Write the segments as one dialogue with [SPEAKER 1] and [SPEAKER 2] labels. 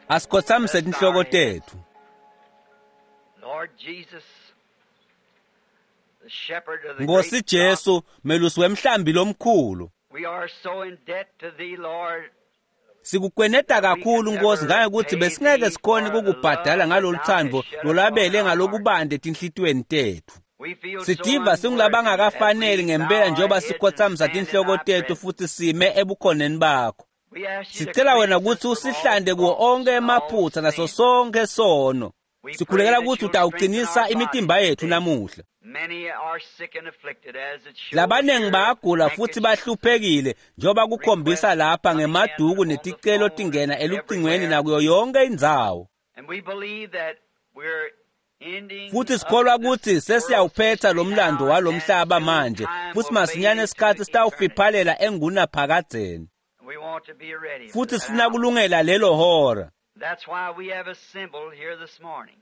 [SPEAKER 1] Asikhothamise tinhloko tetfu.
[SPEAKER 2] Lord Jesus, the shepherd of the
[SPEAKER 1] Nkosi
[SPEAKER 2] great
[SPEAKER 1] Jesu, melusi wemhlambi lomkhulu.
[SPEAKER 2] flock, we are so in debt to thee, Lord.
[SPEAKER 1] Sikukweneta kakhulu Nkosi ngangekuthi besingeke sikhone kukubhadala ngaloluthando lolabele ngalokubande tinhlitiyweni tetfu.
[SPEAKER 2] We feel so
[SPEAKER 1] Sitiva
[SPEAKER 2] unworthy
[SPEAKER 1] singulabangakafaneli
[SPEAKER 2] that we
[SPEAKER 1] ngempela
[SPEAKER 2] bow our
[SPEAKER 1] njengoba
[SPEAKER 2] heads and
[SPEAKER 1] sikhothamisa
[SPEAKER 2] stand in
[SPEAKER 1] tinhloko
[SPEAKER 2] thy
[SPEAKER 1] tetfu
[SPEAKER 2] presence.
[SPEAKER 1] futhi sime ebukhoneni bakho.
[SPEAKER 2] We ask you to
[SPEAKER 1] Sicela wena
[SPEAKER 2] cleanse us
[SPEAKER 1] kutsi
[SPEAKER 2] from all
[SPEAKER 1] usihlande kuwo
[SPEAKER 2] faults
[SPEAKER 1] onke
[SPEAKER 2] and all
[SPEAKER 1] emaphutsa naso
[SPEAKER 2] sin.
[SPEAKER 1] sonke sono.
[SPEAKER 2] We pray
[SPEAKER 1] Sikhulekela
[SPEAKER 2] that
[SPEAKER 1] kutsi
[SPEAKER 2] you'll strengthen
[SPEAKER 1] utawucinisa
[SPEAKER 2] our
[SPEAKER 1] imitimba
[SPEAKER 2] bodies
[SPEAKER 1] yetfu
[SPEAKER 2] today.
[SPEAKER 1] namuhla.
[SPEAKER 2] Many are sick and afflicted as it shows
[SPEAKER 1] Labaningi
[SPEAKER 2] here
[SPEAKER 1] bayagula futhi
[SPEAKER 2] handkerchiefs
[SPEAKER 1] bahluphekile njengoba kukhombisa
[SPEAKER 2] requests
[SPEAKER 1] lapha
[SPEAKER 2] coming in
[SPEAKER 1] ngemaduku
[SPEAKER 2] on the
[SPEAKER 1] neticelo
[SPEAKER 2] phone
[SPEAKER 1] tingena
[SPEAKER 2] and
[SPEAKER 1] elucingweni
[SPEAKER 2] everywhere.
[SPEAKER 1] nakuyo yonke indzawo.
[SPEAKER 2] And we believe that we're ending
[SPEAKER 1] Futhi
[SPEAKER 2] up
[SPEAKER 1] sikholwa
[SPEAKER 2] this
[SPEAKER 1] kutsi
[SPEAKER 2] world's
[SPEAKER 1] sesiyawuphetha
[SPEAKER 2] history
[SPEAKER 1] lo mlando
[SPEAKER 2] now, and
[SPEAKER 1] walomhlaba
[SPEAKER 2] soon
[SPEAKER 1] manje
[SPEAKER 2] time
[SPEAKER 1] futhi
[SPEAKER 2] will fade
[SPEAKER 1] masinyane
[SPEAKER 2] into
[SPEAKER 1] isikhathi
[SPEAKER 2] eternity.
[SPEAKER 1] sitawufiphalela engunaphakadzeni.
[SPEAKER 2] We want to be ready for
[SPEAKER 1] Futhi
[SPEAKER 2] that
[SPEAKER 1] sifuna
[SPEAKER 2] hour.
[SPEAKER 1] kulungela lelo hora.
[SPEAKER 2] That's why we have assembled here this morning,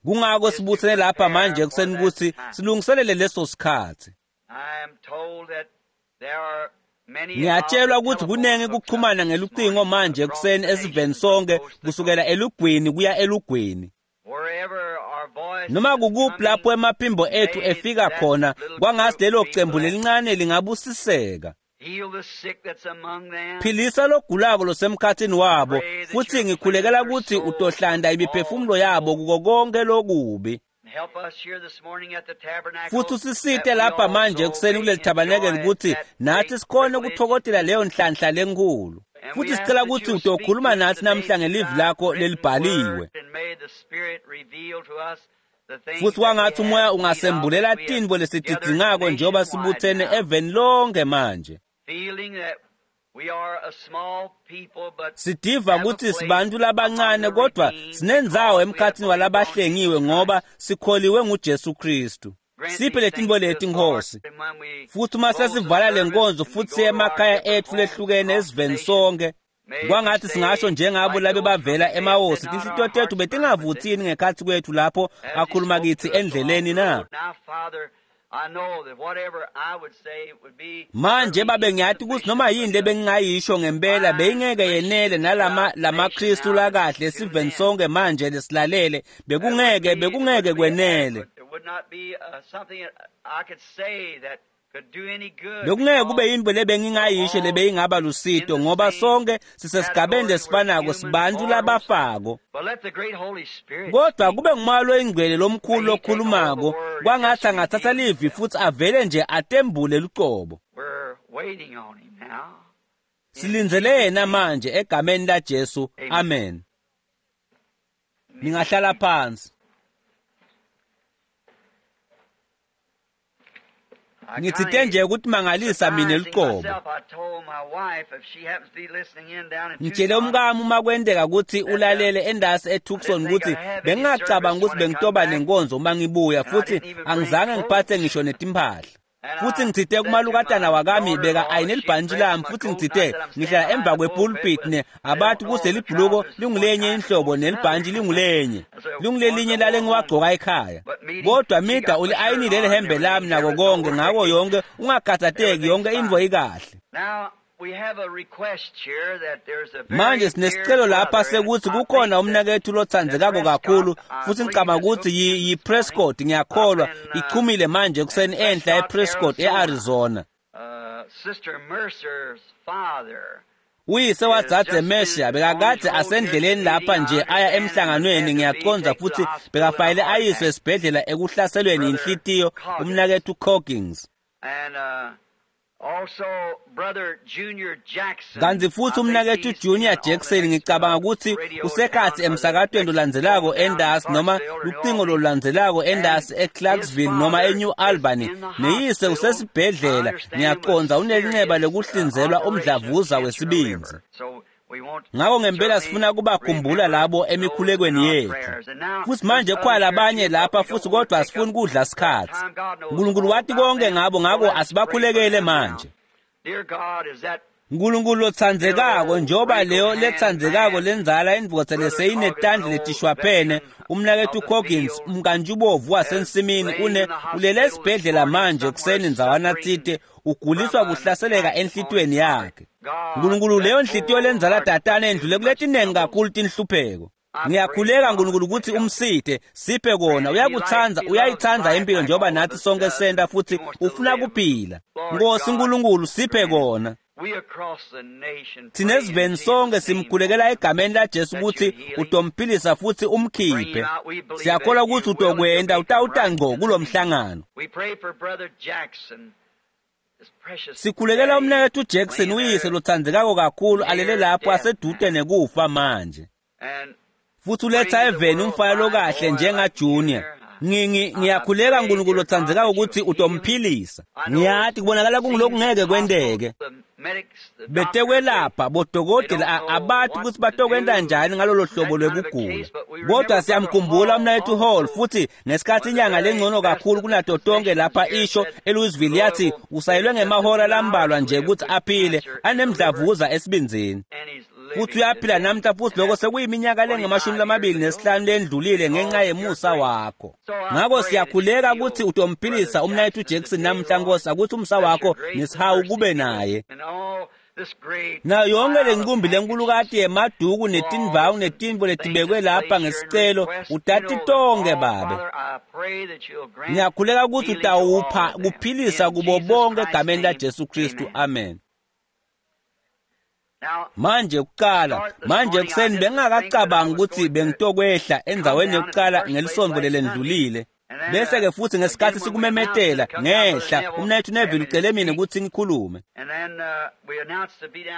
[SPEAKER 1] Kungako
[SPEAKER 2] is to
[SPEAKER 1] sibuthene lapha
[SPEAKER 2] prepare
[SPEAKER 1] manje
[SPEAKER 2] for
[SPEAKER 1] ekuseni
[SPEAKER 2] that
[SPEAKER 1] kutsi
[SPEAKER 2] time.
[SPEAKER 1] silungiselele leso sikhathi.
[SPEAKER 2] I am told that there are many of the
[SPEAKER 1] Ngiyatshelwa ukuthi
[SPEAKER 2] telephones
[SPEAKER 1] kunengi
[SPEAKER 2] hooked up
[SPEAKER 1] kuxhumana
[SPEAKER 2] this
[SPEAKER 1] ngelucingo
[SPEAKER 2] morning
[SPEAKER 1] manje
[SPEAKER 2] across
[SPEAKER 1] ekuseni
[SPEAKER 2] the
[SPEAKER 1] esiveni
[SPEAKER 2] nation from
[SPEAKER 1] sonke
[SPEAKER 2] coast to
[SPEAKER 1] kusukela
[SPEAKER 2] coast.
[SPEAKER 1] elugwini kuya elugwini.
[SPEAKER 2] Wherever our voice
[SPEAKER 1] Noma
[SPEAKER 2] is
[SPEAKER 1] kukuphi lapho
[SPEAKER 2] coming,
[SPEAKER 1] emaphimbo ethu
[SPEAKER 2] may
[SPEAKER 1] efika
[SPEAKER 2] that
[SPEAKER 1] khona
[SPEAKER 2] little
[SPEAKER 1] kwangathi
[SPEAKER 2] group
[SPEAKER 1] lelo
[SPEAKER 2] be
[SPEAKER 1] cembu
[SPEAKER 2] blessed.
[SPEAKER 1] lelincane lingabusiseka.
[SPEAKER 2] Heal the sick that's among them.
[SPEAKER 1] Philisa logulako losemkhatsini wabo
[SPEAKER 2] Pray that
[SPEAKER 1] futhi
[SPEAKER 2] you'll cleanse
[SPEAKER 1] ngikhulekela
[SPEAKER 2] their
[SPEAKER 1] kutsi
[SPEAKER 2] souls from
[SPEAKER 1] utohlanda
[SPEAKER 2] all
[SPEAKER 1] imiphefumulo
[SPEAKER 2] evil.
[SPEAKER 1] yabo kuko konke lokubi.
[SPEAKER 2] Help us here this morning at the tabernacle
[SPEAKER 1] Futhi usisite
[SPEAKER 2] that we
[SPEAKER 1] lapha manje
[SPEAKER 2] also
[SPEAKER 1] ekuseni
[SPEAKER 2] may
[SPEAKER 1] kuleli thabanekeli
[SPEAKER 2] enjoy
[SPEAKER 1] kutsi
[SPEAKER 2] that
[SPEAKER 1] nathi
[SPEAKER 2] great
[SPEAKER 1] sikhone
[SPEAKER 2] privilege.
[SPEAKER 1] ukuthokotela leyo nhlanhla lenkulu.
[SPEAKER 2] And we
[SPEAKER 1] Futhi
[SPEAKER 2] ask
[SPEAKER 1] sicela
[SPEAKER 2] that
[SPEAKER 1] kutsi
[SPEAKER 2] you'll speak
[SPEAKER 1] utokhuluma
[SPEAKER 2] to us
[SPEAKER 1] nathi
[SPEAKER 2] today
[SPEAKER 1] namhla
[SPEAKER 2] through
[SPEAKER 1] ngelivi
[SPEAKER 2] thy
[SPEAKER 1] lakho
[SPEAKER 2] written
[SPEAKER 1] lelibhaliwe.
[SPEAKER 2] word, and may the Spirit reveal to us the things
[SPEAKER 1] Futhi
[SPEAKER 2] that we
[SPEAKER 1] kwangathi umoya
[SPEAKER 2] have need of as
[SPEAKER 1] ungasembulela
[SPEAKER 2] we have
[SPEAKER 1] tintfo
[SPEAKER 2] gathered
[SPEAKER 1] lesitidzingako njengoba
[SPEAKER 2] nationwide
[SPEAKER 1] sibuthene
[SPEAKER 2] now,
[SPEAKER 1] eveni lonke manje.
[SPEAKER 2] feeling that we are a small people but
[SPEAKER 1] Sidiva
[SPEAKER 2] have a
[SPEAKER 1] kutsi
[SPEAKER 2] place
[SPEAKER 1] sibantu
[SPEAKER 2] among
[SPEAKER 1] labancane
[SPEAKER 2] the
[SPEAKER 1] kodwa
[SPEAKER 2] redeemed
[SPEAKER 1] sinendzawo
[SPEAKER 2] because we have
[SPEAKER 1] emkhatsini
[SPEAKER 2] believed on
[SPEAKER 1] walabahlengiwe
[SPEAKER 2] Jesus
[SPEAKER 1] ngoba
[SPEAKER 2] Christ.
[SPEAKER 1] sikholiwe nguJesu Kristu.
[SPEAKER 2] Grant
[SPEAKER 1] Siphe
[SPEAKER 2] these
[SPEAKER 1] letintfo
[SPEAKER 2] things to
[SPEAKER 1] leti
[SPEAKER 2] us, Lord,
[SPEAKER 1] Nkhosi.
[SPEAKER 2] and when we
[SPEAKER 1] Futhi uma
[SPEAKER 2] close the
[SPEAKER 1] sesivala le
[SPEAKER 2] service
[SPEAKER 1] nkonzo
[SPEAKER 2] and we
[SPEAKER 1] futhi
[SPEAKER 2] go
[SPEAKER 1] siye
[SPEAKER 2] to our
[SPEAKER 1] emakhaya
[SPEAKER 2] different
[SPEAKER 1] etfu
[SPEAKER 2] homes
[SPEAKER 1] lehlukene
[SPEAKER 2] across the
[SPEAKER 1] esiveni
[SPEAKER 2] nation,
[SPEAKER 1] sonke
[SPEAKER 2] may we
[SPEAKER 1] kwangathi singasho
[SPEAKER 2] say,
[SPEAKER 1] njengabo
[SPEAKER 2] like
[SPEAKER 1] labe
[SPEAKER 2] those from
[SPEAKER 1] bavela
[SPEAKER 2] the dead, did
[SPEAKER 1] emawosi
[SPEAKER 2] not
[SPEAKER 1] tinhlitiyo
[SPEAKER 2] our
[SPEAKER 1] tetfu
[SPEAKER 2] hearts burn within
[SPEAKER 1] betingavutsini ngekhatsi kwethu lapho
[SPEAKER 2] as he
[SPEAKER 1] akhuluma
[SPEAKER 2] spoke
[SPEAKER 1] kitsi
[SPEAKER 2] to us along
[SPEAKER 1] endleleni
[SPEAKER 2] the
[SPEAKER 1] na?
[SPEAKER 2] road? Now, Father, I know that whatever I would say would be
[SPEAKER 1] Manje
[SPEAKER 2] certainly
[SPEAKER 1] babe ngiyati kutsi noma
[SPEAKER 2] insufficient,
[SPEAKER 1] yini
[SPEAKER 2] but the
[SPEAKER 1] lebengingayisho ngempela
[SPEAKER 2] fine
[SPEAKER 1] beyingeke yenele
[SPEAKER 2] Christians
[SPEAKER 1] nalama
[SPEAKER 2] throughout the nation
[SPEAKER 1] lamaKristu
[SPEAKER 2] now that's
[SPEAKER 1] lakahle
[SPEAKER 2] tuned
[SPEAKER 1] esiveni
[SPEAKER 2] in,
[SPEAKER 1] sonke manje lesilalele
[SPEAKER 2] that wouldn't
[SPEAKER 1] bekungeke
[SPEAKER 2] be, it
[SPEAKER 1] bekungeke
[SPEAKER 2] wouldn't be
[SPEAKER 1] kwenele.
[SPEAKER 2] adequate. It would not be something that I could say that could do any good
[SPEAKER 1] Bekungeke kube
[SPEAKER 2] because
[SPEAKER 1] yintfo
[SPEAKER 2] we're
[SPEAKER 1] lebengingayisho
[SPEAKER 2] all
[SPEAKER 1] lebeyingaba
[SPEAKER 2] in
[SPEAKER 1] lusito
[SPEAKER 2] the
[SPEAKER 1] ngoba
[SPEAKER 2] same
[SPEAKER 1] sonke sisesigabeni
[SPEAKER 2] category. We're
[SPEAKER 1] lesifanako
[SPEAKER 2] human
[SPEAKER 1] sibantu
[SPEAKER 2] mortals.
[SPEAKER 1] labafako.
[SPEAKER 2] But let the great Holy Spirit
[SPEAKER 1] Kodwa
[SPEAKER 2] speak.
[SPEAKER 1] kube ngumoya loyingcwele lomkhulu
[SPEAKER 2] May He take hold of the
[SPEAKER 1] lokhulumako
[SPEAKER 2] word and just
[SPEAKER 1] kwangathi angatsatsa
[SPEAKER 2] reveal
[SPEAKER 1] livi
[SPEAKER 2] Himself.
[SPEAKER 1] futhi avele nje atembule lucobo.
[SPEAKER 2] We're waiting on Him now. In
[SPEAKER 1] Silindzele
[SPEAKER 2] Jesus'
[SPEAKER 1] yena
[SPEAKER 2] name,
[SPEAKER 1] manje egameni laJesu.
[SPEAKER 2] amen.
[SPEAKER 1] Amen. Ningahlala phansi.
[SPEAKER 2] I
[SPEAKER 1] Ngitsite
[SPEAKER 2] kind
[SPEAKER 1] nje
[SPEAKER 2] of
[SPEAKER 1] ukuthi mangalisa mina
[SPEAKER 2] surprising
[SPEAKER 1] lucobo.
[SPEAKER 2] myself. I told my wife, if she happens to be listening in down in
[SPEAKER 1] Ngitshele
[SPEAKER 2] Tucson,
[SPEAKER 1] umkami uma kwenteka kutsi
[SPEAKER 2] that
[SPEAKER 1] ulalele endasi
[SPEAKER 2] I
[SPEAKER 1] eTucson
[SPEAKER 2] didn't think
[SPEAKER 1] kutsi
[SPEAKER 2] I'd have any
[SPEAKER 1] bengingacabanga
[SPEAKER 2] service
[SPEAKER 1] kutsi
[SPEAKER 2] when I come
[SPEAKER 1] bengitoba
[SPEAKER 2] back,
[SPEAKER 1] nenkonzo uma ngibuya
[SPEAKER 2] and I
[SPEAKER 1] futhi
[SPEAKER 2] didn't even bring
[SPEAKER 1] angizange ngiphathe
[SPEAKER 2] clothes.
[SPEAKER 1] ngisho netimpahla.
[SPEAKER 2] And
[SPEAKER 1] Futhi
[SPEAKER 2] I
[SPEAKER 1] ngitsite
[SPEAKER 2] said to
[SPEAKER 1] kumalukatana
[SPEAKER 2] my
[SPEAKER 1] wakami beka
[SPEAKER 2] daughter-in-law,
[SPEAKER 1] ayine
[SPEAKER 2] she
[SPEAKER 1] libhantshi
[SPEAKER 2] pressed
[SPEAKER 1] lami
[SPEAKER 2] my
[SPEAKER 1] futhi
[SPEAKER 2] coat, and I
[SPEAKER 1] ngitsite
[SPEAKER 2] said, I'm
[SPEAKER 1] ngihlala
[SPEAKER 2] standing
[SPEAKER 1] emva
[SPEAKER 2] behind the pulpit,
[SPEAKER 1] kwepulpit
[SPEAKER 2] but
[SPEAKER 1] ne
[SPEAKER 2] they don't
[SPEAKER 1] abathi
[SPEAKER 2] know
[SPEAKER 1] kuse
[SPEAKER 2] the
[SPEAKER 1] libhuluko
[SPEAKER 2] trousers is one
[SPEAKER 1] lingulenye
[SPEAKER 2] kind and the
[SPEAKER 1] inhlobo
[SPEAKER 2] coat's another.
[SPEAKER 1] nelibhantshi lingulenye
[SPEAKER 2] I said, one's
[SPEAKER 1] lingulelinye
[SPEAKER 2] I
[SPEAKER 1] lale
[SPEAKER 2] wore home.
[SPEAKER 1] ngiwagcoka ekhaya.
[SPEAKER 2] But meeting,
[SPEAKER 1] Kodwa
[SPEAKER 2] she
[SPEAKER 1] mida
[SPEAKER 2] got my shirt
[SPEAKER 1] uli-ayinile
[SPEAKER 2] on and
[SPEAKER 1] lelihembe
[SPEAKER 2] everything.
[SPEAKER 1] lami
[SPEAKER 2] There
[SPEAKER 1] nako
[SPEAKER 2] was no
[SPEAKER 1] konke ngako
[SPEAKER 2] worry.
[SPEAKER 1] yonke ungakhathateki
[SPEAKER 2] Everything's
[SPEAKER 1] yonke intfo
[SPEAKER 2] fine.
[SPEAKER 1] ikahle.
[SPEAKER 2] Now, we have a request here that there's a
[SPEAKER 1] Manje
[SPEAKER 2] very dear
[SPEAKER 1] sinesicelo lapha
[SPEAKER 2] brother, and
[SPEAKER 1] sekuthi
[SPEAKER 2] I
[SPEAKER 1] kukhona
[SPEAKER 2] think that
[SPEAKER 1] umnakethu
[SPEAKER 2] that
[SPEAKER 1] lotsandzekako kakhulu
[SPEAKER 2] Prescott, I
[SPEAKER 1] futhi
[SPEAKER 2] believe,
[SPEAKER 1] ngicabanga
[SPEAKER 2] is
[SPEAKER 1] kutsi
[SPEAKER 2] hooked in this morning
[SPEAKER 1] yi-Prescott
[SPEAKER 2] up
[SPEAKER 1] ngiyakholwa
[SPEAKER 2] in
[SPEAKER 1] ichumile manje ekuseni enhla
[SPEAKER 2] Prescott,
[SPEAKER 1] ePrescott
[SPEAKER 2] Arizona.
[SPEAKER 1] e-Arizona.
[SPEAKER 2] Sister Mercer's father
[SPEAKER 1] Uyise
[SPEAKER 2] is
[SPEAKER 1] wadzadze
[SPEAKER 2] just
[SPEAKER 1] Mesha
[SPEAKER 2] been on his
[SPEAKER 1] bekakadze
[SPEAKER 2] road here to the
[SPEAKER 1] asendleleni
[SPEAKER 2] meeting,
[SPEAKER 1] lapha
[SPEAKER 2] I
[SPEAKER 1] nje aya
[SPEAKER 2] understand, and has
[SPEAKER 1] emhlanganweni
[SPEAKER 2] had to be
[SPEAKER 1] ngiyacondza
[SPEAKER 2] taken to the
[SPEAKER 1] futhi
[SPEAKER 2] hospital in a
[SPEAKER 1] bekafanele
[SPEAKER 2] heart
[SPEAKER 1] ayiswe
[SPEAKER 2] attack.
[SPEAKER 1] esibhedlela ekuhlaselweni
[SPEAKER 2] Brother
[SPEAKER 1] yinhlitiyo
[SPEAKER 2] Coggins.
[SPEAKER 1] umnakethu Coggins.
[SPEAKER 2] And also Brother Junior Jackson,
[SPEAKER 1] Kanti
[SPEAKER 2] I
[SPEAKER 1] futhi
[SPEAKER 2] think
[SPEAKER 1] umnakethu
[SPEAKER 2] he's
[SPEAKER 1] Junior
[SPEAKER 2] in on the
[SPEAKER 1] Jackson
[SPEAKER 2] next
[SPEAKER 1] ngicabanga kutsi
[SPEAKER 2] radio down
[SPEAKER 1] usekhatsi
[SPEAKER 2] or the
[SPEAKER 1] emsakatweni
[SPEAKER 2] next
[SPEAKER 1] lolandzelako
[SPEAKER 2] phone down in
[SPEAKER 1] endasi noma
[SPEAKER 2] Clarksville or New
[SPEAKER 1] lucingo
[SPEAKER 2] Albany.
[SPEAKER 1] lolulandzelako
[SPEAKER 2] And
[SPEAKER 1] endasi
[SPEAKER 2] his
[SPEAKER 1] eClarksville noma
[SPEAKER 2] father
[SPEAKER 1] eNew
[SPEAKER 2] is
[SPEAKER 1] Albany
[SPEAKER 2] in the
[SPEAKER 1] neyise
[SPEAKER 2] hospital, I
[SPEAKER 1] usesibhedlela
[SPEAKER 2] understand, with
[SPEAKER 1] ngiyacondza unelinxeba
[SPEAKER 2] serious
[SPEAKER 1] lekuhlinzelwa
[SPEAKER 2] operation of
[SPEAKER 1] umdlavuza
[SPEAKER 2] cancer of
[SPEAKER 1] wesibindzi.
[SPEAKER 2] liver. So we want
[SPEAKER 1] Ngako ngempela
[SPEAKER 2] certainly
[SPEAKER 1] sifuna kubakhumbula
[SPEAKER 2] remember
[SPEAKER 1] labo
[SPEAKER 2] those in
[SPEAKER 1] emikhulekweni
[SPEAKER 2] our
[SPEAKER 1] yethu.
[SPEAKER 2] prayers. And now
[SPEAKER 1] Futhi
[SPEAKER 2] there's
[SPEAKER 1] manje
[SPEAKER 2] others
[SPEAKER 1] khona
[SPEAKER 2] here
[SPEAKER 1] labanye
[SPEAKER 2] too, but
[SPEAKER 1] lapha
[SPEAKER 2] we
[SPEAKER 1] futhi
[SPEAKER 2] don't want to
[SPEAKER 1] kodwa
[SPEAKER 2] take
[SPEAKER 1] asifuni
[SPEAKER 2] up
[SPEAKER 1] kudla
[SPEAKER 2] the
[SPEAKER 1] sikhatsi.
[SPEAKER 2] time. God knows
[SPEAKER 1] uNkulunkulu
[SPEAKER 2] all
[SPEAKER 1] wati
[SPEAKER 2] about
[SPEAKER 1] konke
[SPEAKER 2] them.
[SPEAKER 1] ngabo
[SPEAKER 2] So
[SPEAKER 1] ngako
[SPEAKER 2] let us pray for
[SPEAKER 1] asibakhulekele
[SPEAKER 2] them now.
[SPEAKER 1] manje.
[SPEAKER 2] Dear God, is that
[SPEAKER 1] uNkulunkulu
[SPEAKER 2] dear
[SPEAKER 1] lotsandzekako
[SPEAKER 2] old
[SPEAKER 1] njengoba
[SPEAKER 2] wrinkled
[SPEAKER 1] leyo
[SPEAKER 2] hand
[SPEAKER 1] letsandzekako
[SPEAKER 2] man,
[SPEAKER 1] lenzala indvodza
[SPEAKER 2] Brother Coggins, an
[SPEAKER 1] leseyinetandla
[SPEAKER 2] old
[SPEAKER 1] letishwaphene
[SPEAKER 2] veteran of
[SPEAKER 1] umnakethu
[SPEAKER 2] the
[SPEAKER 1] Coggins
[SPEAKER 2] field,
[SPEAKER 1] umkantshubovu
[SPEAKER 2] is
[SPEAKER 1] wasensimini
[SPEAKER 2] laying
[SPEAKER 1] une
[SPEAKER 2] in the
[SPEAKER 1] ulele
[SPEAKER 2] hospital this
[SPEAKER 1] esibhedlela
[SPEAKER 2] morning
[SPEAKER 1] manje
[SPEAKER 2] somewhere
[SPEAKER 1] ekuseni ndzawana
[SPEAKER 2] suffering
[SPEAKER 1] tsite Uguliswa kuhlaseleka enhlitiyweni yakhe. Nkulunkulu, leyo nhliziyo lenzala tatane endlule kuletinengi kakhulu tinhlupheko. Ngiyakhuleka Nkulunkulu ukuthi umsite, siphe kona. Uyakuthanda, uyayithanda impilo njengoba nathi sonke senta, futhi ufuna kuphila. Nkosi Nkulunkulu, siphe kona. Thina esiveni sonke simkhulekela egameni laJesu ukuthi utomphilisa futhi umkhiphe. Siyakholwa ukuthi utokwenta, utawuta ngco kulomhlangano. Sikhulekela umnaketfu Jackson, uyise lotsandzekako kakhulu, alele lapho asedude nekufa manje. Futhi uletha eveni umfana lokahle njenga Junior. Ngiyakhuleka Nkulunkulu lotsandzekako ukuthi utomphilisa. Ngiyati kubonakala kungilokungeke kwenteke. Betekwelapha bodokotela abati ukuthi batokwenta njani ngalolo hlobo lwekugula. Kodwa siyamkhumbula umnaketfu Hall, futhi ngesikhathi inyanga lengcono kakhulu kunato tonke lapha isho eLouisville yathi usayelwe ngemahora lambalwa nje ukuthi aphile, anemdlavuza esibindzini. Futhi uyaphila namhla, futhi lokho sekuyiminyaka lengamashumi 25 lendlulile ngenxa yemusa wakho. Ngakho siyakhuleka ukuthi utomphilisa umnaketfu Jackson namhla, Nkosi, ukuthi umsa wakho nesihawu kube naye. Nayo yonke lenqumbi lenkulukati yemaduku netindvangu netintfo letibekwe lapha ngesicelo, utati tonke Babe. Ngiyakhuleka ukuthi utawupha kuphilisa kubo bonke egameni laJesu Kristu. Amen. Manje kuqala, manje ekuseni bengingakacabangi ukuthi bengitokwehla endzaweni yokuqala ngelisonto lelendlulile. Bese-ke futhi ngesikhathi sikumemetela ngehla, umnaketfu Neville ucele mina ukuthi ngikhulume.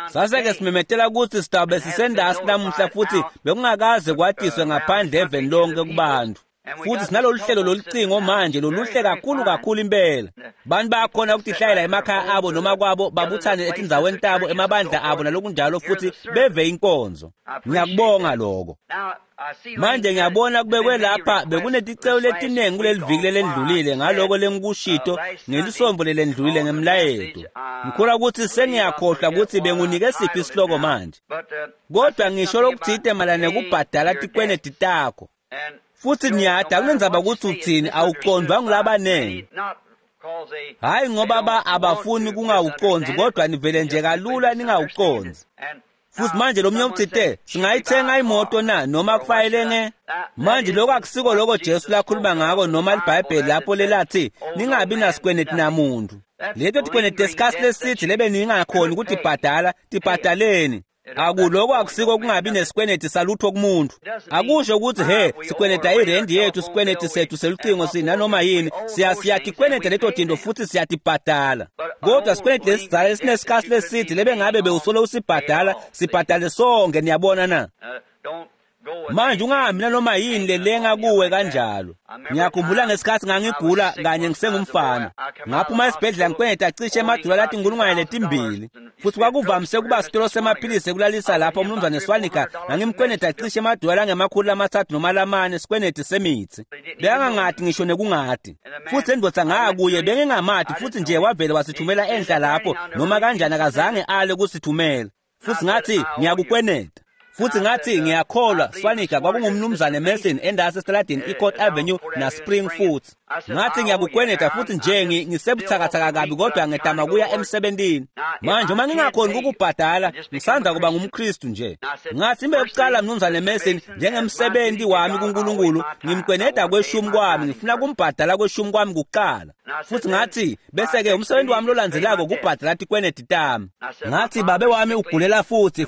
[SPEAKER 1] Sase-ke simemetela ukuthi sitawube sisendasi namuhla, futhi bekungakaze kwatiswe ngaphandle eveni lonke kubantu. Futhi sinalolu hlelo lolucingo manje loluhle kakhulu kakhulu impela. Bantu bayakhona ukutihlayela emakhaya abo noma kwabo, babuthane etindzaweni tabo, emabandla abo nalokunjalo, futhi beve inkonzo. Ngiyakubonga lokho. Manje ngiyabona kubekwe lapha bekuneticelo letiningi kuleli viki lelendlulile ngaloko lengikushito ngelisonto lelendlulile ngemlayeto. Ngikholwa ukuthi sengiyakhohlwa ukuthi bengunike siphi isihloko manje. Kodwa ngisho lokuthite mayelana nekubhadala tikweneti takho. Futhi niyada akunendzaba ukuthi uthini, awucondvwa ngulabanengi. Hhayi ngoba abafuni kungawucondzi, kodwa nivele nje kalula ningawucondzi. Futhi manje lo mnye uthite singayithenga imoto na noma kufanele nge manje lokho akusiko lokho Jesu lakhuluma ngako noma iBhayibheli lapho lelathi ningabi nasikweneti namuntu. Leto tikweneti esikhathi lesithi lebe ningakhoni ukuthi ibhadala, tibhadaleni. Akuloko akusiko kungabi nesikweneti salutho kumuntu. Akusho ukuthi he sikweneta irendi yethu, sikweneti sethu selucingo sinanoma yini, siyatikweneta leto tinto futhi siyatibhadala. Kodwa sikweneti lesidzala lesinesikhathi lesithi lebe ngabe bewusolo usibhadala, sibhadale sonke, niyabona na? Manje ungahambi nanoma yini lelenga kuwe kanjalo. Ngiyakhumbula ngesikhathi ngangigula kanye ngisengumfana. Ngaphuma esibhedlela ngikweneta cishe emadola lathi 2,000. Futhi kwakuvamise kuba sitolo semaphilisi ekulalisa lapho umnumzane Swanika, ngangimkweneta cishe emadola angemakhulu 3 noma 4 sikweneti semithi. Bekangangati ngisho nekungati. Futhi endvodza ngakuye bengingamati, futhi nje wavele wasithumela enhla lapho noma kanjani akazange ale kusithumela. Futhi ngathi ngiyakukweneta. Futhi ngathi ngiyakholwa Swanika kwakungumnumzane Mason endasi esitaladini iCourt Avenue na Spring futhi. Ngathi ngiyakukweneta futhi nje ngisebuthakathaka kabi kodwa ngedama kuya emsebentini. Manje uma ngingakhoni ukubhadala ngisanda kuba ngumKristu nje. Ngathi imbe yokuqala mnumzane Mason njengemsebenzi wami kuNkulunkulu ngimkweneta kweshumi kwami, ngifuna kumbhadala kweshumi kwami kuqala. Futhi ngathi bese ke umsebenzi wami lolandzelako kubhadala tikweneti tami. Ngathi babe wami ugulela futhi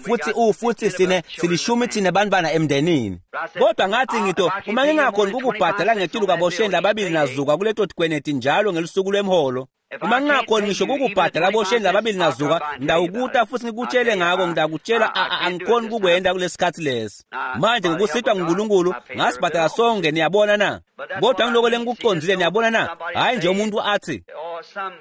[SPEAKER 1] futhi sine silishumi thina bantwana emndenini. Kodwa ngathi ngito uma ngingakhoni ukubhadala ngetulu kabosheni lababili nazuka kuleto tikweneti njalo ngelusuku lwemholo. Uma ngingakhoni ngisho ukubhadala bosheni lababili nazuka, ngidawukuta futhi ngikutshele ngako, ngidakutshela angikhoni ukukwenda kulesikhathi lesi. Manje ngokusitwa nguNkulunkulu ngasibhadala sonke, niyabona na? Kodwa ngiloko lengikucondzile, niyabona na? Hhayi nje umuntu athi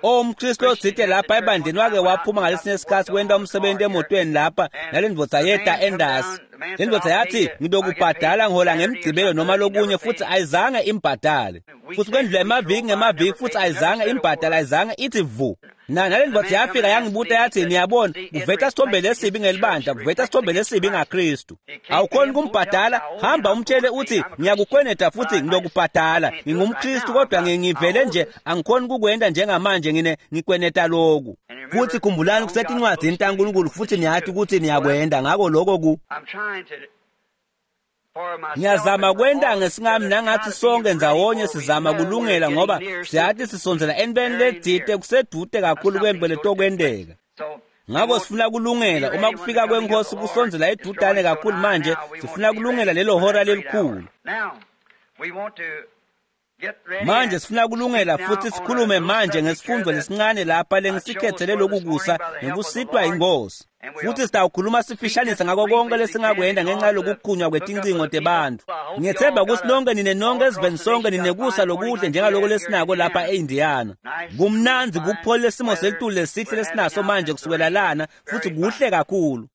[SPEAKER 1] umKristu othite lapha ebandleni wake waphuma ngalesinye isikhathi wenta umsebenzi emotweni lapha nale ndvodza yeta endasi. Le ndvodza yathi ngidokubhadala ngihola ngemgcibelo noma lokunye, futhi ayizange imbhadale. Futhi kwendlula emaviki ngemaviki futhi ayizange imbhadale, ayizange ithi vu. Nale ndvodza yafika yangibuta yathi, niyabona, kuveta sithombe lesibi ngelibandla, kuveta sithombe lesibi ngaKristu. Awukhoni kumbhadala, hamba umtshele uthi ngiyakukweneta futhi ngilokubhadala. NgingumKristu kodwa ngivele nje angikhoni kukwenda njengamanje, ngikweneta loku. Futhi khumbulani kusetincwadzini taNkulunkulu futhi niyathi ukuthi niyakwenda ngako lokho ku. Ngiyazama kwenta ngesingami nangathi sonke ndzawonye sizama kulungela ngoba siyathi sisondzela entweni ledzite kusedude kakhulu kwento letokwenteka. Ngako sifuna kulungela uma kufika kwenkosi kusondzela edudane kakhulu manje, sifuna kulungela lelo hora lelikhulu. Manje sifuna kulungela futhi sikhulume manje ngesifundo lesincane lapha lengisikhethele lokhu kusa ngekusitwa inkosi. Futhi sitawukhuluma sifishanise ngako konke lesingakwenda ngenxa yokukhunywa kwetincingo tebantfu. Ngiyethemba ukuthi nonke nine nonke esiveni sonke ninekusa lokuhle njengaloko lesinako lapha e-Indiana. Kumnandzi kupholile lesimo selitulu lesihle lesinaso manje kusukela lana futhi kuhle kakhulu.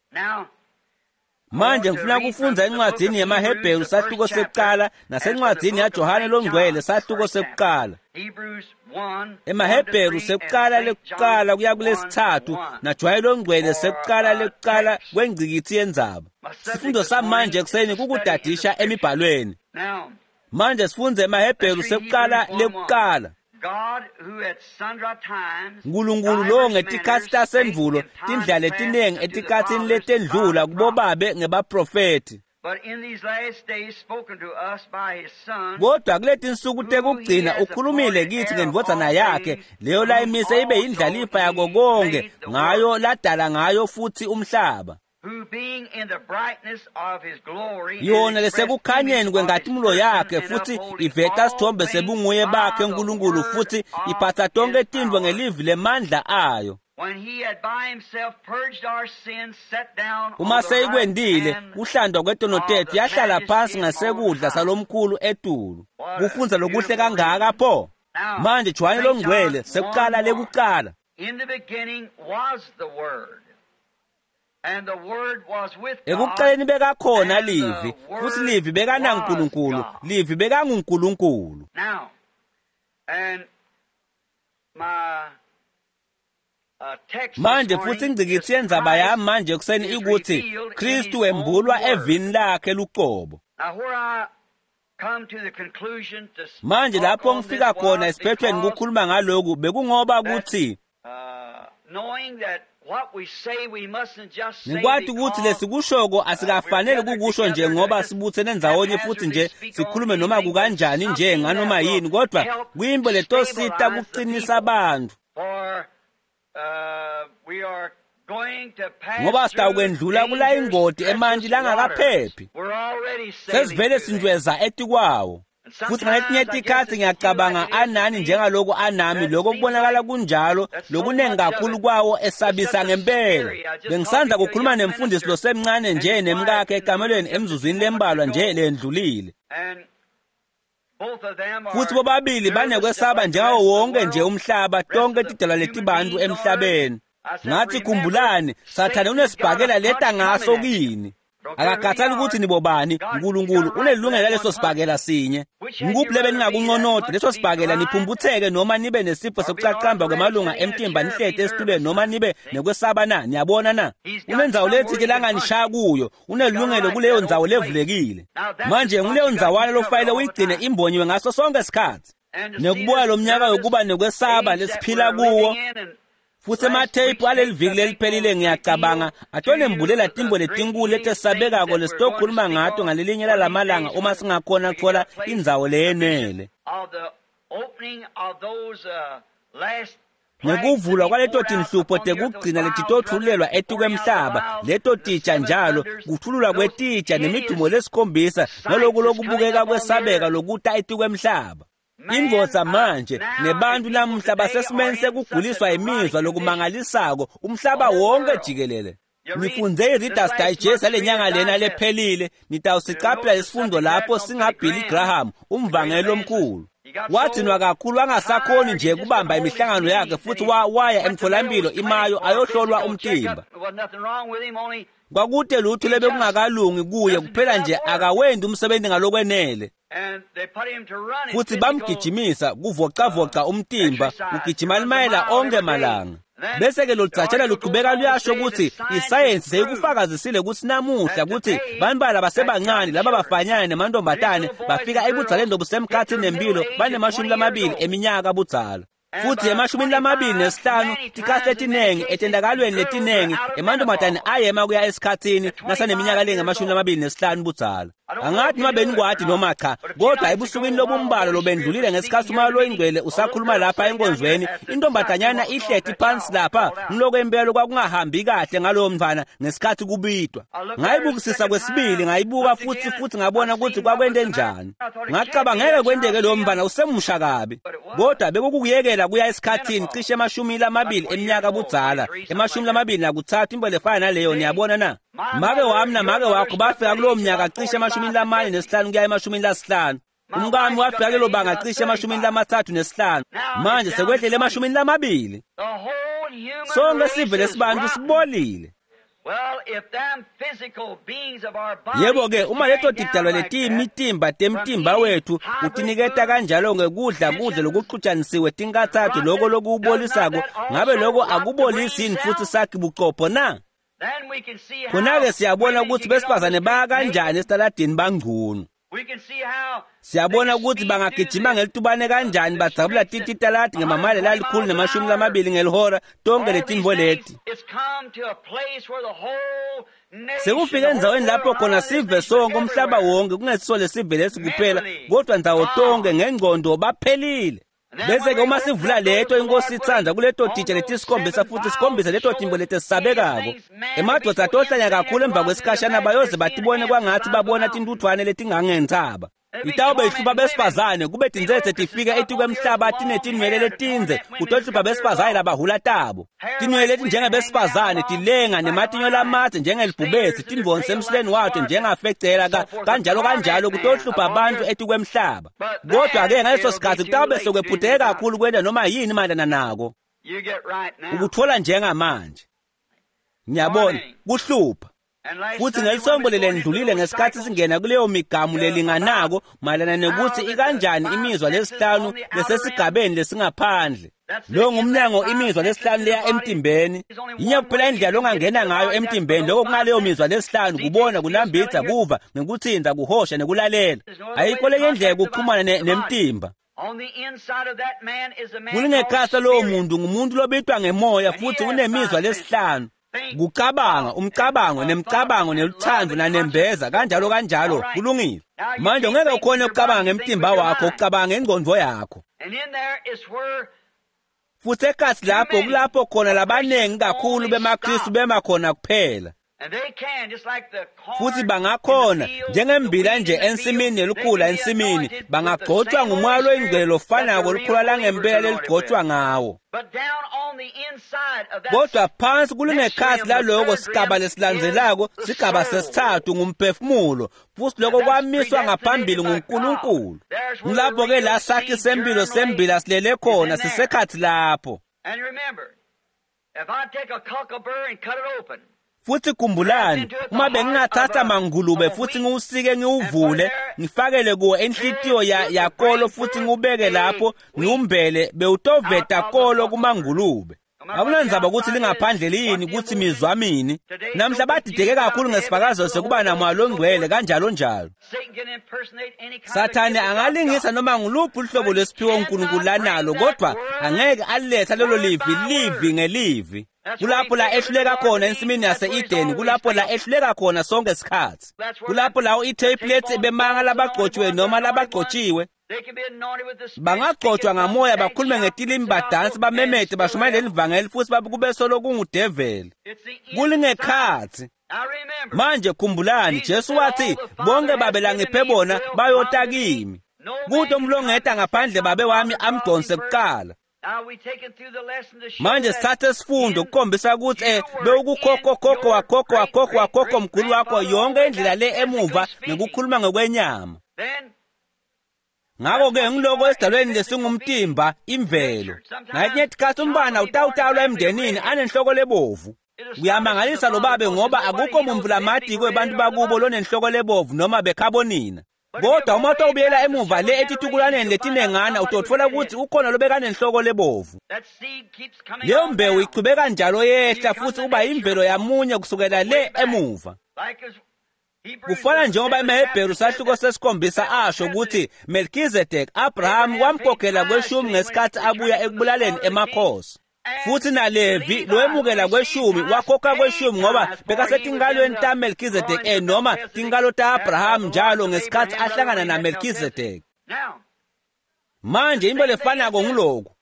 [SPEAKER 1] Manje ngifuna kufundza encwadzini yemaHebheru sahluko sekuqala nasencwadzini yaJohane longcwele sahluko sekuqala. EmaHebheru sekuqala lekuqala kuya kulesithathu naJohane longcwele sekuqala lekuqala kwengcikitsi yendzaba. Sifundo samanje ekuseni kukudadisha emibhalweni. Manje sifundze emaHebheru sekuqala lekuqala. Nkulunkulu lo ngetikhatsi tasendvulo tindlela letinengi etikhatsini letendlula kubobabe ngebaprofethi. Kodwa kuletinsuku tekugcina ukhulumile kithi ngendvodzana yakhe leyo layimise ibe yindlalifa yako konke ngayo ladala ngayo futhi umhlaba. Yona lesekukhanyeni kwenkatimlo yakhe futhi iveta sithombe sebunguye bakhe uNkulunkulu futhi iphatha tonke tintfo ngelivi lemandla ayo. Uma seyikwendile kuhlandwa kwetono tetfu yahlala phansi ngasekudla salomkhulu etulu. Kufundza lokuhle kangaka pho. Manje Johane longcwele sekuqala lekuqala. Ekuqaleni bekakhona livi, futhi livi bekanaNkulunkulu, livi bekanguNkulunkulu. Manje futhi ingcikitsi yendzaba yami manje ekuseni ikuthi Kristu wembulwa evini lakhe luqobo. Manje lapho ngifika khona esiphethweni kukhuluma ngaloku bekungoba ukuthi ngikwati ukuthi lesikushoko asikafanele kukusho nje ngoba sibuthene ndzawonye futhi nje sikhulume noma kukanjani nje nganoma yini, kodwa kuyimbo letosita kuqinisa abantu. Ngoba sitawukwendlula kula ingodi emanti langakaphephi. Sesivele sintweza etikwawo. Futhi ngaletinye tikhatsi ngiyacabanga anani njengaloku anami, lokho kubonakala kunjalo lokunengi kakhulu kwawo esabisa ngempela. Bengisandza kukhuluma nemfundisi losemncane nje nemkakhe ekamelweni emzuzwini lembalwa nje lendlulile. Futhi bobabili banekwesaba njengawo wonke nje umhlaba, tonke tidalwa letibantu emhlabeni. Ngathi khumbulani, Sathane unesibhakela leta ngaso kini. Akakhathali ukuthi nibobani, uNkulunkulu unelungelo leso sibhakela sinye. Ngikuphi lebe ningakunconoda leso sibhakela niphumputheke noma nibe nesifo sokucacamba kwemalunga emtimba nihlete esitulweni noma nibe nekwesaba na? Niyabona na? Unendzawo letsite langanishaya kuyo, unelungelo kuleyo ndzawo levulekile. Manje nguleyo ndzawana lofanele uyigcine imbonyiwe ngaso sonke isikhatsi. Nekubuka lo mnyaka yokuba nekwesaba lesiphila kuwo. Futhi ematheyiphu aleli viki leliphelile ngiyacabanga atonembulela timbo letinkulu letesabekako lesitokhuluma ngato ngalelinye lalamalanga uma singakhona kutfola indzawo leyenele. Ngekuvulwa kwaleto tinhlupho tekugcina letitotfululelwa etikwemhlaba, leto titsha njalo kutfululwa kwetitsha nemidumo lesikhombisa naloku lokubukeka kwesabeka lokuta etikwemhlaba. Indvodza manje nebantu namuhla basesimeni sekuguliswa imizwa lokumangalisako umhlaba wonke jikelele. Nifunze i-Reader's Digest yalenyanga lena lephelile, nitawusicaphela lesifundo lapho singaBilly Graham, umvangeli omkhulu. Wadzinwa kakhulu wangasakhoni nje kubamba imihlangano yakhe futhi waya emtholampilo iMayo ayohlolwa umtimba. Kwakute lutho lebekungakalungi kuye, kuphela nje akawendi umsebenzi ngalokwenele. Futhi bamgijimisa kuvocavoca umtimba, ugijima limayela onke malanga. Bese-ke loludzatshela luqhubeka luyasho ukuthi isayensi seyikufakazisile ukuthi namuhla ukuthi bantwana basebancane laba bafanyana nemantombazane bafika ebudzaleni lobusemkhathini nempilo banema-20 eminyaka budzala. Futhi ema-25 tikhathi letiningi etendakalweni letiningi emantombazane ayema kuya esikhathini nasaneminyaka lengama-25 budzala. Angathi noma benikwadi noma cha, kodwa ebusukwini lobumbalwa lobendlulile ngesikhathi uMoya loyiNgcwele usakhuluma lapha enkonzweni, intombazanyana ihleti phansi lapha ngiloko impela kwakungahambi kahle ngalowo mntwana ngesikhathi kubitwa. Ngayibukisisa kwesibili, ngayibuka futhi ngabona ukuthi kwakwente njani. Ngacabanga ngeke kwenteke lowo mntwana usemusha kabi, kodwa bekukuyekela kuya esikhathini cishe 20 eminyaka budzala, 23 into lefana naleyo. Niyabona na? Make wami namake wakho bafika kulowo mnyaka cishe 45 kuya 50. Umkami wafika kulelo banga cishe 35. Manje sekwehlele 20. Sonke sive lesibantu sibolile. Yebo-ke, uma leto tidalwa letiyimitimba temtimba wethu utiniketa kanjalo ngekudla kudla lokuxutshanisiwe tinkathathu loko lokuwubolisako, ngabe loko akubolisi yini futhi sakhi bucopho na? Khona-ke siyabona ukuthi besifazane baya kanjani esitaladini bangcono. Siyabona ukuthi bangagijima ngelitubane kanjani badzabula tititaladi ngemamayela 120 ngelihora tonke letinvo leti. Sekufike endzaweni lapho khona sive sonke umhlaba wonke kungesiso lesive lesi kuphela kodwa ndzawo tonke ngengcondo baphelile. Bese-ke uma sivula leto inkosi itsandza kuleto titsha letisikhombisa futhi sikhombise leto timbo letesabekako. Emadvodza atohlanya kakhulu emva kwesikhashana bayoze batibone kwangathi babona tintuthwane letingangentsaba. Itawube ihlupha besifazane kube tintsetse tifika etikwemhlaba tinetinwele letindze kutohlupha besifazane labahula tabo. Tinwele letinjengebesifazane tilenga nematinyo lamadze njengelibhubesi tindvonsi emsileni wato njengafecela kanjalo kanjalo kutohlupha abantu etikwemhlaba. Kodwa-ke ngaleso sikhathi kutawube sekwephuteke kakhulu kwenta noma yini mayelana nako. Ukuthola njengamanje. Ngiyabona kuhlupha. Futhi ngelisonto lelendlulile ngesikhathi singena kuleyo migamu lelinganako mayelana nekuthi ikanjani imizwa lesihlanu lesesigabeni lesingaphandle. Lo ngumnyango imizwa lesihlanu leya emtimbeni. Yinye kuphela indlela ongangena ngayo emtimbeni, lokho kungaleyo mizwa lesihlanu: kubona, kunambitha, kuva, ngekuthinta, kuhosha nekulalela. Ayikho lenye indlela yokuxhumana nemtimba. Kulingekhasa lowo muntu ngumuntu lobitwa ngemoya futhi unemizwa lesihlanu. Kucabanga, umcabango, nemcabango, neluthando, nanembeza, kanjalo kanjalo. Kulungile. Manje ungeke ukhone ukucabanga ngemtimba wakho, ucabanga ngengqondo yakho. Futhi ekhathi lapho kulapho khona labaningi kakhulu bemaKristu bema khona kuphela. Futhi bangakhona njengembila nje ensimini nelikhula ensimini, bangagcotshwa ngumoya loyingcwele lofanako olukhula langempela leligcotshwa ngawo. Kodwa phansi kulingekhasi laloko sigaba lesilandzelako, sigaba sesithathu ngumphefumulo, futhi lokho kwamiswa ngaphambili nguNkulunkulu. Ngilapho-ke la sakhi sempilo sembila silele khona, sisekhathi lapho. Futhi khumbulani, uma bengingathatha mangulube futhi ngiwusike ngiwuvule, ngifakele kuwo enhlitiyo yakolo futhi ngiwubeke lapho ngiwumbele, bewutoveta kolo kumangulube. Akunandzaba ukuthi lingaphandle liyini, ukuthi mizwa mini. Namhla badideke kakhulu ngesifakazo sekuba namoya longcwele kanjalo njalo. Sathane angalingisa noma nguluphi uhlobo lwesiphiwo uNkulunkulu lanalo, kodwa angeke aliletha lelo livi livi ngelivi. Kulapho la ehluleka khona ensimini yase-Edeni, kulapho la ehluleka khona sonke isikhathi. Kulapho la i-tape lethi bemanga labagcotshiwe noma labagcotshiwe. Bangagcotshwa ngamoya, bakhulume ngetilimi, badansi, bamemete, bashumayele livangeli futhi kube solo kungudeveli. Kulingekhathi. Manje khumbulani, Jesu wathi bonke babe langiphe bona bayota kimi. Kude umlongeta ngaphandle babe wami amdonse kuqala. Manje sithathe isifundo ukukhombisa ukuthi bewukukhokho khokho wakhokho wakhokho wakhokho mkhulu wakho yonke indlela le emuva ngekukhuluma ngokwenyama. Ngakho-ke ngiloko esidalweni lesingumtimba imvelo. Ngalinye isikhathi umntwana utawutalwa emndenini anenhloko lebovu. Kuyamangalisa lo babe ngoba akukho muntu lamadiko ebantu bakubo lonenhloko lebovu noma bekhabonina. Kodwa uma utawubuyela emuva le etitukulwaneni letinengana utotfola ukuthi ukhona lobekanenhloko lebovu. Leyo mbewu ichubeka njalo yehla futhi uba imvelo yamunye kusukela le emuva. Kufana njengoba emaHebheru sahluko sesikhombisa asho ukuthi Melchizedek Abraham wamkhokhela kweshumi ngesikhathi abuya ekubulaleni emakhosi. Futhi naLevi lowemukela kweshumi wakhokha kweshumi ngoba bekasetinkalweni taMelchizedek noma tinkalo ta-Abraham njalo ngesikhathi ahlangana naMelchizedek. Manje into lefanako nguloku.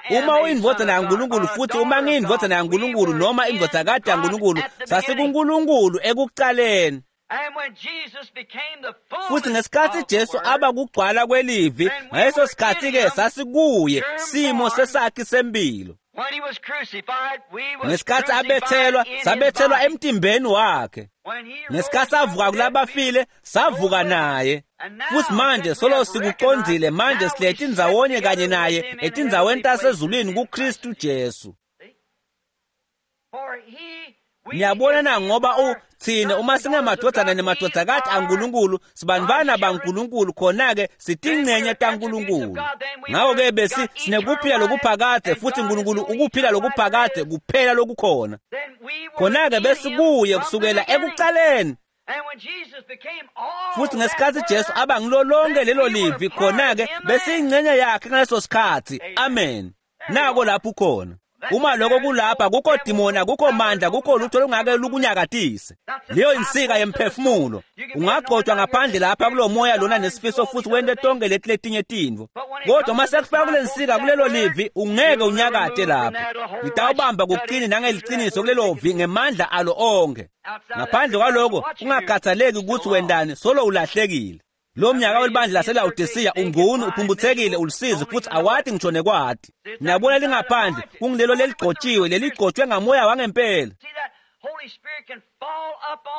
[SPEAKER 1] Uma uyindvodzana yaNkulunkulu futhi uma ngiyindvodzana yaNkulunkulu noma indvodzakati yaNkulunkulu, sasikuNkulunkulu ekucaleni. Futhi ngesikhathi Jesu aba kugcwala kwelivi, ngaleso sikhathi-ke sasikuye simo sesakhi sempilo. Ngesikhathi abethelwa, sabethelwa emtimbeni wakhe. Ngesikhathi avuka kulabafile, savuka naye. Futhi manje solo sikuqondzile, manje silethe indzawonye kanye naye etindzaweni tasezulwini kuKristu Jesu. Niyabona na ngoba thina uma singemadvodzana nemadvodzakati aNkulunkulu sibantwana baNkulunkulu, khona-ke sitingcenye taNkulunkulu. Ngakho-ke besi sinekuphila lokuphakadze futhi uNkulunkulu ukuphila lokuphakadze kuphela lokukhona. Khona-ke besikuye kusukela ekucaleni. Futhi ngesikhathi Jesu aba ngilo lonke lelo livi, khona-ke besiyingcenye yakhe ngaleso sikhathi. Amen. Nako lapho ukhona. Uma lokho kulapha, kukho dimoni, kukho mandla, kukho lutho olungake lukunyakatise. Leyo insika yemphefumulo. Ungagcotshwa ngaphandle lapha kulo moya lona nesifiso futhi wente tonke leti letinye tintfo. Kodwa uma sekufika kule nsika kulelo livi, ungeke unyakate lapho. Litawubamba kuqine nangeliciniso kulelo vi ngemandla alo onke. Ngaphandle kwaloko, ungakhathaleki ukuthi wendani, solo ulahlekile. Lo mnyaka welibandla laseLawodisiya ungunu, uphumputhekile, ulusizi futhi awati ngisho nekwati. Niyabona lingaphandle kungilelo leligcotshiwe, leligcotshwe ngamoya wangempela.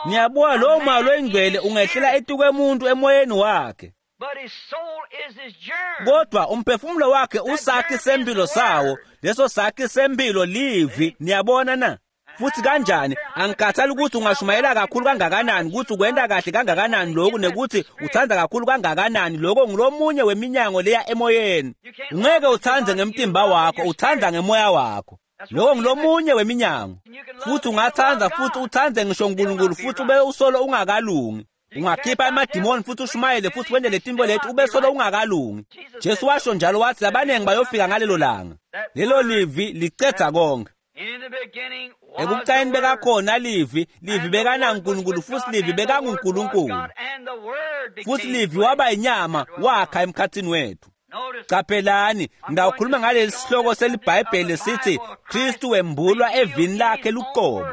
[SPEAKER 1] Niyabona lowo moya loyingcwele ungehlela etukwemuntu emoyeni wakhe. Kodwa umphefumulo wakhe usakhi sempilo sawo, leso sakhi sempilo livi. Niyabona na? Futhi kanjani angikhathali ukuthi ungashumayela kakhulu kangakanani, ukuthi ukwenta kahle kangakanani lokhu, nekuthi uthanda kakhulu kangakanani lokho, ngulomunye weminyango leya emoyeni. Ungeke uthande ngemtimba wakho, uthanda ngemoya wakho. Lokho ngulomunye weminyango. Futhi ungathanda futhi uthande ngisho uNkulunkulu futhi ube usolo ungakalungi. Ungakhipha amadimoni futhi ushumayele futhi wente letinto leti ube solo ungakalungi. Jesu washo njalo wathi abaningi bayofika ngalelo langa. Lelo livi licedza konke. Ekucaleni bekakhona livi, livi bekanaNkulunkulu futhi livi bekanguNkulunkulu. Futhi livi waba inyama wakha emkhathini wethu. Qaphelani, ngawukhuluma ngaleli sihloko seliBhayibheli sithi Kristu wembulwa evini lakhe luqobo.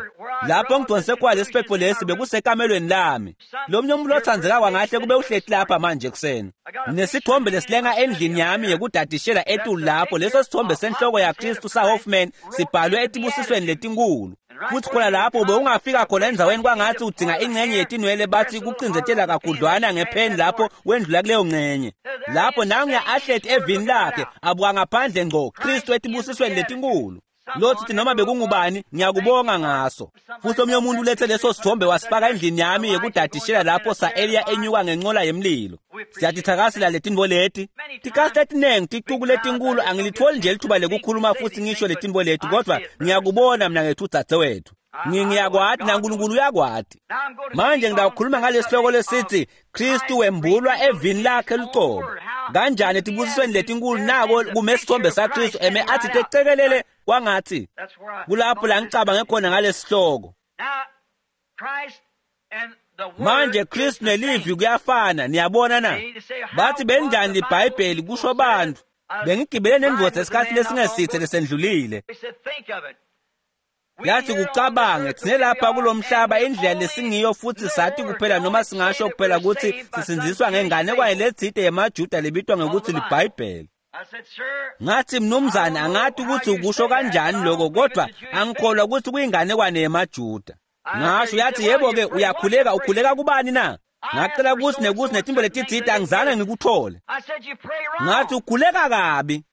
[SPEAKER 1] Lapho ngidonse kwa lesiphepho lesi bekusekamelweni lami. Lo mnye umuntu othandzeka kwangahle kube uhleti lapha manje ekuseni. Nesithombe lesilenga endlini yami yekudadishela etulu lapho, leso sithombe senhloko yaKristu saHoffman sibhalwe etibusisweni letinkulu. Futhi khona lapho bewungafika khona endzaweni kwangathi udzinga ingcenye yetinwele, bathi kucindzetela kakhudlwana ngepheni lapho wendlula kuleyo ngcenye. Lapho nanguya ahleti evini lakhe abuka ngaphandle ngco Kristu etibusisweni letinkulu. Lothi noma bekungubani ngiyakubonga ngaso. Futhi omunye umuntu ulethe leso sithombe wasifaka endlini yami yekudadishela lapho sa-Eliya enyuka ngenqola yemlilo. Siyatithakasela letinto leti. Tikasi letinengi ticuku letinkulu angilitholi nje lithuba lekukhuluma futhi ngisho letinto leti, kodwa ngiyakubona mina ngethu dzadzewethu. Ngiyakwati naNkulunkulu uyakwati. Manje ngidawukhuluma ngalesihloko lesithi Kristu wembulwa evini lakhe luqobo. Kanjani etibusisweni letinkulu nako kume isithombe saKristu eme athi tecekelele kwangathi. Kulapho la ngicabange khona ngalesihloko. Manje Kristu nelivi kuyafana, niyabona na? Bathi benjani liBhayibheli kusho bantu. Bengigibele nendvodza esikhathi lesingesithe lesendlulile. Yathi kucabange thine lapha kulomhlaba indlela lesingiyo futhi sathi kuphela noma singasho kuphela ukuthi sisindziswa ngenganekwane letsite yemaJuda lebitwa ngekuthi liBhayibheli. Ngathi mnumzane angathi ukuthi ukusho kanjani lokho, kodwa angikholwa ukuthi kuyinganekwane yemaJuda. Ngasho yathi yebo ke uyakhuleka, ukhuleka kubani na? Ngacela kutsi nekutsi netimbo letitsite angizange ngikuthole. Ngathi ukhuleka kabi.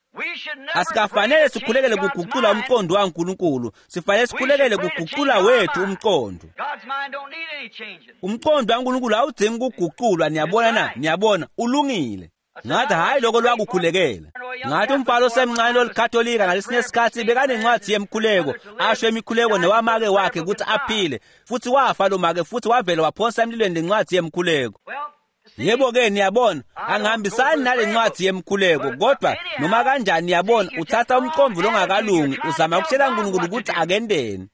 [SPEAKER 1] Asikafanele sikhulekele kugucula umqondo waNkulunkulu, sifanele sikhulekele kugucula wethu umqondo. Umqondo waNkulunkulu awudzingi kuguculwa, niyabona na? Niyabona, ulungile. Ngathi hhayi lokho lwakukhulekela. Ngathi umfana osemncane lolikatolika ngalesinye isikhathi bekanencwadi yemkhuleko, asho imikhuleko newamake wakhe ukuthi aphile, futhi wafa lo make futhi wavela waphonsa emlilweni lencwadi yemkhuleko. Yebo-ke niyabona, angihambisani nale ncwadi yemkhuleko, kodwa noma kanjani niyabona, uthatha umqondo longakalungi, uzama ukutshela uNkulunkulu ukuthi akendeni.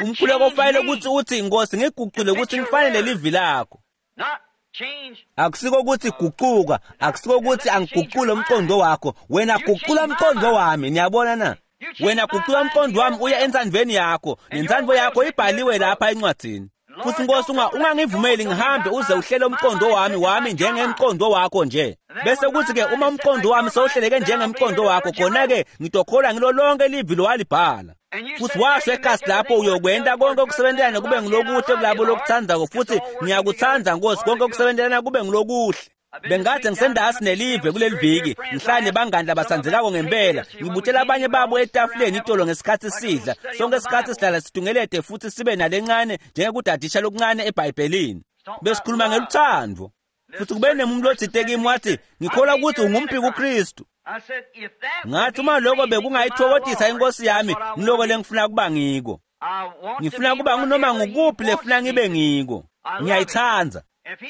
[SPEAKER 1] Umkhuleko ufanele ukuthi uthi, Nkosi ngigucule ukuthi ngifanele livi lakho. Akusiko ukuthi guquka, akusiko ukuthi angigucule umqondo wakho, wena gucula umqondo wami, niyabona na? Wena gucula umqondo wami uye entsandvweni yakho, nentsandvo yakho ibhaliwe lapha encwadzini. Futhi Nkosi ungangivumeli ngihambe uze uhlele umqondo wami njengemqondo wakho nje. Bese kuthi-ke uma umqondo wami sewuhleleke njengemqondo wakho, khona-ke ngitokholwa ngilo lonke livi lowalibhala. Futhi washo ekhasi lapho uyokwenta konke okusebentelana kube ngilokuhle kulabo lokuthandzako, futhi ngiyakuthanda Nkosi konke okusebentelana kube ngilokuhle. Bengathi ngisendasi nelive kuleli viki, ngihlala nebangani labatsandzekako ngempela, ngibutshela abanye babo etafuleni itolo ngesikhathi sidla. Sonke isikhathi sihlala situngelete futhi sibe nalencane njengekudadisha lokuncane eBhayibhelini. Besikhuluma ngeluthando. Futhi kube nemuntu lotsite kimi wathi, ngikholwa ukuthi ungumphiki kuKristu. Ngathi uma lokho bekungayithokodisa inkosi yami, ngiloko lengifuna kuba ngiko. Ngifuna kuba ngunoma ngukuphi lefuna ngibe ngiko. Ngiyayithanda.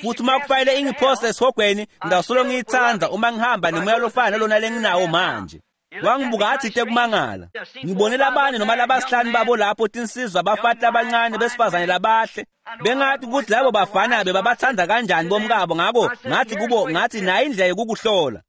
[SPEAKER 1] Futhi uma kufanele ingiphose esihogweni, ngidawusolo ngiyithanda uma ngihamba nemoya lofana nalona lenginawo manje. Wangibuka athi tekumangala. Ngibone labane noma labasihlanu babo lapho tinsizwa abafati labancane besifazane labahle. Bengathi ukuthi labo bafana bebabathanda kanjani bomkabo, ngakho ngathi kubo, ngathi nayo indlela yokukuhlola.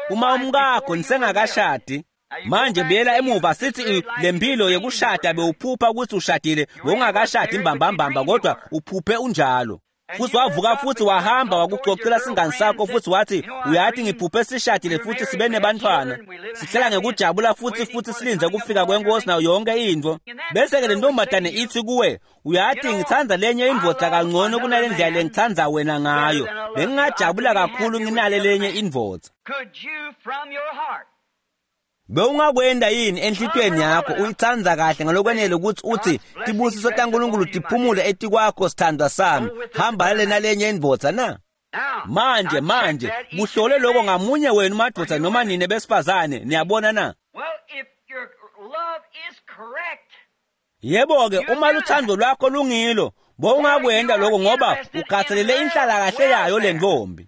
[SPEAKER 1] Uma umkakho nisengakashadi, manje buyela emuva sithi lempilo yekushada bewuphupha ukuthi ushadile, bowungakashadi imbambambamba kodwa uphuphe unjalo. Futhi wavuka futhi wahamba wakucocela singani sakho futhi wathi, uyathi ngiphuphe sishadile futhi sibe nebantwana. Sihlala ngekujabula futhi silinze kufika kwenkosi nayo yonke into. Bese-ke le ntombazane ithi kuwe, uyathi ngithanda lenye indvodza kangcono kunale ndlela lengithanda wena ngayo. Bengingajabula kakhulu nginale lenye indvodza. Bewungakwenda yini enhlitiyweni yakho uyithanda kahle ngalokwenele ukuthi uthi tibusiso taNkulunkulu tiphumule etikwakho sithandwa sami, hamba nalena lenye indvodza na? Manje kuhlole lokho ngamunye wenu madvodza noma nine besifazane, niyabona na? Yebo-ke uma luthando lwakho lungilo, bowungakwenda lokho ngoba ukhathalele inhlala kahle yayo le ntombi.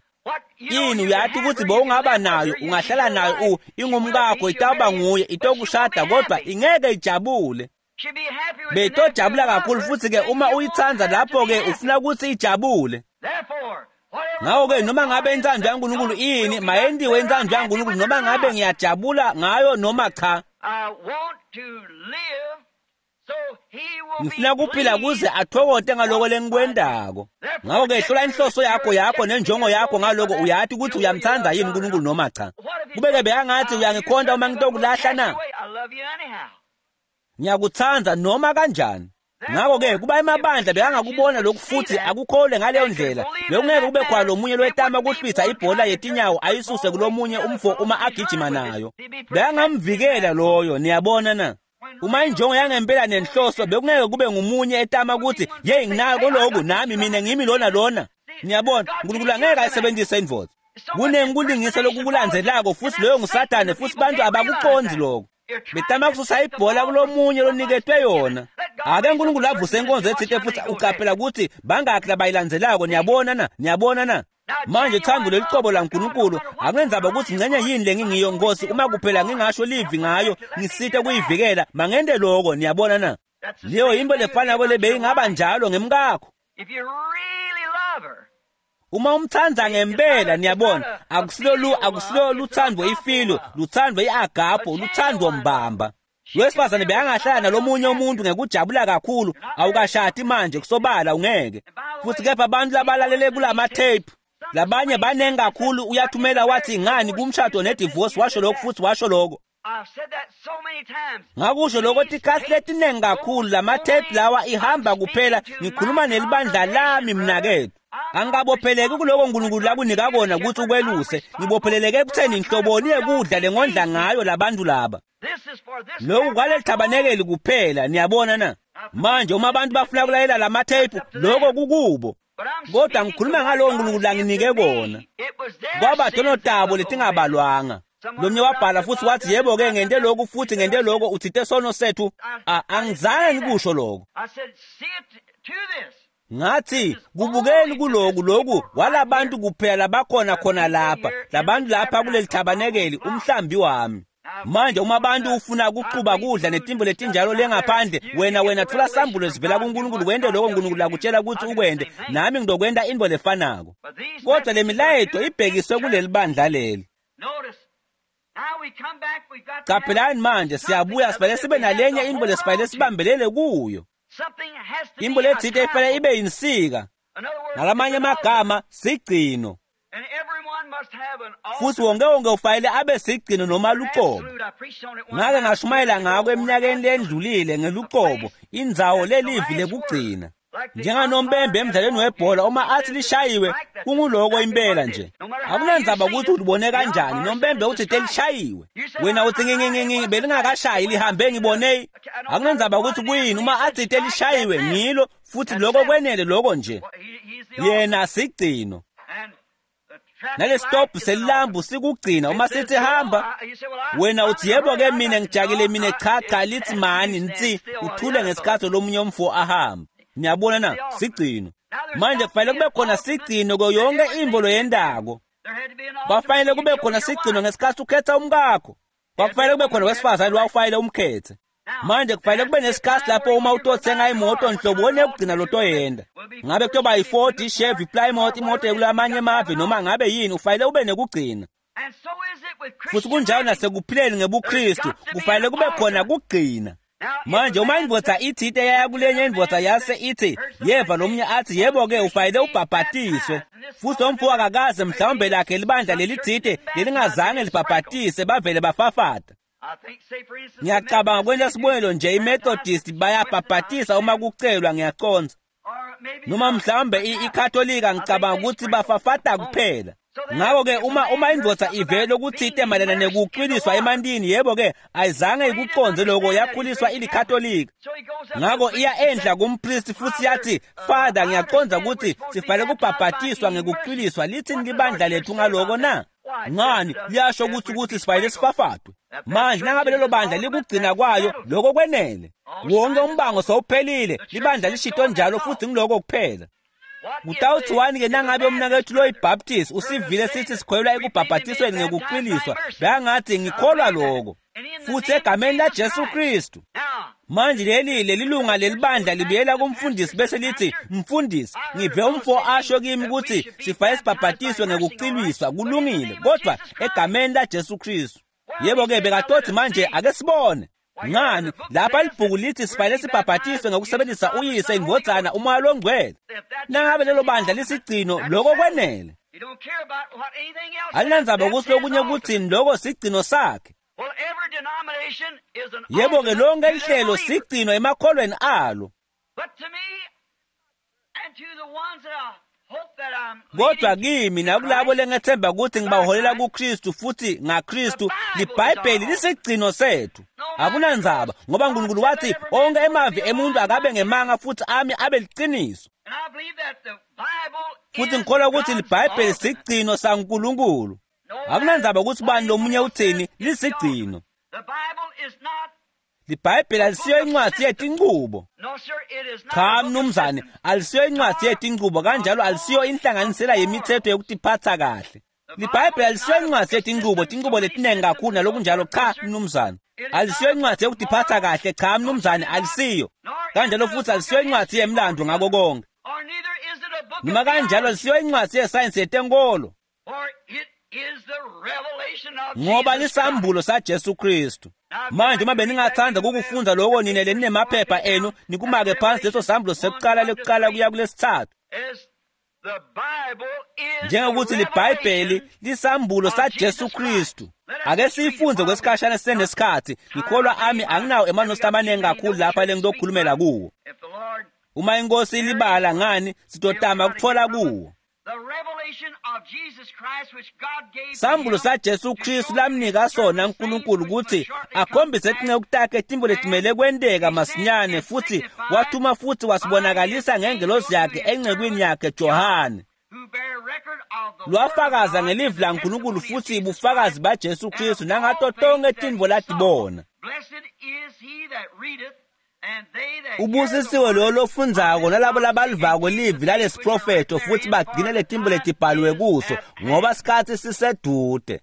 [SPEAKER 1] Ini uyathi ukuthi bowungaba nayo, ungahlala nayo ingumkakho, itawuba nguye, itokushada kodwa ingeke ijabule. Beyitojabula kakhulu futhi-ke uma uyithanda lapho-ke ufuna ukuthi ijabule. Ngakho-ke noma ngabe intsando yaNkulunkulu ini, mayendiwe intsando yaNkulunkulu noma ngabe ngiyajabula ngayo noma cha. Ngifuna kuphila kuze athokote ngaloko lengikwendako. Ngakho-ke hlola inhloso yakho nenjongo yakho ngaloko, uyathi ukuthi uyamthanda yini uNkulunkulu noma cha. Kube-ke bekangathi uyangikhonta uma ngitokulahla na? Ngiyakuthanda noma kanjani. Ngakho-ke kuba emabandla bekangakubona lokhu futhi akukholwe ngaleyo ndlela, bekungeke kube khona lomunye lowetama kuhlwitha ibhola yetinyawo ayisuse kulomunye umfo uma agijima nayo. Bekangamvikela loyo, niyabona na? Uma injongo yangempela nenhloso bekungeke kube ngumunye etama ukuthi yeyi nginako lokhu nami mina ngimi lona lona. Niyabona, uNkulunkulu angeke ayisebenzise indvodza. Kunengi kulingisa lokukulandzelako futhi loyo nguSathane futhi bantu abakuqondi lokho. Betama kususa ibhola kulomunye loniketwe yona. Ake uNkulunkulu avuse inkonzo ethile futhi uqaphela ukuthi bangakhi labayilandzelako, niyabona na? Niyabona na? Manje thando lelicobo laNkulunkulu akunenzaba ukuthi ngcenye yini lengingiyo Nkosi, uma kuphela ngingasho livi ngayo ngisite kuyivikela, mangente lokho, niyabona na? Leyo yinto lefanako lebeyingaba njalo ngemkakho. Uma umthanda ngempela, niyabona, akusilo luthando ifilo, luthando iagapo, luthando mbamba. Wesifazane bekangahlala nalomunye umuntu ngekujabula kakhulu, awukashadi manje kusobala ungeke. Futhi kepha abantu labalalele kulama tape, labanye banengi kakhulu uyathumela wathi ngani kumshado nedivorce, washo lokho futhi washo lokho. Ngakusho lokho tikhathi letiningi kakhulu lamathephu lawa ihamba kuphela ngikhuluma nelibandla lami mnakethu. Angikabopheleki kuloko uNkulunkulu lakunika kona ukuthi ukweluse, ngibopheleleke ekutheni inhloboni yekudla lengondla ngayo labantu laba. Lokhu kwaleli thabanekeli kuphela, niyabona na? Manje uma abantu bafuna kulalela lamathephu, lokho kukubo. Kodwa ngikhuluma ngalowo uNkulunkulu langinike kona. Kwaba tono tabo letingabalwanga. Lomnye wabhala futhi wathi yebo-ke ngente lokhu futhi ngente lokho uthinte sono sethu. Angizange ngikusho lokho. Ngathi kubukeni kuloku lokhu walabantu kuphela labakhona khona lapha, labantu lapha kuleli thabanekeli umhlambi wami. Manje uma abantu ufuna ukuxuba kudla netimbo letinjalo lengaphandle, wena thola sambulo esivela kuNkulunkulu wente lokho uNkulunkulu lakutshela ukuthi ukwente, nami ngizokwenta into lefanako. Kodwa le milayeto ibhekiswe kuleli bandla leli. Qaphelani manje siyabuya sifanele sibe nalenye into lesifanele sibambelele kuyo. Into lethile ifanele ibe yinsika. Ngalamanye amagama sigcino. Futhi wonke wonke ufanele abe sigcino noma luqobo. Ngake ngashumayela ngako eminyakeni lendlulile ngeluqobo, indzawo lelivi lekugcina. Njenganompembe emdlalweni webhola uma athi lishayiwe kunguloko impela nje. Akunandzaba ukuthi ulibone kanjani, nompembe uthi telishayiwe. Wena uthi ngingingingi belingakashayi lihambe ngibone. Akunandzaba ukuthi kuyini uma athi telishayiwe ngilo futhi lokho kwenele lokho nje. Yena sigcino. Nalesitobhu selilambu sikugcina uma sithi hamba, wena uthi yebo ke mina ngijakile mina cha cha lithi mani nsi uthule ngesikhathi lomunye umfo ahamba. Niyabona na? Sigcino. Manje kufanele kube khona sigcino kuyo yonke imvo loyendako. Kwafanele kube khona sigcino ngesikhathi ukhetha umkakho. Kwakufanele kube khona wesifazane lowawufanele umkhethe. Manje kufanele kube nesikhathi lapho uma utothenga imoto nhlobo onekugcina lotoyenda. Ngabe kuyoba yi-Ford, i-Chevy, i-Plymouth, imoto yokulamanye amave noma ngabe yini, ufanele ube nekugcina. Futhi kunjalo nasekuphileni ngebuKristu, kufanele kube khona kugcina. Manje uma indvodza ithite yaya kulenye indvodza yase ithi yeva lomunye athi yebo-ke ufanele ubhabhatiswe, futhi lo mfo akakaze mhlawumbe lakhe libandla lelithite lelingazange libhabhatise bavele bafafata. Ngiyacabanga kwenza sibonelo nje iMethodist bayabhabhatisa uma kucelwa ngiyaconza, noma mhlawumbe iKatolika ngicabanga ukuthi bafafata kuphela. Ngakho-ke uma indvodza ivele ukuthite mayelana nekucwiliswa emantini, yebo-ke ayizange ikuconze lokho, yakhuliswa ilikatolika. Ngakho iya enhla kumpristi futhi yathi, Father, ngiyaconza ukuthi sifanele kubhabhatiswa ngekucwiliswa, lithini libandla lethu ngaloko na? Ngani, liyasho ukuthi sifanele sifafatwe. Manje nangabe lelo bandla likugcina kwayo, lokho kwenele. Wonke umbango sowuphelile, libandla lishito njalo futhi ngiloko kuphela. Kutawuthiwani-ke nangabe umnakethu loyiBaptist usivile sithi sikholelwa ekubhabhatisweni ngekucwiliswa, bekangathi ngikholwa lokho futhi egameni laJesu Kristu. Manje leli lunga lelibandla libuyela kumfundisi bese lithi, mfundisi, ngive umfo asho kimi ukuthi sifanele sibhabhatiswe ngekucwiliswa, kulungile, kodwa egameni laJesu Kristu. Yebo-ke bekatothi manje ake sibone. Ngani, lapha libhuku lithi sifanele sibhabhatiswe ngokusebenzisa uyise, indvodzana, umoya longcwele. Nangabe lelo bandla lisigcino, lokho kwenele. Alinandzaba ukuthi lokunye kuthini, lokho sigcino sakhe. Yebo-ke lonke lihlelo sigcino emakholweni alo. Kodwa kimi nakulabo lengethemba ukuthi ngibaholela kuKristu futhi ngaKristu, liBhayibheli lisigcino sethu. Akunandzaba ngoba uNkulunkulu wathi onke emavi emuntu akabe ngemanga futhi ami abe liqiniso. Futhi ngikholwa ukuthi liBhayibheli sigcino saNkulunkulu. Akunandzaba ukuthi bani lomunye uthini, lisigcino. LiBhayibheli alisiyo incwadi yetinchubo. Cha mnumzane, alisiyo incwadi yetinchubo, kanjalo alisiyo inhlanganisela yemithetho yokutiphatha kahle. LiBhayibheli alisiyo incwadi yetinchubo, tinchubo letiningi kakhulu nalokunjalo. Cha mnumzane, alisiyo incwadi yokutiphatha kahle. Cha mnumzane, alisiyo. Kanjalo futhi alisiyo incwadi yemlando ngako konke. Noma kanjalo alisiyo incwadi yesayensi yetenkolo, ngoba lisambulo saJesu Kristu. Manje uma beningathanda ukukufunza lokho nine leninemaphepha enu, nikumake phansi leso sambulo sekuqala lekuqala kuya kulesithathu. Njengokuthi liBhayibheli lisambulo saJesu Kristu. Ake siyifunze kwesikhashana sisenesikhathi. Ngikholwa ami anginawo emanosi amaningi kakhulu lapha lengizokhulumela kuwo. Uma inkosi ilibala ngani sitotama ukuthola kuwo. Sambulo saJesu Kristu lamnika sona uNkulunkulu ukuthi akhombise tinceku takhe tintfo letimele kwenteka masinyane, futhi wathuma futhi wasibonakalisa ngengelosi yakhe encekwini yakhe Johane. Lwafakaza ngelivi laNkulunkulu futhi bufakazi baJesu Kristu nangato tonke tintfo latibona. Ubusisiwe lowo lofundzako nalabo labalivako livi lalesiprofetho futhi bagcine letintfo letibhaliwe kuso, ngoba sikhatsi sisedude.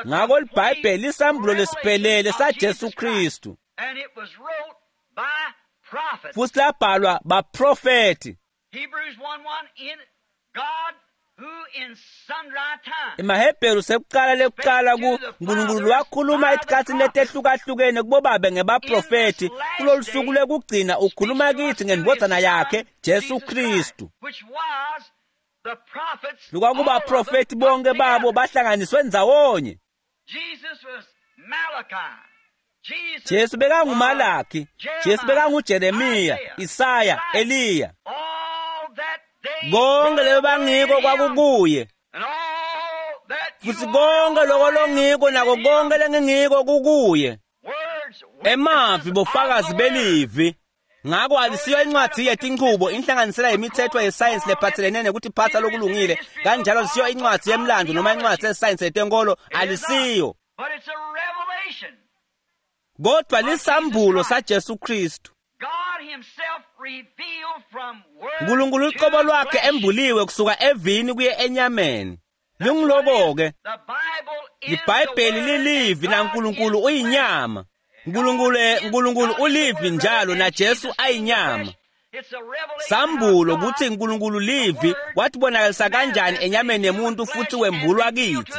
[SPEAKER 1] Ngako liBhayibheli lisambulo lesiphelele saJesu Kristu, futhi labhalwa baprofethi. EmaHebheru sekuqala lekuqala ku Nkulunkulu wakhuluma etikhatsini letehlukahlukene kubobabe ngebaprofethi. Kulolu suku lwekugcina ukhuluma kithi ngendvodzana yakhe Jesu Kristu. Lukwakubaprofethi bonke babo bahlanganiswe ndzawonye. Jesu bekanguMalaki, Jesu bekanguJeremiya, Isaya, Eliya. Konke lebe bangiko kwakukuye, futhi konke loko longiko nako konke lengingiko kukuye. Emavi bofakazi belivi. Ngako alisiyo incwadi yetinchubo, inhlanganisela yemithetho yesayensi lephathelene nekutiphatsa lokulungile. Kanjalo alisiyo incwadi yemlando noma incwadi yesayensi yetenkolo, alisiyo. Kodwa lisambulo saJesu Kristu. Nkulunkulu uqobo lwakhe embuliwe kusuka evini kuye enyameni. Lingiloko-ke liBhayibheli lilivi naNkulunkulu uyinyama. Nkulunkulu ulivi njalo naJesu ayinyama. Sambulo kutsi Nkulunkulu livi watibonakalisa kanjani enyameni yemuntu futhi wembulwa kithi.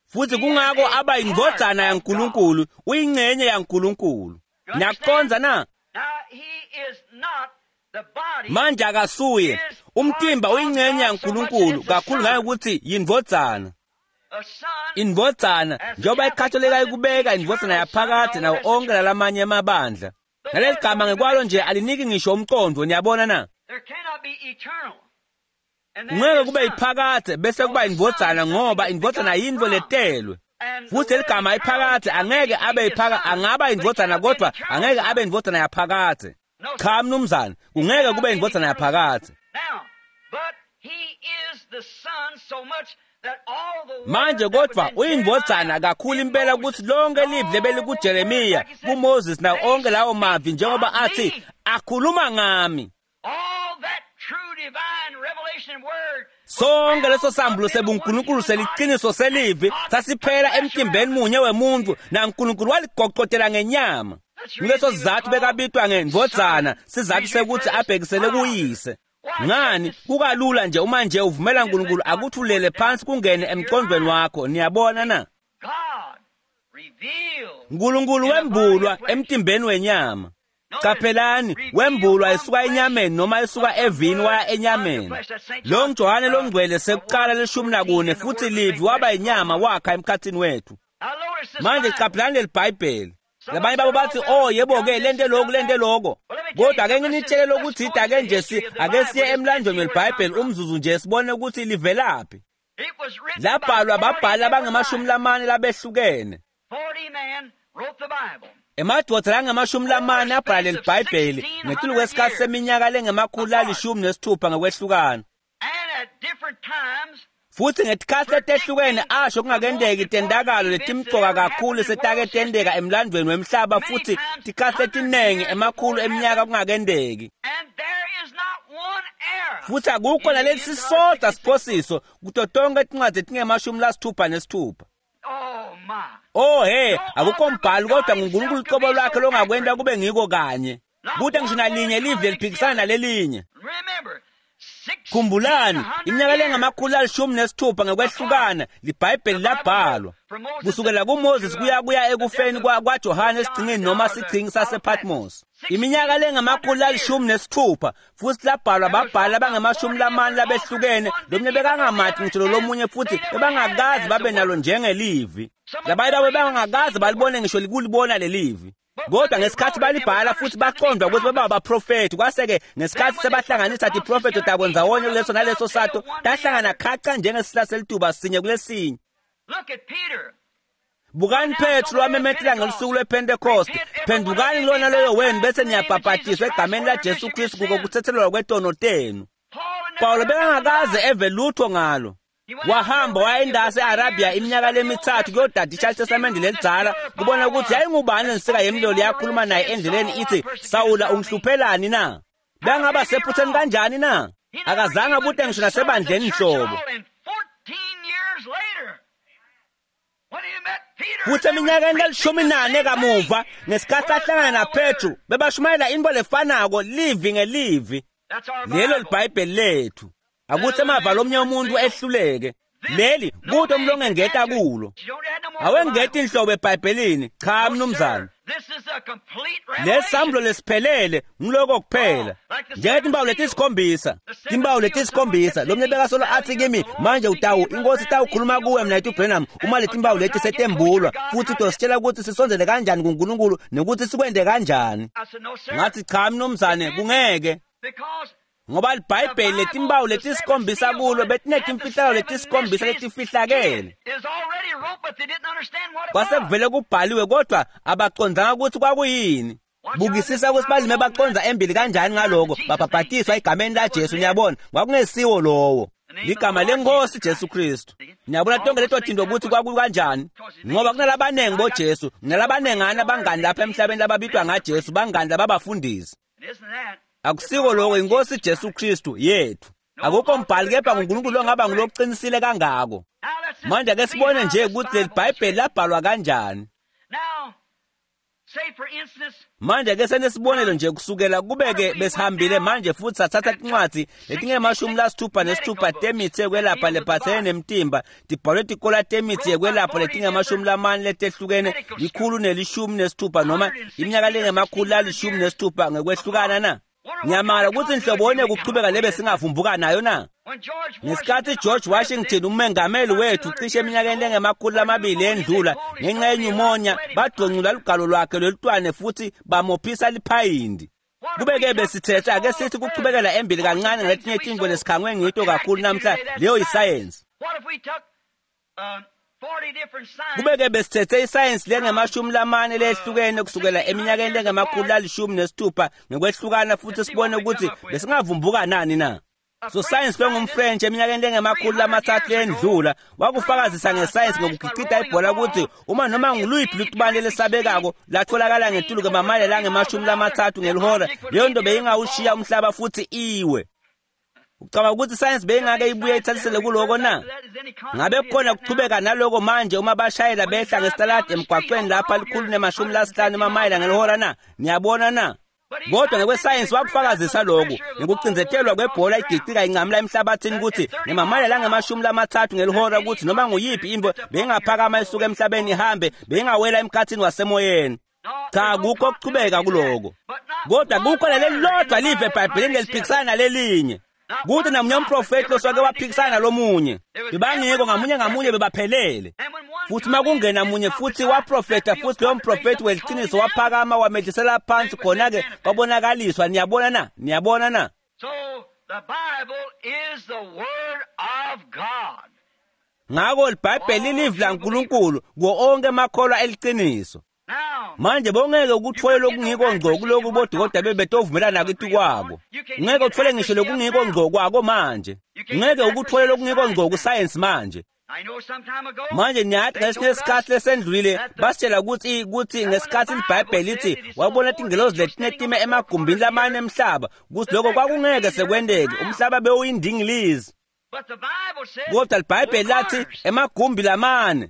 [SPEAKER 1] Futhi kungako aba yindvodzana yaNkulunkulu, uyingcenye yaNkulunkulu. Niyakucondza na? Manje akasuye umtimba uyingcenye yaNkulunkulu kakhulu ngayekuthi yindvodzana. Indvodzana njengoba iKatolika ikubeka indvodzana yaphakade nawo onke lalamanye emabandla. Naleli gama ngekwalo nje aliniki ngisho umqondo, niyabona na? Ngeke kube iphakade bese kuba indvodzana, ngoba indvodzana yintfo letelwe. Futhi leligama iphakade angeke abe iphaka, angaba indvodzana kodwa angeke abe indvodzana yaphakade. Cha mnumzane, kungeke kube indvodzana yaphakade. Manje kodwa uyindvodzana kakhulu impela ukuthi lonke livi lebelikuJeremiya, kuMoses nawo onke lawo mavi njengoba athi akhuluma ngami. Sonke leso sambulo sebuNkulunkulu seliqiniso selivi sasiphela emtimbeni munye wemuntu naNkulunkulu waligoqotela ngenyama. Nguleso sizathu bekabitwa ngendvodzana, sizathu sekuthi abhekisele kuyise. Ngani kukalula nje uma nje uvumela uNkulunkulu akuthulele phansi kungene emqondweni wakho, niyabona na? uNkulunkulu wembulwa emtimbeni wenyama. Qaphelani, wembulwa esuka enyameni noma esuka evini waya enyameni. Lo Johane longcwele sekuqala 14 futhi livi waba inyama wakha emkhathini wethu. Manje qaphelani leli Bhayibheli. Labanye babo bathi oh yebo ke lento lokhu lento lokho. Kodwa ake nginitshele lokuthi ake nje ake siye emlandweni weBhayibheli umzuzu nje sibone ukuthi livelaphi. Labhalwa babhali abangamashumi lamane labehlukene. Emadvodza langamashumi lamane abhala leli Bhayibheli ngetulu kwesikhathi seminyaka lengemakhulu 16 ngokwehlukana. Futhi ngetikhathi letehlukene asho kungakendeki tendakalo letimcoka kakhulu setake tendeka emlandweni wemhlaba futhi tikhathi letinengi emakhulu eminyaka kungakendeki. Futhi akukho nalesi sisodwa siphosiso kuto tonke tincwadzi letingemashumi 66. Oh he, akukho mbhalo kodwa nguNkulunkulu uqobo lwakhe longakwenta kube ngiko kanye. Kute ngisho nalinye livi leliphikisana nalelinye. Khumbulani, iminyaka lengama-160 ngekwehlukana liBhayibheli labhalwa. Kusukela kuMoses kuya ekufeni kwaJohane esigcingini noma sigcingi sasePatmos. Iminyaka lengama-160 futhi labhalwa babhali abangama-40 labehlukene, lomunye bekangamati ngisho lomunye futhi bebangakaze babe nalo njengelivi. Labanye babo bangakaze balibone ngisho likulibona lelivi. Kodwa ngesikhathi balibhala futhi baqondwa ukuthi baba abaprofethi, kwase-ke ngesikhathi sebahlanganisa tiprofetho tabo ndzawonye kuleso naleso sato, tahlangana khaca njengesihla selituba sinye kulesinye. Bukani Petru wamemetela ngelusuku lwePentecost, phendukani kulona loyo wenu bese niyabhabhatiswa egameni laJesu Kristu kuko kuthethelelwa kwetono tenu. Paulo bekangakaze eve lutho ngalo. Wahamba wayendase eArabia iminyaka lemithathu kuyodadisha iTestamente lelidzala kubona ukuthi yayingubani lensika yemlilo yakhuluma naye endleleni ithi, Sawula ungihluphelani na? Bengaba sephutheni kanjani na? Akazange abute ngisho nasebandleni nhlobo. Futhi eminyakeni lelishumi nane kamuva ngesikhathi ahlangana naPetru bebashumayela into lefanako livi ngelivi. Lelo liBhayibheli lethu. Akuthi emava lomnye umuntu ehluleke. Leli kude umlongengeta kulo. Awengeti inhlobo eBhayibhelini. Cha mnumzane. Lesambulo lesiphelele ngiloko kuphela. Njengetimpawu letisikhombisa, timpawu letisikhombisa, lomnye bekasolo athi kimi, manje utawu inkosi itawukhuluma kuwe mina Branham uma letimpawu leti setembulwa futhi utositshela ukuthi sisondzele kanjani kuNkulunkulu nokuthi sikwende kanjani. Ngathi cha mnumzane, kungeke. Ngoba liBhayibheli letimpawu letisikhombisa kulo betinetimfihlakalo letisikhombisa letifihlakele. Kwase kuvele kubhaliwe kodwa abacondzanga ukuthi kwakuyini. Bukisisa ukuthi balime bacondza embili kanjani ngaloko, babhabhatiswa egameni laJesu. Niyabona, kwakungesiwo lowo. Ligama lenkosi Jesu Kristu. Niyabona tonke leto tinto ukuthi kwakukanjani, ngoba kunalabanengi boJesu, kunalabanengana abangani lapha emhlabeni lababitwa ngaJesu, bangani lababafundisi. Akusiko lokho, inkosi Jesu Kristu yethu. Akukho mbhali kepha nguNkulunkulu ongaba nguloqinisile kangako. Manje ake sibone nje ukuthi leli Bhayibheli labhalwa kanjani. Manje ake senesibonelo nje kusukela kubeke besihambile manje futhi sathatha tincwadzi letingama-66 temitsi yekwelapha lephatselene nemtimba, tibhalwe tikola temitsi yekwelapha letingama-40 letehlukene, 116 noma iminyaka lengama-160 ngekwehlukana na. Ngiyamangala ukuthi inhlobone kuchubeka lebe singavumbuka nayo na. Ngesikhathi George Washington umengameli wethu cishe eminyakeni lengama-200 endlula ngenxa yenyumonia badoncula lugalo lwakhe lolutwane futhi bamophisa liphayindi. Kube-ke besithethe ake sithi kuchubekela embili kancane ngaletinye tintfo lesikhangwe ngito kakhulu namhla, leyo yisayensi. Kube-ke besithethe isayensi lengama-40 lehlukene kusukela eminyakeni lengama-160 ngekwehlukana futhi sibone ukuthi besingavumbuka nani na. So science longumFrench eminyakeni lengama-300 endlula wakufakazisa ngesayensi ngokugicida ibhola ukuthi uma noma nguluyiphi lutubane lesabekako latholakala ngetulu kwemamayela langama-30 ngelihora, leyo nto beyingawushiya umhlaba futhi iwe. Ucabanga ukuthi isayensi beyingake ibuye ithathisele kuloko na? Ngabe kukhona kuchubeka naloko manje uma bashayela behla ngesitaladi emgwaqweni lapha 150 emamayela ngelihora na? Niyabona na? Kodwa ngekwesayensi wakufakazisa lokhu ngekucinzetelwa kwebhola igicika incamula emhlabathini ukuthi ngemamayela langama-30 ngelihora ukuthi noma nguyiphi into beyingaphakama isuka emhlabeni ihambe beyingawela emkhathini wasemoyeni. Cha, akukho kuchubeka kuloko. Kodwa kukho lelilodwa live eBhayibhelini leliphikisana nalelinye. Kuthi namunye umprofeti loswake waphikisana nalomunye. Bebangekho ngamunye ngamunye bebaphelele. Futhi makungena munye futhi waprofeta futhi loyo mprofeti weliciniso waphakama wamehlisela phansi, khona-ke kwabonakaliswa. Niyabona na? Niyabona na? Ngakho liBhayibheli lilivi laNkulunkulu kuwo onke amakholwa eliciniso. Manje bongeke ukuthole lokungiko ngco kuloku bodokotela bebetovumelana kithi kwako. Ngeke uthole ngisho lokungiko ngco kwako manje. Ngeke ukuthole lokungiko ngco kusayensi manje. Manje niyathi ngesinye isikhathi lesendlulile basitshela ukuthi ngesikhathi iBhayibheli lithi wabona tingelozi letinetime emagumbini lamane emhlaba, ukuthi lokho kwakungeke sekwenteke, umhlaba bewuyindingilizi. Kodwa iBhayibheli lathi emagumbi lamane.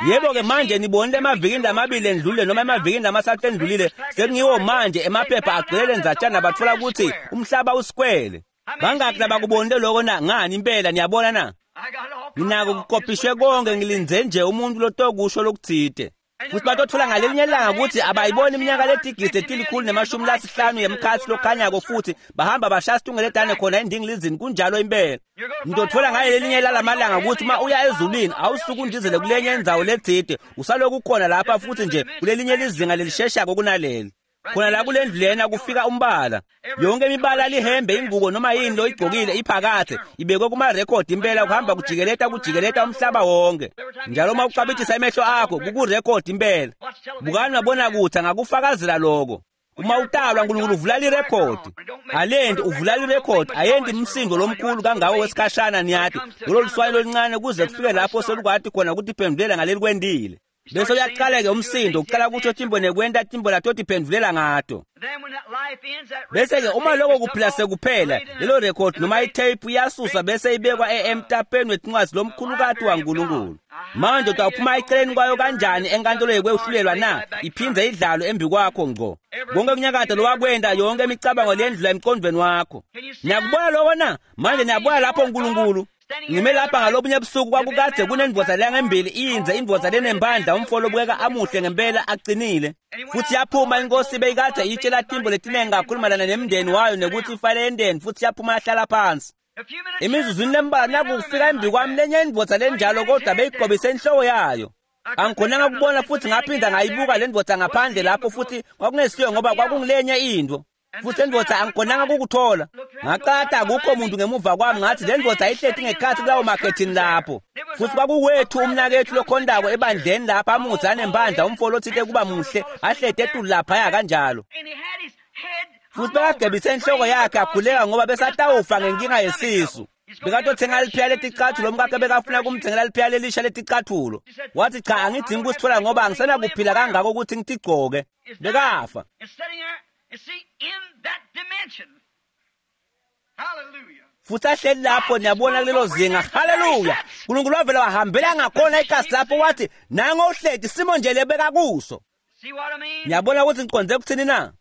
[SPEAKER 1] Yebo-ke manje nibonile emavikini lamabili endlulile noma emavikini lamathathu endlulile, sekungiwo manje emaphepha agcwele ndzatshana bathola ukuthi umhlaba usikwele. Bangaki labakubonile lokho na? Ngani impela niyabona na? Nginako kukopishwe konke, ngilindze nje umuntu lotokusho lokutsite. Futhi batotfola ngalelinye ilanga ukuthi abayiboni iminyaka letigidi letilikhulu nemashumi lasihlanu yemkhatsi lokhanyako, futhi bahamba bashaya situngeletane khona endingilizini. Kunjalo impela. Ngitotfola ngalelinye lalamalanga ukuthi uma uya ezulwini awusuke undizele kulenye indzawo letsite, usaloku ukhona lapha futhi nje kulelinye lizinga lelisheshako kunaleli. Khona la kulendlu lena kufika umbala, yonke imibala lihembe, ingubo noma yini loyigqokile iphakathe ibekwe kumarekhodi impela, kuhamba kujikeleta kujikeleta umhlaba wonke. Njalo uma ucabithisa emehlo akho kukurekhodi impela. Bukani mabona kuthi angakufakazela lokho. Uma utalwa uNkulunkulu uvula lirekhodi, alenti uvula lirekhodi, ayendi umsindo lomkhulu kangako wesikhashana, niyati lolo luswayi loluncane kuze kufike lapho selukwati khona ukuthi iphendulela ngaleli kwendile. Bese uyaqala-ke umsindo uqala kutsho timbo nekwenta timbo latotiphendulela ngato. Bese-ke uma lokho kuphila sekuphela, lelo rekhodi noma itheyiphu iyasuswa bese ibekwa emtapeni wetincwadzi lomkhulukati waNkulunkulu. Manje utawuphuma eceleni kwayo kanjani enkantolo yekwehlulelwa na? Iphindze idlalwe embi kwakho ngco. Konke kunyakada lowakwenta, yonke imicabango lendlula emqondweni wakho. Niyakubona lokho na? Manje niyabona lapho uNkulunkulu. Ngime lapha ngalobunye busuku, kwakukade kunendvodza langembili iyinze, indvodza lenempandla, umfo lobukeka amuhle ngempela aqinile. Futhi yaphuma inkosi beyikade iyitshela timbo letiningi kakhulu mayelana nemndeni wayo nekuthi ifanele yendeni, futhi yaphuma yahlala phansi. Emizuzwini lembalwa nakufika embi kwami lenye indvodza lenjalo, kodwa beyigqobise inhloko yayo. Angikhonanga ukubona futhi ngaphinda ngayibuka le ndvodza ngaphandle lapho, futhi kwakungesiyo ngoba kwakungilenye into. Futhi lendvodza angikhonanga ukukuthola. Ngaqata akukho muntu ngemuva kwami, ngathi le ndvodza ihleti ngekhathi kulawo makhethini lapho. Futhi kwakuwethu umnakethu lokhondako ebandleni lapha, amudze anempandla, umfo lotsite kuba muhle, ahleti etulu laphaya kanjalo. Futhi bekagebise inhloko yakhe akhuleka ngoba besatawufa ngenkinga yesisu. Bekatothenga liphiya leticathulo, umkakhe bekafuna kumthengela liphiya lelisha leticathulo. Wathi cha, angidzingi kusithola ngoba angisenakuphila kangako ukuthi ngitigcoke. Bekafa. Futhi ahleli lapho, niyabona kulelo zinga. Haleluya! uNkulunkulu wavela wahambela ngakhona ikasi lapho, wathi nango uhleti simo nje lebeka kuso. Niyabona ukuthi ngiqonde kuthini na?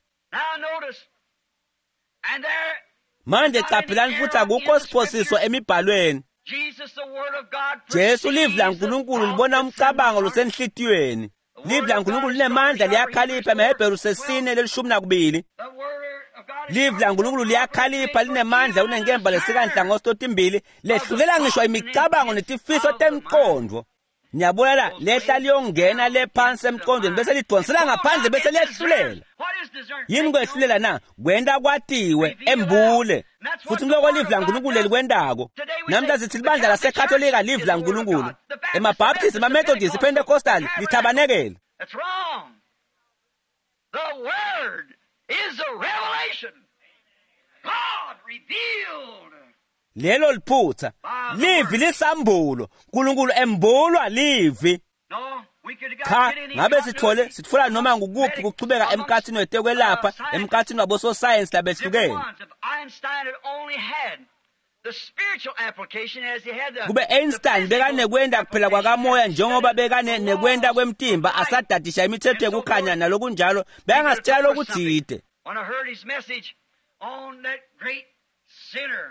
[SPEAKER 1] Manje qaphelani, futhi akukho siphosiso emibhalweni. Jesu livi laNkulunkulu libona umcabango losenhlitiyweni. Livi laNkulunkulu linemandla, liyakhalipha. EmaHebheru sesine lelishumi nakubili. Livi laNkulunkulu liyakhalipha, linemandla kunenkemba lesikanhlangosi totimbili, lehlulela ngisho imicabango netifiso temqondvo. Niyabona la, lehla liyongena le phansi emqondweni bese lidonsela ngaphandle bese liyehlulela. Yini kwehlulela na? Kwenta kwatiwe, embule. Futhi ngiloko livi laNkulunkulu lelikwentako. Namhla sithi libandla laseKatolika livi laNkulunkulu. EmaBaptist, emaMethodist, iPentecostal lithabanekele.
[SPEAKER 2] That's wrong. The word is a revelation. God revealed.
[SPEAKER 1] Lelo liphutha. Livi lisambulo. uNkulunkulu embulwa livi. Cha, ngabe sithole sitfola noma ngukuphi kuchubeka emkhathini wetekwelapha, emkhathini wabososayensi labehlukene. Kube Einstein bekanekwenda kuphela kwakamoya njengoba bekane nekwenda kwemtimba, asadadisha imithetho yekukhanya nalokunjalo, bekangasitshela lokutsite.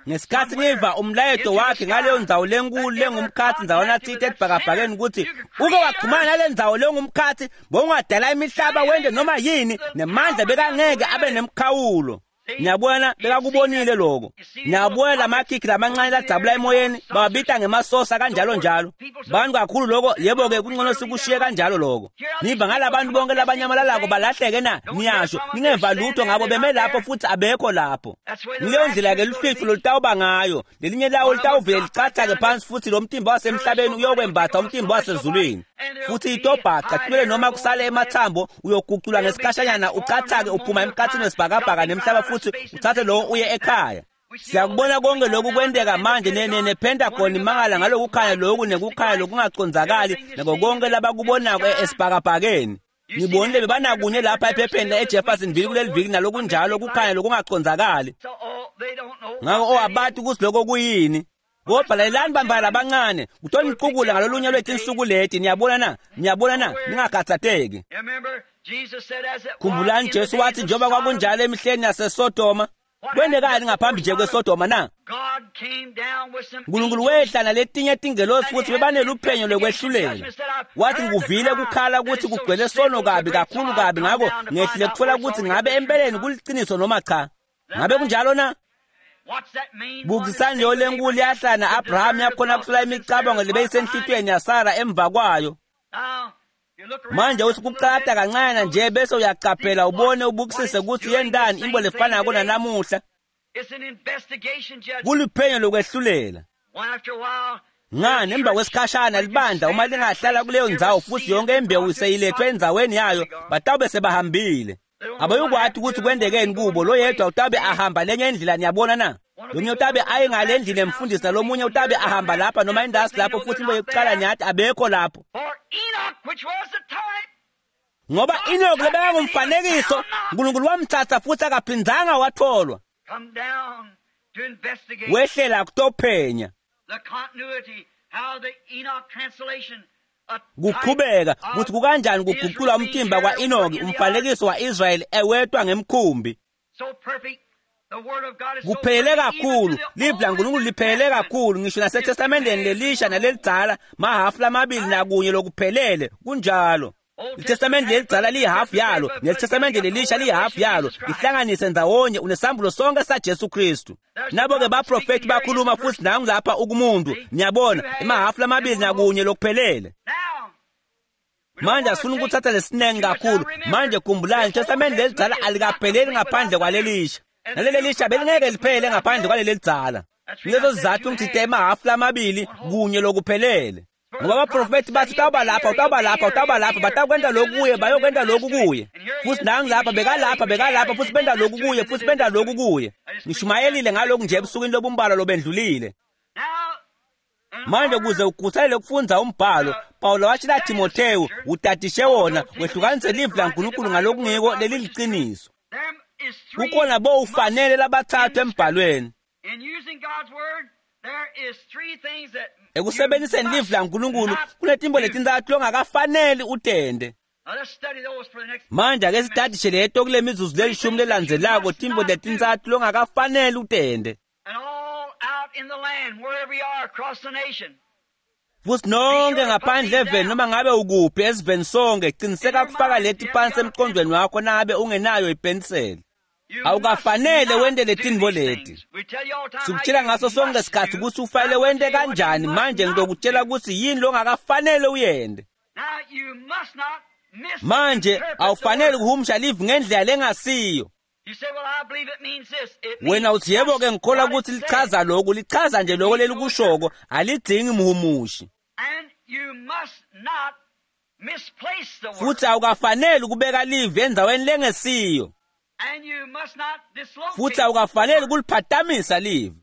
[SPEAKER 1] Ngesikhathi ngiva umlayeto wakhe ngaleyo ndzawo lenkulu lengumkhathi ndzawana tsite edibhakabhakeni, ukuthi uke waxhumana nale ndzawo lengumkhathi, bowungadala imihlaba wente noma yini, nemandla bekangeke abe nemkhawulo. Niyabona, bekakubonile lokho. Niyabona lamakhikhi lamancane ladzabula emoyeni, bawabita ngemasosa kanjalo njalo. Bantu kakhulu lokho, yebo-ke kungcono sikushiye kanjalo lokho. Niva ngalabantu bonke labanyamalalayo balahleke na? Niyasho, ningeva lutho ngabo, beme lapho futhi abekho lapho. Ngileyo ndlela-ke luhlwitfu lolutawuba ngayo. Lelinye lawo litawuvele licathake phansi futhi lo mtimba wasemhlabeni uyokwembatha umtimba wasezulwini. Futhi itobhaca kumele noma kusale emathambo, uyoguculwa ngesikhashanyana ucathake uphuma emkhathini wesibhakabhaka nemhlaba futhi uthathe lowo uye ekhaya. Siyakubona konke lokhu kwenteka manje nePentagon imangala ngalokukhanya lokhu nekukhanya lokungacondzakali nako konke labakubonako esibhakabhakeni. Ngibonile bebanakunye lapha ephepheni eJeffersonville kuleli viki nalokunjalo kukhanya lokungacondzakali. Ngako abati ukuthi lokho kuyini. Kodwa lalelani bambala labancane, kutoniqukula ngalolunye lwetinsuku leti. Niyabona na? Niyabona na? Ningakhathatheki. Khumbulani Jesu wathi njengoba kwakunjalo emihleni yaseSodoma, Kwentekani ngaphambi nje kweSodoma na? Nkulunkulu wehla naletinye tingelosi futhi bebaneluphenyo lwekwehlulela. Wathi ngikuvile kukhala ukuthi kugcwele sono kabi kakhulu kabi, ngakho ngehlile kutfola ukuthi ngabe empeleni kuliciniso noma cha. Ngabe kunjalo na? Bukisani leyo lenkulu yahlala na-Abraham yakhona kuhlola imicabango lebeyisenhlitiyweni yaSara emva kwayo. Manje uthi kucata kancane nje bese uyacaphela ubone ubukisise ukuthi yendani into lefanako nanamuhla. Kuluphenyo lokwehlulela. Ngani emva kwesikhashana libandla uma lingahlala kuleyo ndzawo futhi yonke imbewu seyilethwe endzaweni yayo, batawube sebahambile. Abayukwati ukuthi kwendekeni kubo, lo yedwa utabe ahamba lenye indlela, niyabona na? Lomunye utabe aye ngale ndlini emfundisi, nalomunye utabe ahamba lapha noma indasi lapho, futhi into yokuqala niyathi abekho lapho. Ngoba Enoch lebekangumfanekiso, uNkulunkulu wamthatha futhi akaphindzanga watholwa. Wehlela kutophenya. Kuqhubeka ukuthi kukanjani kuguqulwa umtimba kwa-Enoki, umfanekiso wa-Israyeli ewetwa ngemkhumbi. Kuphelele kakhulu, livi laNkulunkulu liphelele kakhulu, ngisho naseTestamenteni lelisha nalelidzala, mahafu lamabili nakunye lokuphelele, kunjalo. ITestamente lelidzala liyihafu yalo, neTestamente lelisha liyihafu yalo, lihlanganise ndzawonye unesambulo sonke saJesu Kristu. Nabo-ke baprofethi bakhuluma futhi nangu lapha ukumuntu, niyabona, emahafu lamabili nakunye lokuphelele. Manje asifuna ukuthatha lesinengi kakhulu. Manje khumbulani, iTestamente lelidzala alikapheleli ngaphandle kwalelisha, naleli lisha belingeke liphele ngaphandle kwaleli lidzala. Kulezo sizathu ngithite emahafu lamabili kunye lokuphelele. Ngoba abaprofethi bathi utawuba lapha, utawuba lapha, utawuba lapha, batakwenta lokhu kuye, bayokwenta lokhu kuye. Futhi nangu lapha, bekalapha, bekalapha, futhi benta lokhu kuye, futhi benta lokhu kuye. Ngishumayelile ngalokhu nje ebusukwini lobumbalwa lobendlulile. Manje ukuze ukhuthalele ukufundza umbhalo, Paulo watshela Timothewu, utadishe wona, wehlukanise livi laNkulunkulu ngalokungiko leliliciniso. Kukhona bo ufanele labathathu embhalweni. Ekusebenziseni livi laNkulunkulu kunetimbo letintsatfu longakafaneli utende. Manje ake sitadishe leto kule mizuzu lelishumi lelandzelako, timbo letintsatfu longakafaneli utende. Futhi nonke ngaphandle eveni noma ngabe ukuphi esiveni sonke, qiniseka kufaka leti phansi emqondweni wakho nangabe ungenayo ipeniseli. Awukafanele wente letinto leti. Sikutshela ngaso sonke isikhathi ukuthi ufanele wente kanjani. Manje ngitokutshela ukuthi yini longakafanele uyente. Manje awufanele ukuhumusha livi ngendlela lengasiyo. Wena uthi yebo ke ngikholwa ukuthi lichaza lokhu, lichaza nje lokho lelikushoko, alidzingi mhumushi. Futhi awukafanele ukubeka livi endzaweni lengesiyo. Futhi awukafanele ukuliphatamisa livi.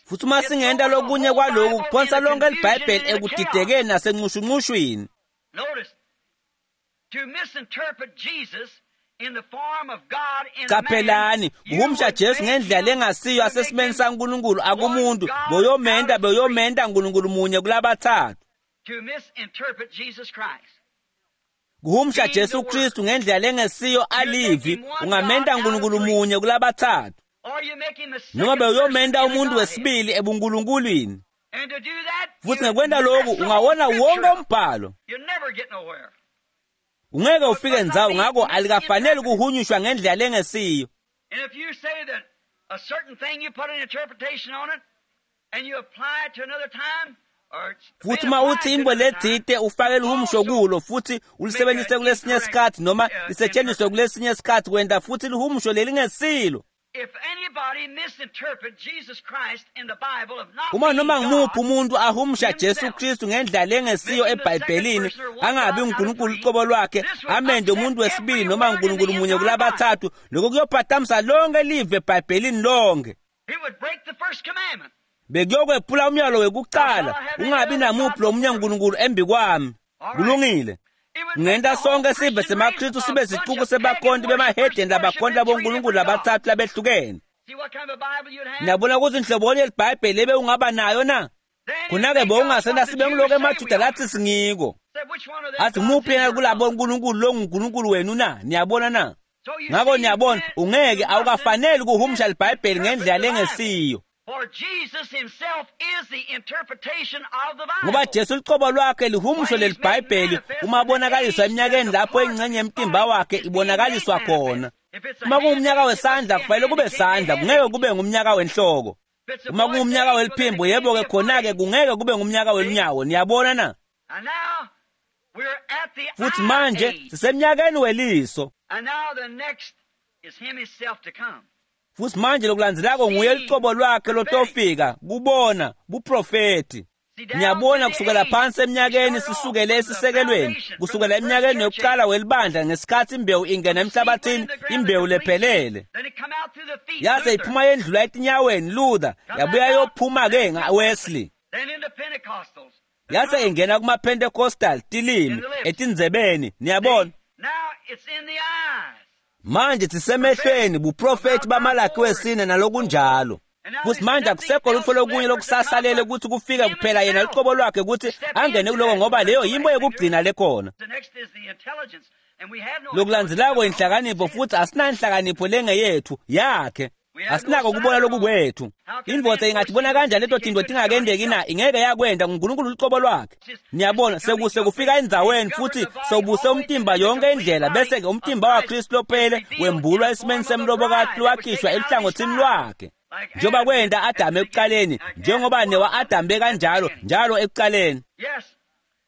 [SPEAKER 1] Futhi uma singenta lokunye kwaloku, kuphonsa lonke liBhayibheli ekudidekeni nasencushuncushwini. Qaphelani, kuhumusha Jesu ngendlela lengasiyo asesimeni saNkulunkulu akumuntu, boyomenta beyomentha Nkulunkulu munye kulabathathu. Kuhumusha Jesu Kristu ngendlela lengesiyo alivi, ungamenta Nkulunkulu munye kulabathathu. Noma bewuyomenta umuntu wesibili ebunkulunkulwini. Futhi ngekwenta lokhu ungawona wonke umbhalo. Ungeke ufike ndzawo, ngakho alikafanele ukuhunyushwa ngendlela lengesiyo. Futhi uma uthi into letsite ufake lihumusho kulo futhi ulisebenzise kulesinye isikhathi noma lisetshenziswe kulesinye isikhathi, kwenta futhi lihumusho lelingesilo. Uma noma ngimuphi umuntu ahumusha Jesu Kristu ngendlela lengesiyo eBhayibhelini, angabi uNkulunkulu ucobo lwakhe, amende umuntu wesibili noma uNkulunkulu munye kulabathathu, lokho kuyophatamisa lonke live eBhayibhelini lonke. Bekuyokwephula umyalo wekuqala, ungabi namuphi lomunye uNkulunkulu embi kwami. Kulungile. Ngenta sonke sive semaKristu sibe sicuku sebakhonti bemahedeni labakhonti labonkulunkulu labathathu labehlukene. Niyabona ukuthi inhlobonye yeliBhayibheli ebe ungaba nayo na? Khona-ke bowungasenta sibe ngiloko emaJuda lathi singiko. Athi ngumuphi yena kulabo nkulunkulu longunkulunkulu wenu na? Niyabona na? Ngako niyabona, ungeke awukafaneli kuhumusha libhayibheli ngendlela lengesiyo. Ngoba Jesu lucobo lwakhe lihumusho lelibhayibheli uma abonakaliswa eminyakeni lapho ingxenye yemtimba wakhe ibonakaliswa khona. Uma kungumnyaka wesandla kufanele kube sandla, kungeke kube ngumnyaka wenhloko. Uma kungumnyaka weliphimbo, yebo-ke khona-ke kungeke kube ngumnyaka welunyawo. Niyabona na? Futhi manje sisemnyakeni weliso. Futhi manje lokulandzelako nguye lucobo lwakhe lotofika kubona buprofeti. Niyabona kusukela phansi eminyakeni sisukele esisekelweni, kusukela eminyakeni yokuqala welibandla ngesikhathi imbewu ingena emhlabathini, imbewu lephelele. Yase iphuma yendlula etinyaweni Luther, yabuya yophuma-ke nga-Wesley. Yase ingena kuma-Pentecostal tilimi etindzebeni, niyabona. Manje sisemehlweni buprofeti baMalaki wesine nalokunjalo. Futhi manje akusekho lutho lokunye lokusasalele ukuthi kufike kuphela yena lucobo lwakhe ukuthi angene kuloko, ngoba leyo yimbo yokugcina lekhona. Lokulandzelako inhlakanipho, futhi asinanhlakanipho lengeyethu yakhe. Asinako kubona lokukwethu. Indvodza ingatibona kanjani leto tinto tingakendeki na? Ingeke yakwenda nguNkulunkulu lucobo lwakhe. Niyabona, sekuse kufika endzaweni futhi sewubuse umtimba yonke indlela, bese-ke umtimba waKristu lophele wembulwa esimeni semlobokati lwakhishwa eluhlangothini lwakhe. Njengoba kwenta Adamu ekuqaleni, njengoba newa-Adamu bekanjalo njalo ekuqaleni.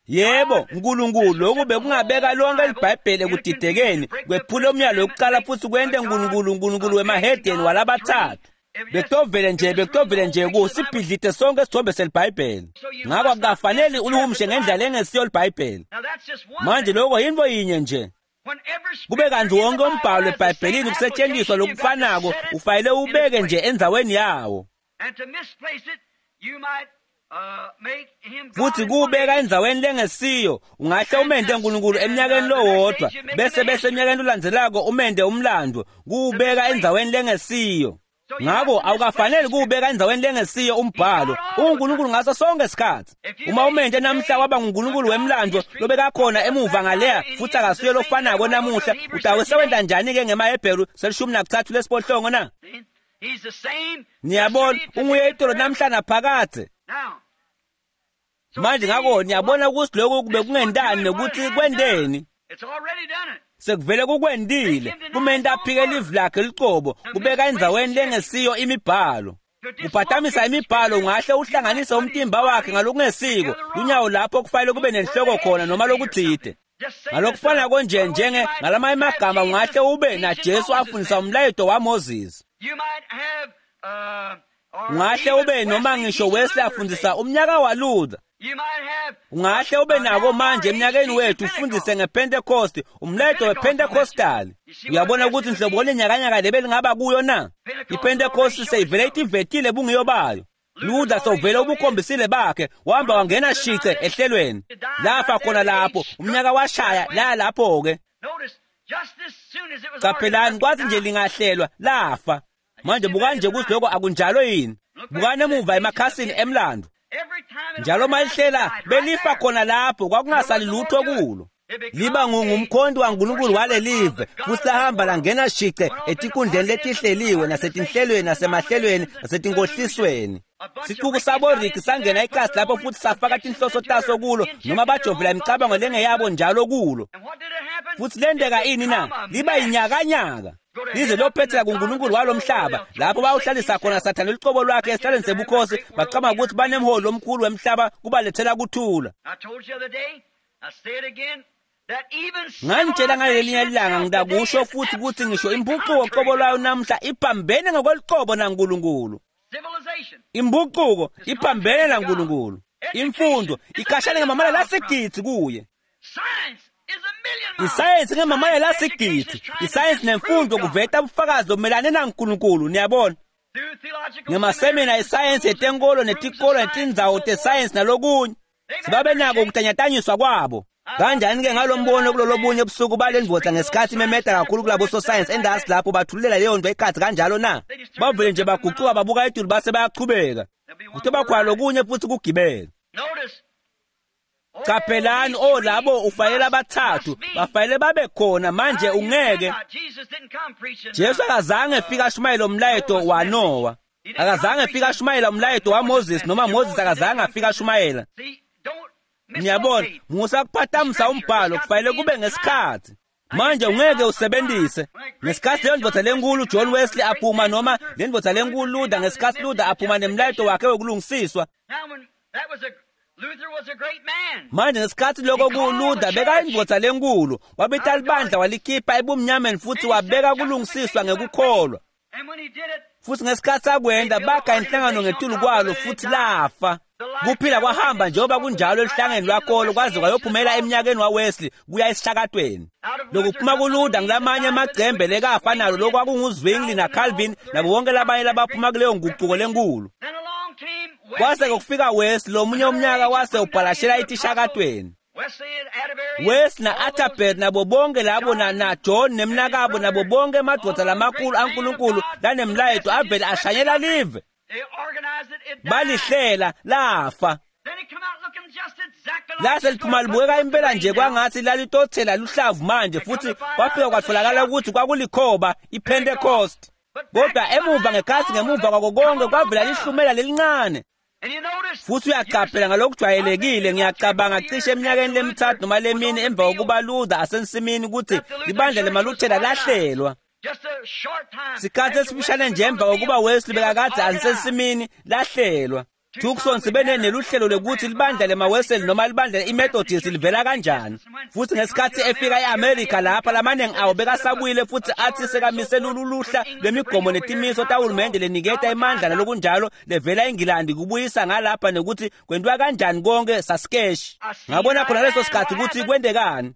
[SPEAKER 1] Yebo, uNkulunkulu lokhu bekungabeka lonke libhayibheli ekudidekeni, kwephula umyalo wokuqala futhi kwente uNkulunkulu uNkulunkulu wemahedeni walabathathu. Bekutovele nje kusibhidlite sonke isithombe selibhayibheli. Ngakho akukafanele ulihumushe ngendlela engesiyo libhayibheli. Manje lokho yinto yinye nje. Kube kanti wonke umbhalo eBhayibhelini kusetshenziswa lokufanako, ufanele ubeke nje endzaweni yawo. Futhi kuwubeka endzaweni lengesiyo, ungahle umente uNkulunkulu eminyakeni lowodwa, bese eminyakeni olandzelako umente umlando, kuwubeka endzaweni lengesiyo. Ngakho awukafanele kuwubeka endzaweni lengesiyo umbhalo. UNkulunkulu ngaso sonke isikhathi. Uma umente namhla waba nguNkulunkulu wemlando lobekakhona emuva ngaleya futhi akasuye lofanako namuhla, utawe sewenta njani-ke ngemaHebheru selishumi nakuthathu lesiphohlongo na? Niyabona, unguye itolo namhla naphakadze. Manje ngakho niyabona ukuthi lokhu kube kungentani nokuthi kwenteni. Sekuvele kukwendile, kumenta aphike livi lakhe lucobo, kubeka endzaweni lengesiyo imibhalo. Kuphatamisa imibhalo ungahle uhlanganise umtimba wakhe ngalokungesiko, lunyawo lapho kufanele kube nenhloko khona noma lokuthide. Ngalokufana konje njenge ngalamanye amagama ungahle ube naJesu afundisa umlayeto waMoses. Ungahle ube noma ngisho Wesley afundisa umnyaka waLuther. Ungahle ube nako manje eminyakeni wethu ufundise ngePentecost, umlayeto wePentecostal. Uyabona ukuthi nhlobo lenyakanyaka lebelingaba kuyo na? IPentecost seyivele itivetile bungiyo bayo. Luther sewuvele ubukhombisile bakhe, wahamba wangena shice ehlelweni. Lafa khona lapho, umnyaka washaya la lapho-ke. Qaphelani, kwathi nje lingahlelwa lafa. Manje bukani nje ukuthi lokho akunjalo yini. Bukani emuva emakhasini emlando. Njalo malihlela belifa khona lapho, kwakungasali lutho kulo. Liba ngumkhonto waNkulunkulu walelive, futhi lahamba langena shice etinkundleni letihleliwe nasetinhlelweni nasemahlelweni nasetinkohlisweni. Sicuku saboriki sangena ikasi lapho futhi safaka tinhloso taso kulo, noma bajovela imicabango lengeyabo njalo kulo. Futhi lenteka ini na? Liba yinyakanyaka. Lize lophethela kuNkulunkulu walomhlaba, lapho bawuhlalisa khona Sathane lucobo lwakhe esihlalweni sebukhosi, bacabanga ukuthi banemholi omkhulu wemhlaba kubalethela kuthula. Nganitshela ngalelinye ilanga, ngitakusho futhi ukuthi ngisho impucuko qobo lwayo namhla iphambene ngokwelucobo naNkulunkulu. Impucuko iphambene naNkulunkulu. Imfundo ikashane ngamamala lasigidzi kuye. Isayensi ngemamala lasigidzi. Isayensi nemfundo kuveta ubufakazi lobumelane naNkulunkulu, niyabona. Ngemasemina esayensi yetenkolo netikolo netindzawo tesayensi nalokunye. Sibabe nako ukutanyatanyiswa kwabo. Kanjani-ke ngalombono kulolobunye ubusuku bale ndvodza ngesikhathi imemeta kakhulu kulabo sosayensi endasi lapho bathululela leyo nto ikhathi kanjalo na? Bavele nje bagucuka babuka etulu base bayachubeka. Kutoba khona lokunye futhi kugibela. Qaphelani, o labo ufanele abathathu bafanele babe khona. Manje ungeke, Jesu akazange efika ashumayela umlayeto waNowa, akazange efika ashumayela umlayeto waMoses, noma Moses akazange afika ashumayela. Niyabona, musa kuphatamisa umbhalo, kufanele kube ngesikhathi. Manje ungeke usebenzise ngesikhathi leyo ndvodza lenkulu John Wesley aphuma, noma le ndvodza lenkulu Luther, ngesikhathi Luther aphuma nemlayeto wakhe wokulungisiswa. Manje ngesikhathi lokho ku Luther bekayindvodza lenkulu, wabita libandla walikhipha ebumnyameni futhi wabeka kulungisiswa ngekukholwa. Futhi ngesikhathi akwenda bakha inhlangano ngetulu kwalo futhi lafa. Kuphila kwahamba njengoba kunjalo eluhlangeni lwakolo kwaze kwayophumela eminyakeni waWesley kuya esishakatweni. Lokuphuma kuLuther ngilamanye amagcembe lekafa nalo lokwakunguZwingli naCalvin nabo bonke labanye labaphuma kuleyo nguquko lenkulu. Kwase kufika Wesley lomunye umnyaka wase ubhalashela etishakatweni. Wesley na-Atterbury nabo bonke labo na John nemnakabo nabo bonke emadvodza lamakhulu aNkulunkulu lanemlayeto avele ashanyela live. Balihlela lafa. Lase liphuma libukeka impela nje kwangathi lalitothela luhlavu manje, futhi kwafika kwatholakala ukuthi kwakulikhoba iPentecost. Kodwa emuva ngekhathi ngemuva kwako konke kwavela lihlumela lelincane. Futhi uyaqaphela ngalokujwayelekile, ngiyacabanga cishe eminyakeni lemithathu noma lemine emva kokuba Luther asensimini, ukuthi libandla lemaLuthela lahlelwa. Sikhathi esifishane nje emva kokuba Wesley bekakade asensimini, lahlelwa. Tucson sibe neluhlelo lokuthi libandla lemaWesley noma libandla iMethodist livela kanjani. Futhi ngesikhathi efika eAmerica lapha, lamaningi awo bekasabuyile futhi athi sekamise luluhla lwemigomo netimiso tahulumende leniketa emandla nalokunjalo levela eNgilandi kubuyisa ngalapha nekuthi kwentiwa kanjani konke sasikeshi. Ngabona khona leso sikhathi ukuthi kwentekani.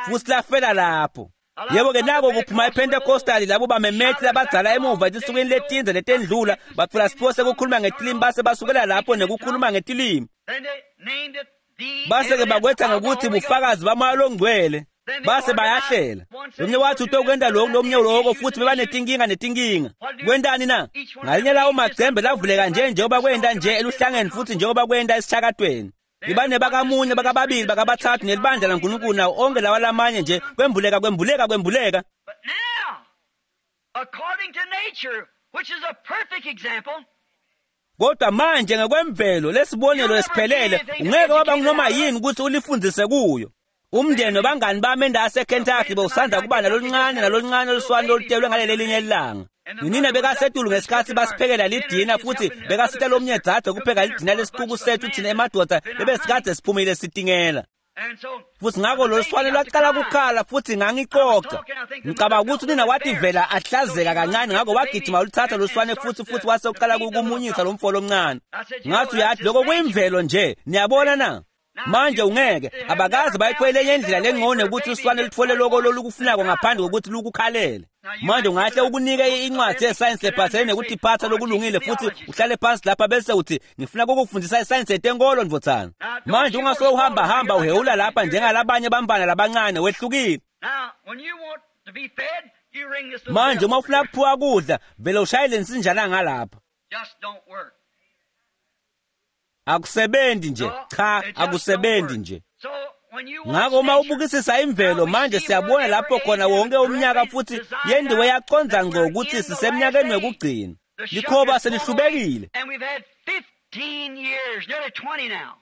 [SPEAKER 1] Futhi lafela lapho. Yebo-ke nako kuphuma iPentecostal labo bamemethi labadzala emuva etinsukwini letindze letendlula batfola siphiwo sekukhuluma ngetilimi base basukela lapho nekukhuluma ngetilimi. Base-ke bakwetha ngokuthi bufakazi bamoya longcwele. Base bayahlela. Lomnye wathi utokwenta lokhu, lomnye lokho, futhi bebanetinkinga netinkinga. Kwentani na? Ngalinye lawo magcembe lavuleka nje njengoba kwenta nje eluhlangeni futhi njengoba kwenta esishakatweni. Libane bakamunye, bakababili, bakabathathu nelibandla laNkulunkulu nawo onke lawa lamanye nje kwembuleka kwembuleka kwembuleka.
[SPEAKER 2] But now, according to nature, which is a perfect example,
[SPEAKER 1] Kodwa manje ngekwemvelo lesibonelo esiphelele ungeke waba noma yini ukuthi ulifundzise kuyo. Umndeni wabangani bami endawo eKentucky bowusanda kuba naloluncane naloluncane oluswane lolutelwe ngaleli linye ilanga. Nina bekasetulu ngesikhathi basiphekela lidina futhi bekasita lomnye dzadze kupheka lidina lesixuku sethu thina emadoda bebesikade siphumile sitingela.
[SPEAKER 2] and so
[SPEAKER 1] Futhi ngakho lolu swane lwaqala kukhala futhi ngangicoca. Ngicabanga ukuthi unina wathi vela ahlazeka kancane, ngakho wagijima waluthatha loluswane futhi wase uqala ukumunyisa lo mfo lomncane. Ngathi uyathi lokho kuyimvelo nje, niyabona na? Manje ungeke abakaze bayithole enye indlela lengcono ukuthi uswane lutfole lokho lolukufunako ngaphandle kokuthi lukukhalele. Manje ungahle ukunike incwadi yesayensi lephathelene nekutiphatha lokulungile futhi uhlale phansi lapha bese uthi ngifuna ukukufundisa isayensi yetenkolo ndvodzana. Manje ungasuke uhamba hamba uhewula lapha njengalabanye bambana labancane, wehlukile.
[SPEAKER 2] now when you want to be fed, you ring this little
[SPEAKER 1] Manje
[SPEAKER 2] bell.
[SPEAKER 1] uma ufuna kuphiwa kudla vele ushayele insinjana ngalapha.
[SPEAKER 2] Just don't work.
[SPEAKER 1] Akusebenzi nje,
[SPEAKER 2] No,
[SPEAKER 1] cha,
[SPEAKER 2] it just don't
[SPEAKER 1] akusebenzi
[SPEAKER 2] work.
[SPEAKER 1] nje.
[SPEAKER 2] So when you watch
[SPEAKER 1] Ngakho uma
[SPEAKER 2] nature,
[SPEAKER 1] ubukisisa imvelo manje siyabona lapho khona wonke umnyaka futhi yendiwe yaqonda ngqo ukuthi sisemnyakeni wekugcina.
[SPEAKER 2] the shuck
[SPEAKER 1] Likhoba
[SPEAKER 2] is full
[SPEAKER 1] selihlubekile
[SPEAKER 2] and we've had 15 years, nearly 20 now.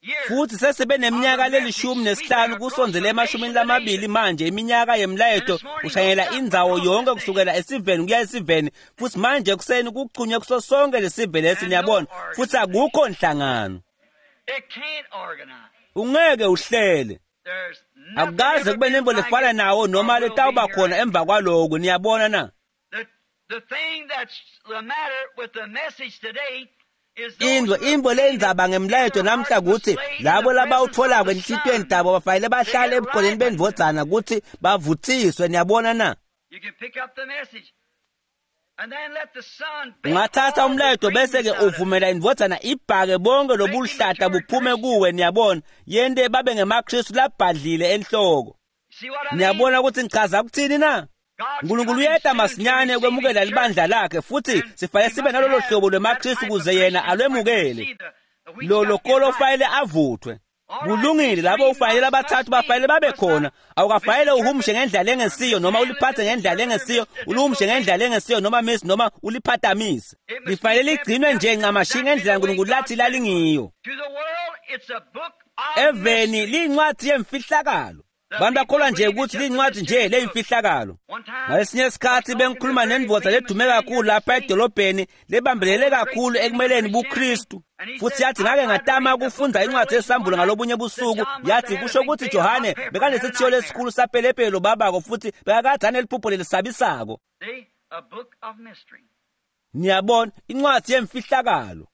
[SPEAKER 2] Years.
[SPEAKER 1] futhi sesibe neminyaka lelishumi nesihlanu kusondzele emashumini lamabili manje, iminyaka yemlayeto ushayela indzawo yonke kusukela esiveni kuya esiveni, futhi manje ekuseni kuchunywe kuso sonke lesive lesi, niyabona, futhi akukho nhlangano.
[SPEAKER 2] It can't organize.
[SPEAKER 1] Ungeke uhlele.
[SPEAKER 2] There's nothing
[SPEAKER 1] Akukaze
[SPEAKER 2] ever
[SPEAKER 1] kube
[SPEAKER 2] been
[SPEAKER 1] nembo
[SPEAKER 2] like
[SPEAKER 1] lefana
[SPEAKER 2] it
[SPEAKER 1] nawo noma
[SPEAKER 2] or will be
[SPEAKER 1] letawuba khona
[SPEAKER 2] hereafter.
[SPEAKER 1] emva kwaloko, niyabona na?
[SPEAKER 2] The thing that's the matter with the message today is those
[SPEAKER 1] Indvo
[SPEAKER 2] who have
[SPEAKER 1] imbo
[SPEAKER 2] seen it
[SPEAKER 1] lendzaba
[SPEAKER 2] in
[SPEAKER 1] ngemlayeto
[SPEAKER 2] their
[SPEAKER 1] namhla
[SPEAKER 2] hearts
[SPEAKER 1] kuthi
[SPEAKER 2] displayed in
[SPEAKER 1] labo
[SPEAKER 2] the presence of
[SPEAKER 1] labawutholako
[SPEAKER 2] the
[SPEAKER 1] enhlitiyweni
[SPEAKER 2] Son.
[SPEAKER 1] tabo bafanele
[SPEAKER 2] They
[SPEAKER 1] bahlale
[SPEAKER 2] get
[SPEAKER 1] ebukhoneni
[SPEAKER 2] right.
[SPEAKER 1] bendvodzana ukuthi bavuthiswe, niyabona na?
[SPEAKER 2] You can pick up the message and then let the Son bake
[SPEAKER 1] Ungathatha
[SPEAKER 2] all the
[SPEAKER 1] umlayeto bese-ke
[SPEAKER 2] greenness out of it.
[SPEAKER 1] uvumela indvodzana ibhake bonke lobuhlata buphume kuwe, niyabona, yente babe ngemaKristu labhadlile enhloko.
[SPEAKER 2] See what I mean?
[SPEAKER 1] Niyabona ukuthi ngichaza ukuthini na?
[SPEAKER 2] God's
[SPEAKER 1] uNkulunkulu
[SPEAKER 2] coming
[SPEAKER 1] uyeta
[SPEAKER 2] soon to
[SPEAKER 1] masinyane
[SPEAKER 2] receive
[SPEAKER 1] ukwemukela
[SPEAKER 2] his
[SPEAKER 1] libandla
[SPEAKER 2] church.
[SPEAKER 1] lakhe futhi
[SPEAKER 2] And
[SPEAKER 1] sifanele
[SPEAKER 2] we
[SPEAKER 1] sibe
[SPEAKER 2] must
[SPEAKER 1] nalolo
[SPEAKER 2] have
[SPEAKER 1] hlobo
[SPEAKER 2] that
[SPEAKER 1] lwemaKristu
[SPEAKER 2] type of
[SPEAKER 1] ukuze yena
[SPEAKER 2] Christian so I can
[SPEAKER 1] alwemukele.
[SPEAKER 2] see
[SPEAKER 1] Lo kolo ufanele avuthwe. Kulungile, labo ufanele abathathu bafanele babe khona. Awukafanele uhumushe ngendlela engesiyo noma uliphathe ngendlela engesiyo, uluhumushe ngendlela engesiyo noma miss noma uliphatamise. Lifanele ligcinwe nje ncamashi ngendlela uNkulunkulu lathi lalingiyo. Eveni liyincwadi yemfihlakalo. Bantu bakholwa nje ukuthi liyincwadi nje leyimfihlakalo. Ngalesinye isikhathi bengikhuluma nendvodza ledume kakhulu lapha edolobheni lebambelele kakhulu ekumeleni buKristu. Futhi yathi ngake ngatama ukufunda incwadi yesambulo ngalobunye busuku, yathi kusho ukuthi Johane bekanesithiyo lesikhulu sapelepelo babako futhi bekakade aneliphupho lelisabisako. Niyabona, incwadi yemfihlakalo.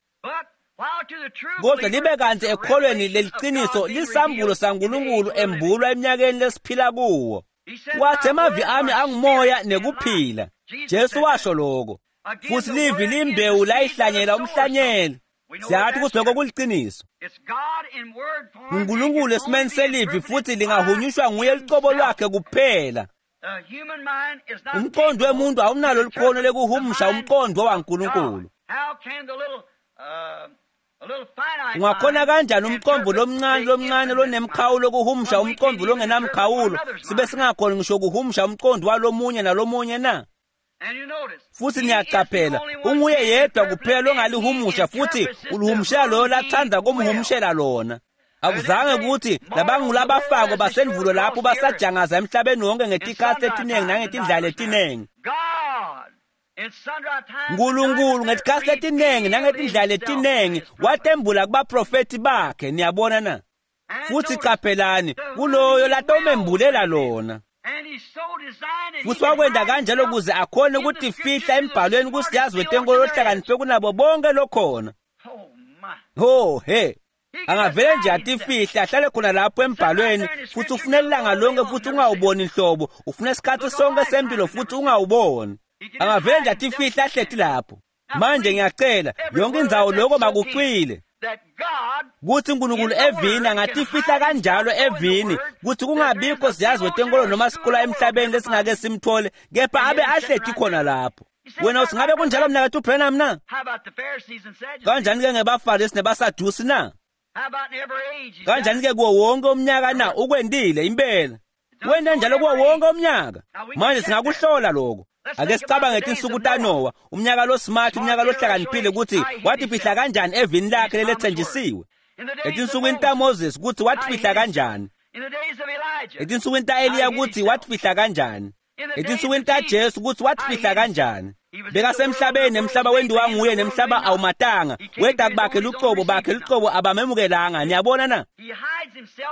[SPEAKER 1] Kodwa libe kanti ekholweni leliqiniso lisambulo saNkulunkulu embulwa eminyakeni lesiphila kuwo. Wathi emavi ami angumoya nekuphila. Jesu washo lokho. Futhi livi limbewu layihlanyela umhlanyeli. Siyathi ukuthi lokho kuliqiniso. uNkulunkulu esimeni selivi futhi lingahunyushwa nguye lucobo lwakhe kuphela. Umqondo wemuntu awunalo likhono lekuhumusha umqondo waNkulunkulu. Ungakhona kanjani umqondo lomncane lomncane lonemkhawulo kuhumusha umqondo longenamkhawulo sibe singakhoni ngisho kuhumusha umqondo walomunye nalomunye na? Futhi niyaqaphela unguye yedwa kuphela longalihumusha futhi ulihumushela loyo lathanda kumhumushela lona. Akuzange ukuthi labangulabafako basendvulo lapho basajangaza emhlabeni wonke ngetikhathi letiningi nangetindlela letiningi. uNkulunkulu ngetikhathi letiningi nangetindlela letiningi watembula kubaprofethi bakhe, niyabona na? Futhi qaphelani kuloyo latomembulela lona. Futhi wakwenda kanjalo ukuze akhone ukutifihla embhalweni kusiyazi wetenkolo lohlakaniphe kunabo bonke lokhona. Ho he, angavele nje atifihle ahlale khona lapho embhalweni futhi ufune ilanga lonke futhi ungawuboni nhlobo, ufune isikhathi sonke sempilo futhi ungawuboni. Angavele nje atifihle ahleti lapho. Manje ngiyacela yonke indzawo lokho makucwile kuthi uNkulunkulu evini angatifihla kanjalo evini kuthi kungabikho siyazi wetenkolo noma sikolo emhlabeni lesingake simthole, kepha abe ahleti khona lapho. Wena uthi ngabe kunjalo mnakethu Branham na? Kanjani ke ngebaFarisi nebaSadusi na? Kanjani ke kuwo wonke umnyaka na? Ukwendile impela. Wena njalo kuwo wonke umnyaka. Manje singakuhlola lokho. Ake sicabange tinsuku taNowa, umnyaka lo smart, umnyaka lohlakaniphile ukuthi watifihla kanjani evini lakhe lelethenjisiwe. Etinsukwini taMoses ukuthi watifihla kanjani. Etinsukwini taEliya ukuthi watifihla kanjani. Etinsukwini taJesu ukuthi watifihla kanjani. Bekasemhlabeni nemhlaba wendiwa nguye nemhlaba awumatanga. Weda bakhe lucobo bakhe lucobo abamemukelanga. Niyabona na?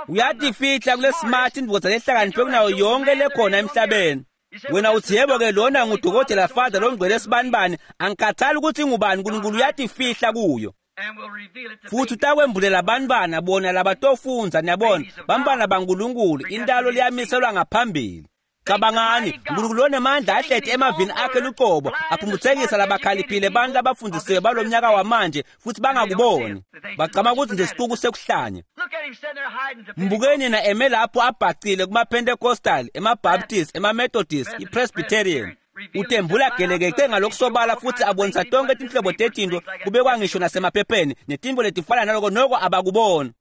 [SPEAKER 1] Uyatifihla kule smart indvodza lehlakaniphe kunayo yonke lekhona emhlabeni. Wena uthi yebo ke lona ngudokotela father longcwele sibanibani, angikhathali ukuthi ngubani, uNkulunkulu uyatifihla kuyo. Futhi utakwembulela abantwana bona labatofundza, niyabona, bantwana baNkulunkulu, intalo liyamiselwa ngaphambili. Cabangani, uNkulunkulu onemandla ahleti emavini akhe lucobo, aphumbuthekisa labakhaliphile abantu abafundisiwe balomnyaka wamanje futhi bangakuboni. Bacama ukuthi nje sicuku sekuhlanya. Mbukeni na eme lapho abhacile kuma-Pentecostal, ema-Baptist, ema-Methodist, i-Presbyterian. Utembula gelekece ngalokusobala futhi abonisa tonke tinhlobo tetinto kubekwa ngisho nasemaphepheni netinto letifana naloko noko abakuboni.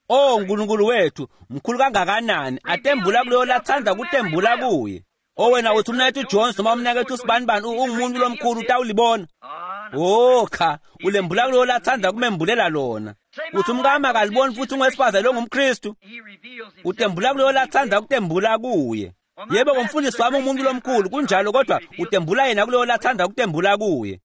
[SPEAKER 1] Oh uNkulunkulu wethu mkhulu kangakanani, atembula kuloyo lathanda kutembula kuye. Oh wena uthi umnakethu Jones noma umnakethu sibanibani ungumuntu lomkhulu utawulibona. Oh cha, ulembula kuloyo lathanda kumembulela lona. Uthi umkami akaliboni futhi ungowesifazane longumKristu. Utembula kuloyo lathanda kutembula kuye. Yebo umfundisi wami umuntu lomkhulu kunjalo, kodwa utembula yena kuloyo lathanda kutembula kuye.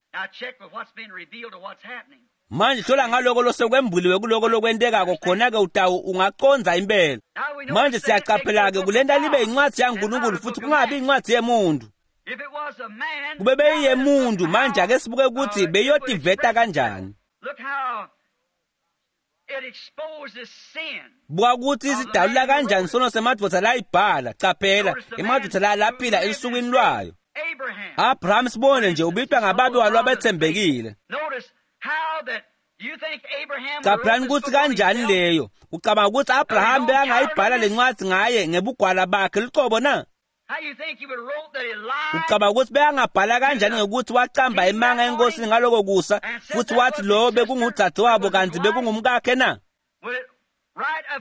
[SPEAKER 1] Manje hlola ngaloko losekwembuliwe kuloko lokwentekako, khona-ke utawu ungaqondza impela. Manje siyaqaphela-ke kulenta libe incwadi yaNkulunkulu futhi kungabi incwadi yemuntu. Kube beyiyemuntu, manje ake sibuke ukuthi beyotiveta kanjani. Buka ukuthi isidalula kanjani sono semadvodza layibhala. Caphela, emadvodza la laphila elusukwini lwayo. Abraham sibone nje ubitwa ngababe walo abethembekile. Caphela ukuthi kanjani leyo. Ucabanga ukuthi Abraham bekangayibhala lencwadi ngaye ngebugwala bakhe lucobo na? Ucabanga ukuthi bekangabhala kanjani ngokuthi wacamba emanga enkosini ngaloko kusa futhi wathi lowo bekungudzadzewabo kanti bekungumkakhe na?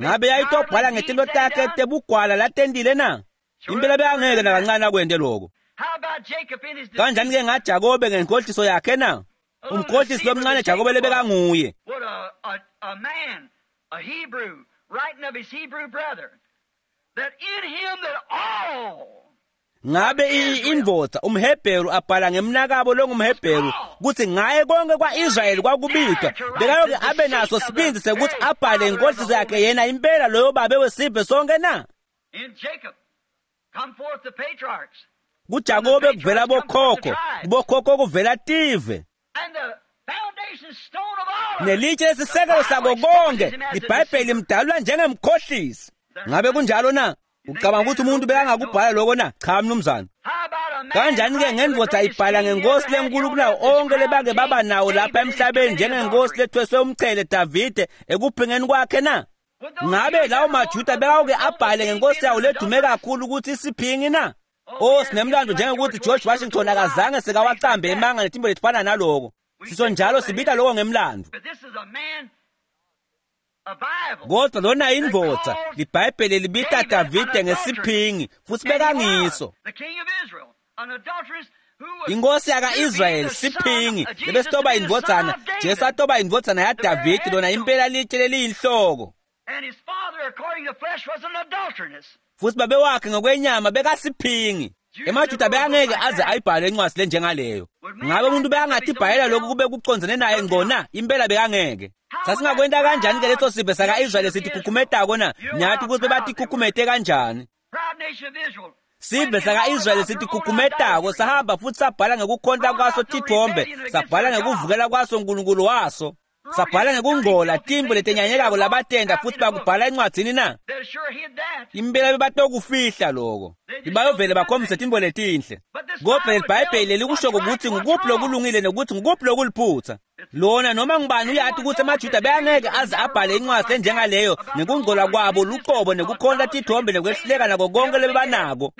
[SPEAKER 1] Ngabe yayitobhala ngetinto takhe tebugwala latentile na? Impela bekangeke nakancane akwente loko. Kanjani-ke ngaJakobe ngenkohliso yakhe na? Umkhohlisi lomncane Jakobe lebekanguye. Ngabe indvodza umHebheru abhala ngemnakabo longumHebheru kutsi ngaye konke kwa-Israyeli kwakubitwa, bekayoke abe naso sibindzi sekuthi abhale inkohliso yakhe yena impela loyo babe wesive sonke na? KuJakobe kuvela bokhokho, kubokhokho kuvela tive. Nelitshe lesisekelo sako konke iBhayibheli limdalula njengemkhohlisi. Ngabe kunjalo na? Ucabanga ukuthi umuntu bekangakubhala lokho na? Cha mnumzane. Kanjani-ke ngendvodza ibhala ngenkosi lenkulu kunawo onke lebake baba nawo lapha emhlabeni njengenkosi lethweswe umchele Davide ekuphingeni kwakhe na? Ngabe lawo maJuda bekawuke abhale ngenkosi yawo ledume kakhulu ukuthi isiphingi na? Oh, sinemlando njengokuthi George Washington akazange sekawacambe emanga netimbo letifana naloko. Sisho njalo sibita lokho ngemlando. Kodwa lona indvodza liBhayibheli libita Davide ngesiphingi futhi bekangiso. Inkosi yaka-Israyeli siphingi lebesitoba indvodzana, Jesu atoba indvodzana yaDavide lona impela litshe leliyinhloko. Futhi babe wakhe ngokwenyama bekasiphingi. EmaJuda bekangeke aze ayibhale incwadi lenjengaleyo. Ngabe umuntu bekangathi ibhalela lokhu kube kucondzene naye ngqona? Impela bekangeke. Sasingakwenta kanjani ke leso sive saka-Israyeli sithi khukhumetako na? Nyathi ukuthi bebathi khukhumete kanjani? Sive saka-Israyeli sithi khukhumetako sahamba futhi sabhala ngekukhonta kwaso tithombe, sabhala ngekuvukela kwaso uNkulunkulu waso. Sabhala ngekungcola timbo letenyanyekako labatenda futhi bakubhala encwadzini na? Impela bebatokufihla loko. Ibayovele bakhombise timbo letinhle. Kodwa liBhayibheli lelikushoko ukuthi ngukuphi lokulungile nokuthi ngukuphi lokuliphutha. Lona noma ngubani uyati ukuthi emaJuda bekangeke aze abhale incwadi enjengaleyo ngekungcola kwabo luqobo nekukhonta tithombe nekwehluleka nako konke lebebanako.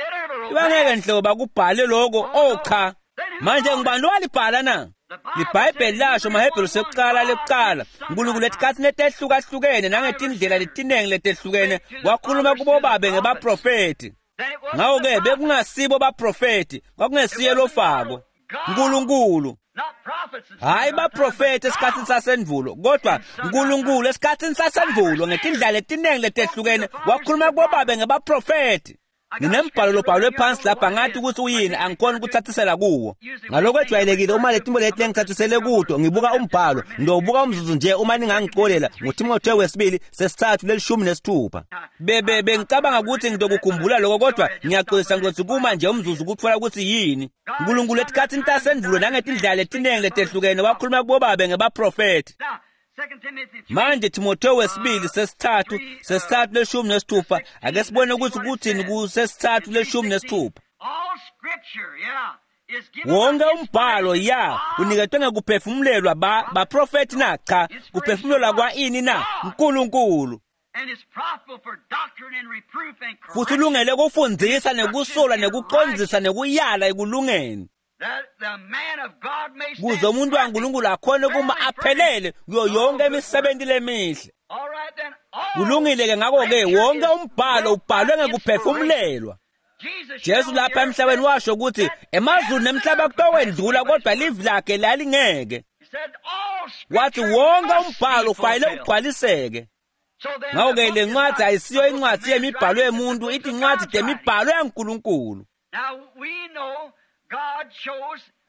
[SPEAKER 1] Bangeke nhlobo bakubhale loko. Oh cha. Manje ngubani lowalibhala na? LiBhayibheli lasho maHebheru sekuqala lekuqala uNkulunkulu etikhatsini letehlukahlukene nangetindlela letinengi letehlukene wakhuluma kubobabe ngebaprofethi. Ngako-ke bekungasibo baprofethi, kwakungesiye lofako uNkulunkulu. Hayi baprofethi esikhatsini sasendvulo, kodwa uNkulunkulu esikhatsini sasendvulo ngetindlela letinengi letehlukene wakhuluma kubobabe ngebaprofethi. Nginembhalo lobhalwe phansi lapha ngathi ukuthi uyini angikhoni ukuthathisela kuwo. Ngalokho ejwayelekile uma letimbo leti lengithathisele kuto ngibuka umbhalo, ngiyowubuka umzuzu nje uma ningangicolela nguTimotheo wesibili sesithathu lelishumi nesithupha. Bebe bengicabanga ukuthi ngitokukhumbula lokho kodwa ngiyaxolisa ngizothi kuma nje umzuzu ukuthola ukuthi yini. uNkulunkulu etikhatsini tasendvulo nangetindlela letinengi letehlukene wakhuluma kubobabe ngebaprofethi. Manje Timotheo wesibili sesithathu leshumi nesithupha ake sibone ukuthi kuthini kusesithathu leshumi nesithupha. Wonke umbhalo ya uniketwe ngekuphefumulelwa baprofethi na? Cha, kuphefumulelwa kwa ini na? uNkulunkulu. Futhi ulungele kufundzisa nekusola nekucondzisa nekuyala ekulungeni, kuze umuntu waNkulunkulu akhone kuma aphelele kuyo yonke imisebenzi lemihle. Kulungile-ke ngakho-ke wonke umbhalo ubhalwe ngekuphefumulelwa. Jesu lapha emhlabeni washo ukuthi emazulu nemhlaba kutokwendlula kodwa livi lakhe lalingeke. Wathi wonke umbhalo ufanele ugcwaliseke. Ngakho-ke le ncwadi ayisiyo incwadi yemibhalo yemuntu, ithi incwadi temibhalo yaNkulunkulu.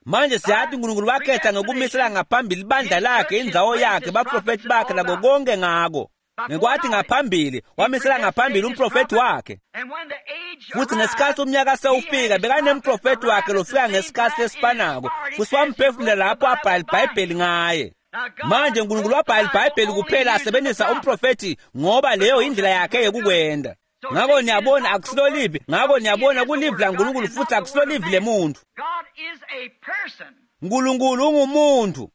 [SPEAKER 1] Manje siyathi uNkulunkulu wakhetha ngokumisela ngaphambili ibandla lakhe, indzawo yakhe, baprofethi bakhe nako konke ngako. Ngekwathi ngaphambili wamisela ngaphambili umprofethi wakhe. Futhi ngesikhathi umnyaka sewufika bekanemprofethi wakhe lofika ngesikhathi lesifanako, futhi wamphefumulela lapho abhala iBhayibheli ngaye. Manje uNkulunkulu wabhala iBhayibheli kuphela asebenzisa umprofethi ngoba leyo indlela yakhe yokukwenda. Ngako niyabona akusilo livi, ngako niyabona kulivi laNkulunkulu futhi akusilo livi lemuntu. uNkulunkulu ungumuntu.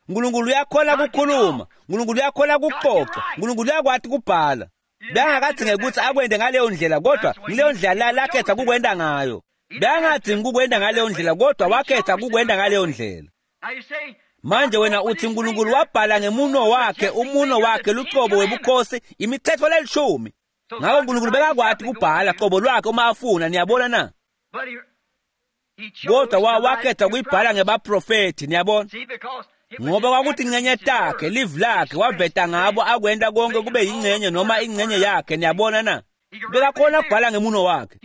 [SPEAKER 1] uNkulunkulu uyakhona kukhuluma, uNkulunkulu uyakhona kuxoxa, uNkulunkulu uyakwati kubhala. Bekangakadzingi ukuthi akwente ngaleyo ndlela, kodwa ngileyo ndlela lakhetha kukwenta ngayo. Bekangadzingi kukwenta ngaleyo ndlela, kodwa wakhetha kukwenta ngaleyo ndlela. Manje wena uthi uNkulunkulu wabhala ngemuno wakhe, umuno wakhe lucobo webukhosi, imithetho lelishumi. Ngako uNkulunkulu bekakwati kubhala qobo lwakhe uma afuna, niyabona na? Kodwa wakhetha kuyibhala ngebaprofethi, niyabona? Ngoba kwakuthi ingcenye takhe, livi lakhe, waveta ngabo akwenta konke kube yingcenye noma ingcenye yakhe, niyabona na? Bekakhona kubhala ngemuno wakhe.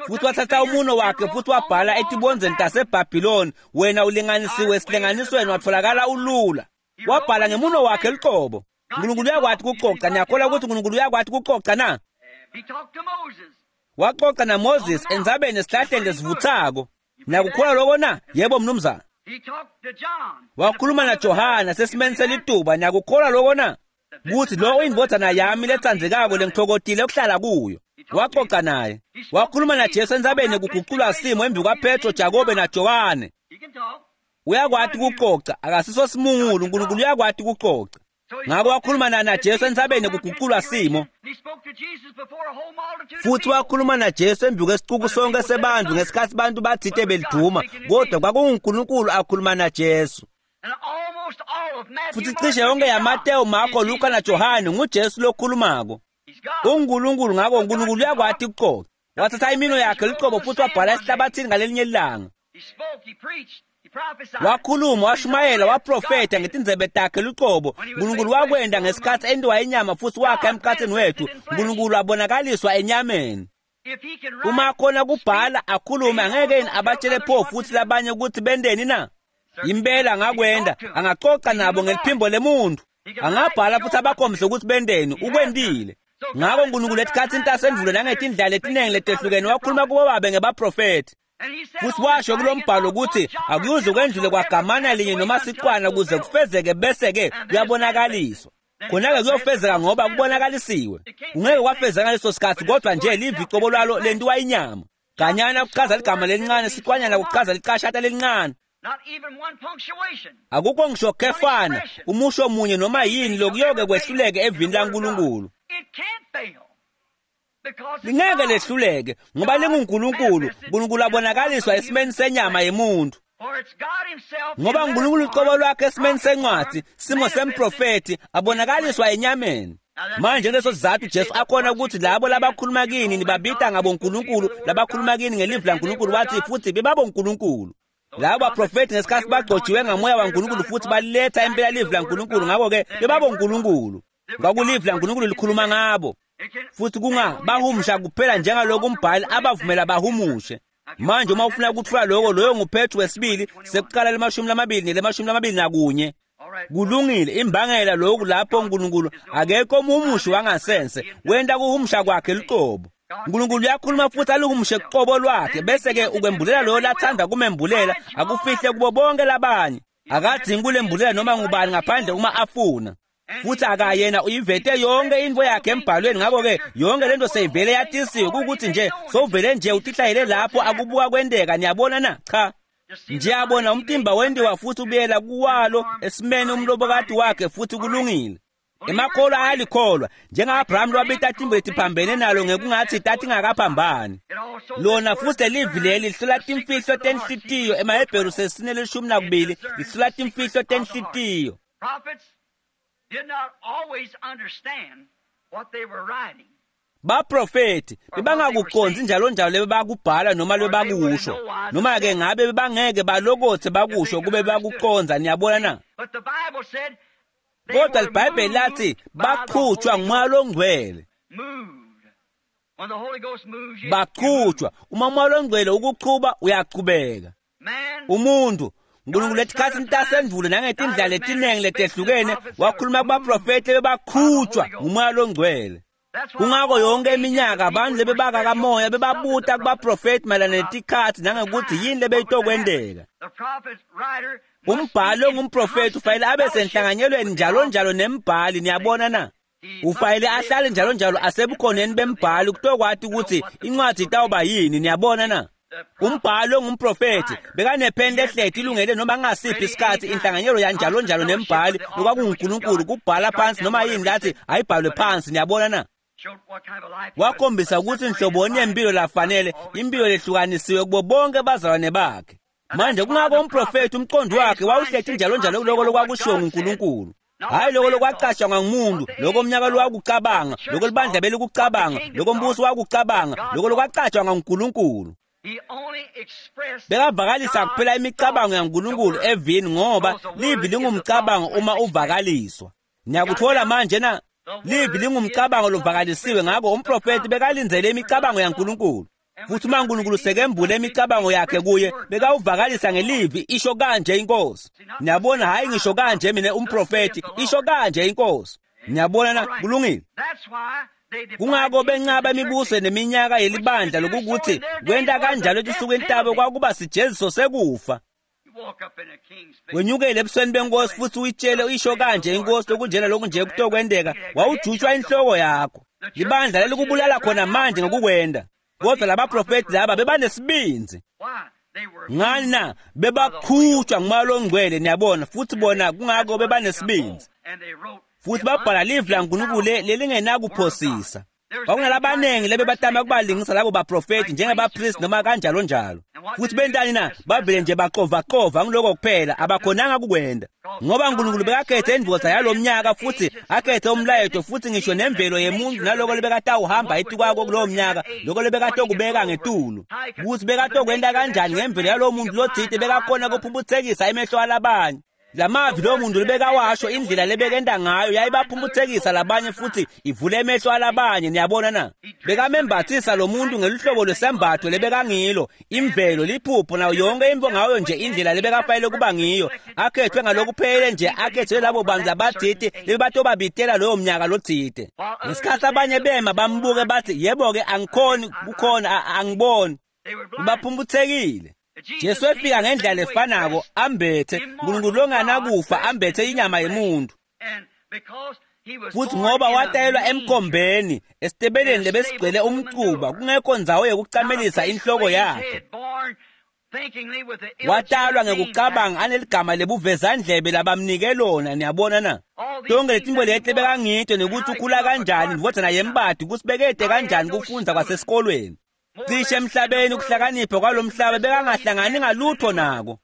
[SPEAKER 1] Futhi wathatha umuno wakhe futhi wabhala etibondzeni taseBhabhiloni, wena ulinganisiwe esilinganisweni watholakala ulula. Wabhala ngemuno wakhe lucobo. uNkulunkulu uyakwati kucoca, niyakholwa ukuthi uNkulunkulu uyakwati kucoca na? Waxoxa naMoses endzabeni esihlahleni lesivuthako. Niyakukholwa lokho na? Yebo mnumzana. Wakhuluma naJohana sesimeni selituba, niyakukholwa lokho na? Kuthi lo uyindvodzana yami letsandzekako lengitfokotile ukuhlala kuyo. Waxoxa naye. Wakhuluma naJesu endzabeni kuguculwa simo embi kwaPetro, Jakobe naJohane. Uyakwati kucoca, akasiso simungulu, uNkulunkulu uyakwati kucoca. Ngako wakhuluma naJesu endzabeni kuguculwa simo. Futhi wakhuluma naJesu embi kwesicuku sonke sebantu ngesikhathi bantu bathite beliduma, kodwa kwakunguNkulunkulu akhuluma naJesu. Futhi cishe yonke yaMateyu, Marko, Luka naJohane nguJesu lokhulumako. UNkulunkulu, ngako uNkulunkulu uyakwati ukucoca. Wathatha imino yakhe lucobo futhi wabhala esihlabathini ngalelinye ilanga. Wakhuluma, washumayela, waprofetha ngetindzebe takhe lucobo. uNkulunkulu wakwenta ngesikhathi entiwa inyama futhi wakha emkhathini wethu. uNkulunkulu wabonakaliswa enyameni. Uma akhona kubhala akhulume, angeke yini abatshele pho futhi labanye ukuthi benteni na? Impela angakwenta, angacoca nabo ngeliphimbo lemuntu. Angabhala futhi abakhombise ukuthi benteni, ukwentile. Ngako uNkulunkulu etikhatsini tasendvulo nangetindlela letiningi letehlukene wakhuluma kubo babe ngebaprofethi. Futhi washo kulombhalo ukuthi akuyuze kwendlule kwagamana linye noma siqwana kuze kufezeke, bese-ke kuyabonakaliswa. Khona-ke kuyofezeka ngoba kubonakalisiwe. Kungeke kwafezeka ngaleso sikhathi, kodwa nje livi cobo lwalo lentiwa inyama. Ganyana kuchaza ligama lelincane, siqwanyana kuchaza licashata lelincane. Akukho ngisho khefana, umusho munye noma yini lokuyoke kwehluleke evini laNkulunkulu. Lingeke lehluleke ngoba linguNkulunkulu. uNkulunkulu abonakaliswa esimeni senyama yemuntu. Ngoba uNkulunkulu ucobo lwakhe esimeni sencwadi, simo semprofethi, abonakaliswa enyameni. Manje leso sizathu Jesu akhona ukuthi labo labakhuluma kini nibabita ngabonkulunkulu, labakhuluma kini ngelivi laNkulunkulu, wathi futhi bebabonkulunkulu. Labo baprofethi ngesikhathi bagcotshiwe ngamoya waNkulunkulu futhi baletha impela livi laNkulunkulu, ngakho-ke bebabonkulunkulu. Kwakulivi laNkulunkulu likhuluma ngabo. Futhi kungabahumusha kuphela njengalokhu umbhali abavumela bahumushe. Manje uma ufuna ukuthola lokho, loyo nguPetru wesibili sekuqala le-20 nele-21. Kulungile, imbangela lokhu lapho uNkulunkulu akekho umhumushi wangasense, wenta kuhumusha kwakhe luqobo. uNkulunkulu uyakhuluma futhi aluhumushe kuqobo lwakhe, bese-ke ukwembulela loyo lathanda kumembulela, akufihle kubo bonke labanye. Akadzingi kulembulela noma ngubani ngaphandle uma afuna. Futhi akayena uyivete yonke into yakhe embhalweni, ngakho-ke yonke lento seyivele yatisiwe, kukuthi nje sowuvele nje utihlayele lapho akubuka kwenteka, niyabona na? Cha. Njeyabona umtimba wentiwa futhi ubuyela kuwalo esimeni umlobokati wakhe futhi kulungile. Emakholwa ayalikholwa njenga-Abraham lwabita timbo letiphambene nalo ngekungathi tatingakaphambani. Lona futhi lelivi leli lihlola timfihlo tenhlitiyo, emaHebheru sesine 12 lihlola timfihlo tenhlitiyo. Baprofethi bebangakuqondzi njalo njalo lebebakubhala noma lebakusho, noma-ke ngabe bebangeke balokothe bakusho kube bakucondza, niyabona na? Kodwa liBhayibheli lathi baqhutshwa nguMoya loNgcwele. Baqhutshwa, uma uMoya loNgcwele ukuchuba uyachubeka. Umuntu uNkulunkulu etikhatsini tasendvulo nangetindlela letiningi letehlukene wakhuluma kubaprofethi lebebaqhutshwa nguMoya loNgcwele. Kungako yonke iminyaka abantu lebebakakamoya bebabuta kubaprofethi mayelana netikhatsi nangekuthi yini lebeyitokwenteka. Umbhali ongumprofethi ufanele abe senhlanganyelweni njalo njalo nembhali, niyabona na? Ufanele ahlale njalo njalo asebukhoneni bembhali kutokwati ukuthi incwadi itawuba yini, niyabona na? Umbhali ongumprofethi bekanepheni lehleti ilungele noma ngasiphi isikhathi inhlanganyelo yanjalo njalo nembhali lokwakunguNkulunkulu kubhala phansi noma yini lathi ayibhalwe phansi, niyabona na? Wakhombisa ukuthi inhloboni yempilo lafanele, impilo lehlukanisiwe kubo bonke bazalwane bakhe. Manje kungako umprofethi umqondo wakhe wawuhlethi njalo njalo kuloko lokwakushiwo nguNkulunkulu. Hayi lokho lokwacatshangwa ngumuntu, lokho umnyaka lwakucabanga, lokho libandla belikucabanga, lokho umbuso wakucabanga, lokho lokwacatshangwa nguNkulunkulu. Bekavakalisa kuphela imicabango yaNkulunkulu evini ngoba livi lingumcabango uma uvakaliswa. Niyakuthola manje na? Livi lingumcabango lovakalisiwe, ngakho umprofethi bekalindzele imicabango yaNkulunkulu. Futhi uma uNkulunkulu sekembule imicabango yakhe kuye, bekawuvakalisa ngelivi, isho kanje inkosi. Niyabona, hayi ngisho kanje mina umprofethi, isho kanje inkosi. Niyabona na? Kulungile. Kungako bencaba imibuso neminyaka yelibandla lokukuthi kwenta kanjalo etinsukwini tabo kwakuba sijeziso sekufa. Wenyukele ebusweni benkosi futhi uyitshele isho kanje inkosi lokunjena lokunje kutokwenteka, wawujutshwa inhloko yakho. Libandla lelikubulala khona manje ngokukwenda. Kodwa labaprofethi laba bebanesibindzi. Ngani na? Bebaqhutshwa ngumoya longcwele, niyabona, futhi bona kungako bebanesibindzi. Futhi babhala livi laNkulunkulu lelingenakuphosisa. Kwakunalabaningi lebebatama kubalingisa labo baprofethi njengebapristi noma kanjalo njalo. Futhi bentani na? Bavele nje baxovaqova ngiloko kuphela, abakhonanga kukwenda. Ngoba uNkulunkulu bekakhethe indvodza yalomnyaka futhi akhethe umlayeto futhi ngisho nemvelo yemuntu naloko lebekatawuhamba etikwako kulowo mnyaka, loko lebekatokubeka ngetulu. Kuthi bekatokwenta kanjani ngemvelo yalowo muntu lotsite bekakhona kuphumphutsekisa emehlo alabanye. Lamavi lowo muntu lebekawasho, indlela lebekenta ngayo yayibaphumphutsekisa labanye futhi ivule emehlo alabanye. Niyabona na? Bekamembathisa lo muntu ngeluhlobo lwesembatho lebekangilo, imvelo, liphupho nayo yonke into ngayo nje indlela lebekafanele kuba ngiyo. Akhethwe ngalokuphelele nje, akhethwe labo bantu labatsite lebebatobabitela loyo mnyaka lotsite. Ngesikhathi abanye bema bambuke bathi, yebo-ke angikhoni kukhona, angiboni. Baphumphutsekile. Jesu efika ngendlela lefanako ambethe uNkulunkulu longanakufa, ambethe inyama yemuntu. Futhi ngoba watayelwa emkhombeni esitebeleni lebesigcwele umcuba, kungekho ndzawo yekucamelisa inhloko yakhe. Watalwa ngekucabanga aneligama lebuvezandlebe labamnike lona. Niyabona na? Tonke letinto leti lebekangito nekuthi ukhula kanjani, indvodzana yembadi, kutsi bekete kanjani kufundza kwasesikolweni. Cishe emhlabeni ukuhlakanipha kwalomhlaba bekangahlangani ngalutho nako.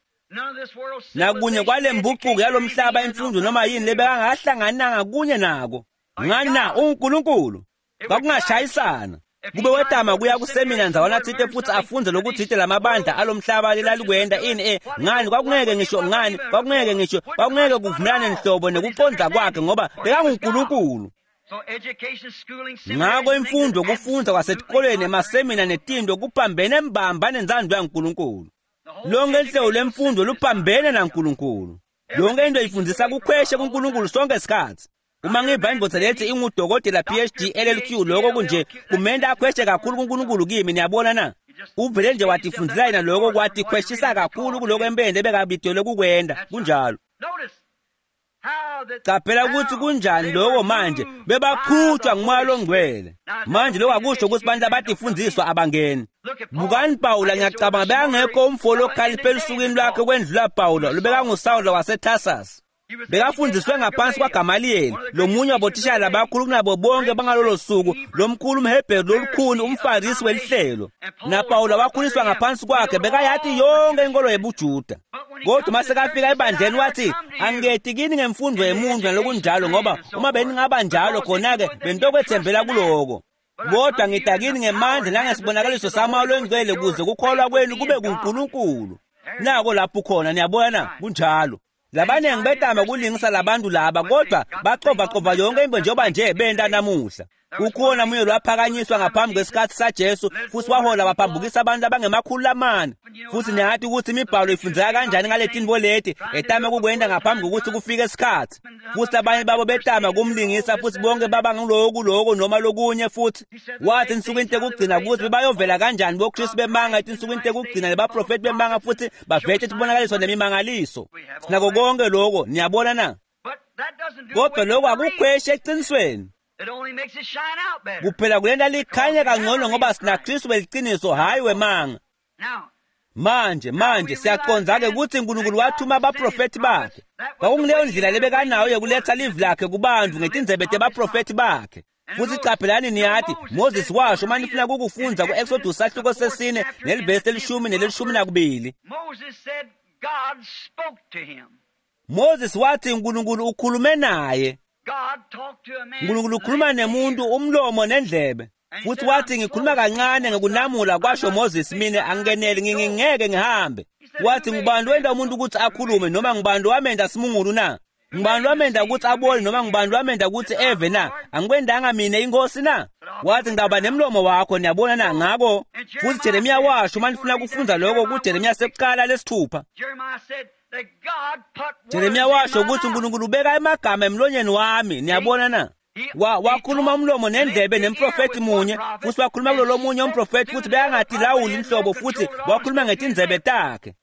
[SPEAKER 1] Nakunye kwalembucuko yalomhlaba imfundo noma yini lebekangahlangananga kunye nako. Ngani na? UNkulunkulu. Kwakungashayisana. Kube wetama kuya kusemina ndzawana tsite futhi afunze lokutsite lamabandla alomhlaba lelalikwenta ini ngani kwakungeke ngisho ngani kwakungeke ngisho kwakungeke kuvumelane nhlobo nekucondza kwakhe ngoba bekanguNkulunkulu. Ngako imfundo kufundza kwasetikolweni emasemina netinto kuphambene mbamba nentsandvo yaNkulunkulu. Lonke inhlobo lwemfundo luphambene naNkulunkulu. Yonke into ifundzisa kukhweshe kuNkulunkulu sonke isikhathi. Uma ngiva indvodza lethi ingudokotela PhD LLQ, lokho kunje kumenta akhweshe kakhulu kuNkulunkulu kimi. Niyabona na? Uvele nje watifundzela yena lokho kwatikhweshisa kakhulu kuloko empeleni lebekabitelwe kukwenta. Kunjalo. Caphela ukuthi kunjani lokho manje bebaqhutshwa ngumoya longcwele. Manje lokho akusho ukuthi bantu abatifundziswa abangeni. Bukani Pawula, ngiyacabanga bekangekho umfo lokhaliphe elusukwini lwakhe kwendlula Pawula lobekangusawula waseTarsus. Bekafundziswe ngaphansi kwaGamaliyeli, lomunye wabotishela labakhulu kunabo bonke bangalolo suku, lomkhulu umHebheru lolukhuni umFarisi welihlelo. NaPawula wakhuliswa ngaphansi kwakhe, bekayati yonke inkolo yebuJuda. Kodwa uma sekafika ebandleni wathi, angeti kini ngemfundo yemuntu nalokunjalo, ngoba uma beningaba njalo khona-ke benitokwethembela kuloko. Kodwa ngita kini ngemandla nangesibonakaliso samoya longcwele kuze kukholwa kwenu kube kuNkulunkulu. Nako lapho khona, niyabona na? Kunjalo. Labaningi betama kulingisa labantu laba, kodwa baxovaqova yonke into njengoba nje benta namuhla. Kukhona munye lwaphakanyiswa ngaphambi kwesikhathi saJesu futhi wahola waphambukisa abantu abangemakhulu 4. Futhi niyati ukuthi imibhalo ifundzeka kanjani ngale leti etama kukwenta ngaphambi kokuthi kufike isikhathi. Futhi labanye babo betama kumlingisa futhi bonke baba ngiloku lokho noma lokunye. Futhi wathi ensukwini tekugcina ukuthi bebayovela kanjani boKristu bemanga etinsukwini tekugcina nebaprofeti bemanga futhi bavete tibonakaliso nemimangaliso. Sinako konke lokho, niyabona na? Kodwa lokho akukhweshi eqinisweni. Kuphela kulenta likhanye kangcono ngoba sinaKristu weliciniso hayi wemanga. Manje siyaqonza-ke ukuthi uNkulunkulu wathuma abaprofethi bakhe. Kwakungileyo ndlela lebekanayo yokuletha livi lakhe kubantu ngetindzebe tebaprofethi bakhe. Futhi qaphelani niyathi Moses washo uma nifuna ukufundza ku-Exodus sahluko sesine nelivesi lelishumi nelelishumi nakubili. Moses wathi uNkulunkulu ukhulume naye. uNkulunkulu ukhuluma nemuntu umlomo nendlebe. Futhi wathi ngikhuluma kancane ngokunamula kwasho Moses mina angeneli ngingeke ngihambe. Wathi ngubani wenda umuntu ukuthi akhulume noma ngubani wamenda simungulu na? Ngubani wamenda ukuthi abone noma ngubani wamenda ukuthi eve na? Angikwendanga mina inkosi na? Wathi ngidaba nemlomo wakho niyabona na ngako. Futhi Jeremiya washo uma nifuna ukufundza lokho kuJeremiya sekuqala lesithupha. Jeremiya washo ukuthi uNkulunkulu ubeka emagama emlonyeni wami niyabona na? Wakhuluma umlomo nendlebe nemprofeti munye futhi wakhuluma kulolo munye umprofeti futhi bekangatilawuli inhlobo futhi wakhuluma ngetindzebe takhe.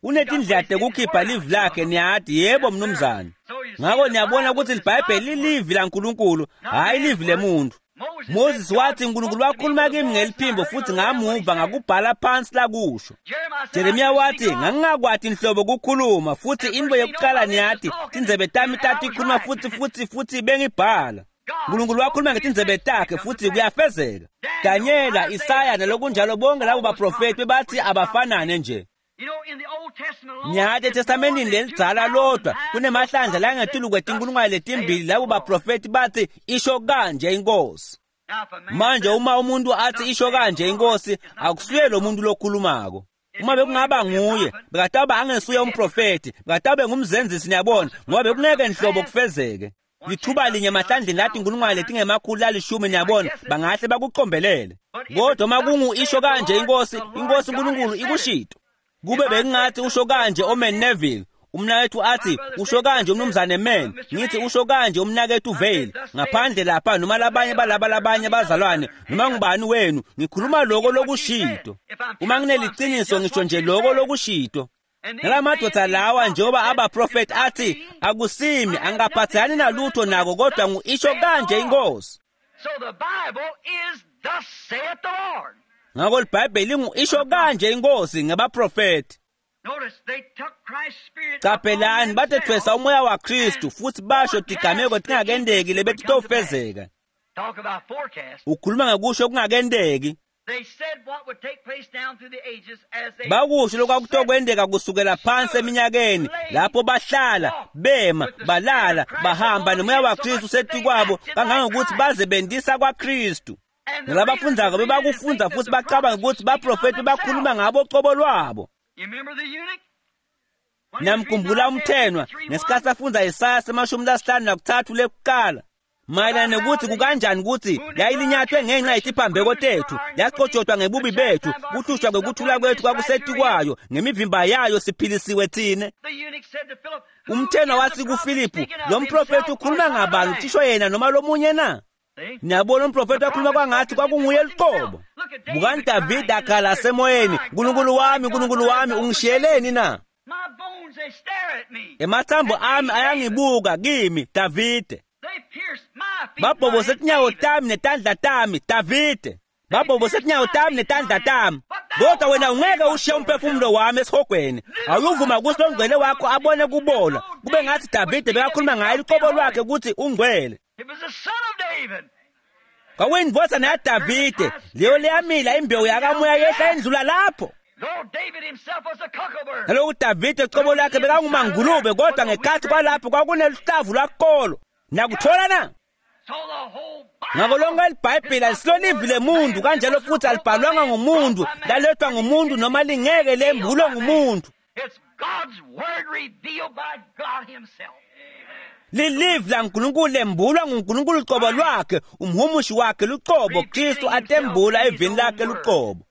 [SPEAKER 1] Unetindlela tekukhipha livi lakhe niyathi yebo mnumzane. Ngako niyabona ukuthi iBhayibheli lilivi laNkulunkulu hayi livi lemuntu. Moses wathi uNkulunkulu wakhuluma kimi ngeliphimbo futhi ngamuva ngakubhala phansi lakusho. Jeremiya wathi ngangingakwati inhlobo kukhuluma futhi into yokuqala niyathi tindzebe tami tatikhuluma futhi bengibhala. uNkulunkulu wakhuluma ngetindzebe takhe futhi kuyafezeka. Danyela, Isaya nalokunjalo bonke labo baprofeti bebathi abafanane nje. Nyathi eTestamentini lelidzala lodwa kunemahlandla langetulu kwetinkulungwane letimbili labo baprofeti bathi isho kanje inkosi. Manje uma umuntu athi isho kanje inkosi akusuye lo muntu lokhulumako. Uma bekungaba nguye bekataba angesuye umprofeti bekatabe ngumzenzisi niyabona ngoba bekungeke nhlobo kufezeke. Lithuba linye emahlandleni lathi inkulungwane letingemakhulu lalishumi niyabona bangahle bakucombelele. Kodwa uma kungu isho kanje inkosi, inkosi uNkulunkulu ikushito. Kube bekungathi usho kanje Omen Neville, umnakethu athi usho kanje umnumzane Men, ngithi usho kanje umnakethu Vale, ngaphandle lapha noma labanye balaba labanye bazalwane noma ngubani wenu, ngikhuluma lokho lokushito. Uma ngineliciniso ngisho nje lokho lokushito. Nalamadoda lawa njengoba abaprofeti athi akusimi angaphathani nalutho nako kodwa ngu-isho kanje inkosi. Ngakho iBhayibheli lingu-isho kanje inkosi ngabaprofeti. Qaphelani batethwesa umoya waKristu futhi basho tigameko tingakendeki lebetitofezeka. Ukhuluma ngokusho okungakendeki. Bakusho lokwakutokwendeka kusukela phansi eminyakeni lapho bahlala bema balala bahamba nomoya waKristu usetikwabo kangangokuthi baze bendisa kwaKristu. Nalabafundzako bebakufundza futhi bacabanga ukuthi baprofeti bakhuluma ngabo cobo lwabo. Namkhumbula umthenwa ngesikhathi afundza Isaya 53 lekuqala mayelana nokuthi kukanjani ukuthi yayilinyathwe ngenxa yetiphambeko tethu yaqotshotwa ngebubi bethu kuhlushwa kwekuthula kwethu kwakusetikwayo ngemivimba yayo siphilisiwe thine. Umthenwa wathi kuFilipu lo mprofeti ukhuluma ngabani uthisho yena noma lomunye na? Niyabona umprofeti wakhuluma kwangathi kwakunguye luqobo. Bukani Davide akhala semoyeni, uNkulunkulu wami, uNkulunkulu wami ungishiyeleni na? Emathambo ami ayangibuka kimi, Davide. Babhobose tinyawo tami netandla tami, Davide. Babhobose tinyawo tami netandla tami. Kodwa wena ungeke ushiye umphefumulo wami esihogweni. Awuvuma ukuthi longcwele wakho abone kubola. Kube ngathi Davide bekakhuluma ngaye luqobo lwakhe ukuthi ungcwele. Kwakuyindvodza yaDavide leyo leyamila imbewu yakamoya yehla endlula lapho. Naloku Davide cobo lakhe bekangumangulube kodwa ngekhathi kwalapho kwakuneluhlavu lwakolo. Nakuthola na? Ngakho lonke iBhayibheli alisilolivi lemuntu kanjalo futhi alibhalwanga ngumuntu, lalethwa ngumuntu noma lingeke lembulwe ngumuntu. Lilivi laNkulunkulu lembulwa nguNkulunkulu uqobo lwakhe, umhumushi wakhe luqobo, Kristu atembula evini lakhe luqobo.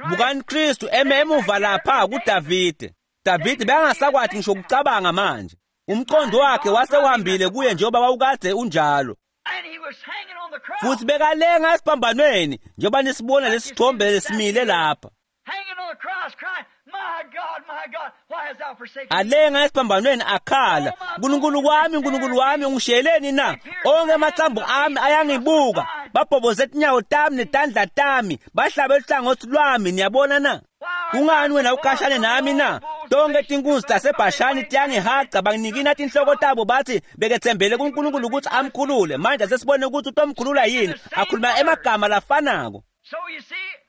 [SPEAKER 1] Bukani Kristu eme emuva lapha kuDavide. Davide bekangasakwathi ngisho ukucabanga manje. Umqondo wakhe wase uhambile kuye njengoba wawukade unjalo. Futhi bekalenga esiphambanweni njengoba nisibona lesithombe lesimile lapha. Alenga esiphambanweni akhala, uNkulunkulu wami, uNkulunkulu wami ungishiyeleni na? Onke amathambo ami ayangibuka, babhoboze tinyawo tami netandla tami, bahlabe luhlangothi lwami, niyabona na? Kungani wena ukhashane nami na? Tonke tinkunzi taseBhashani tiyangihaca, banginikina tinhloko tabo bathi bekethembele kuNkulunkulu ukuthi amkhulule. Manje sesibone ukuthi utomkhulula yini, akhuluma emagama lafanako.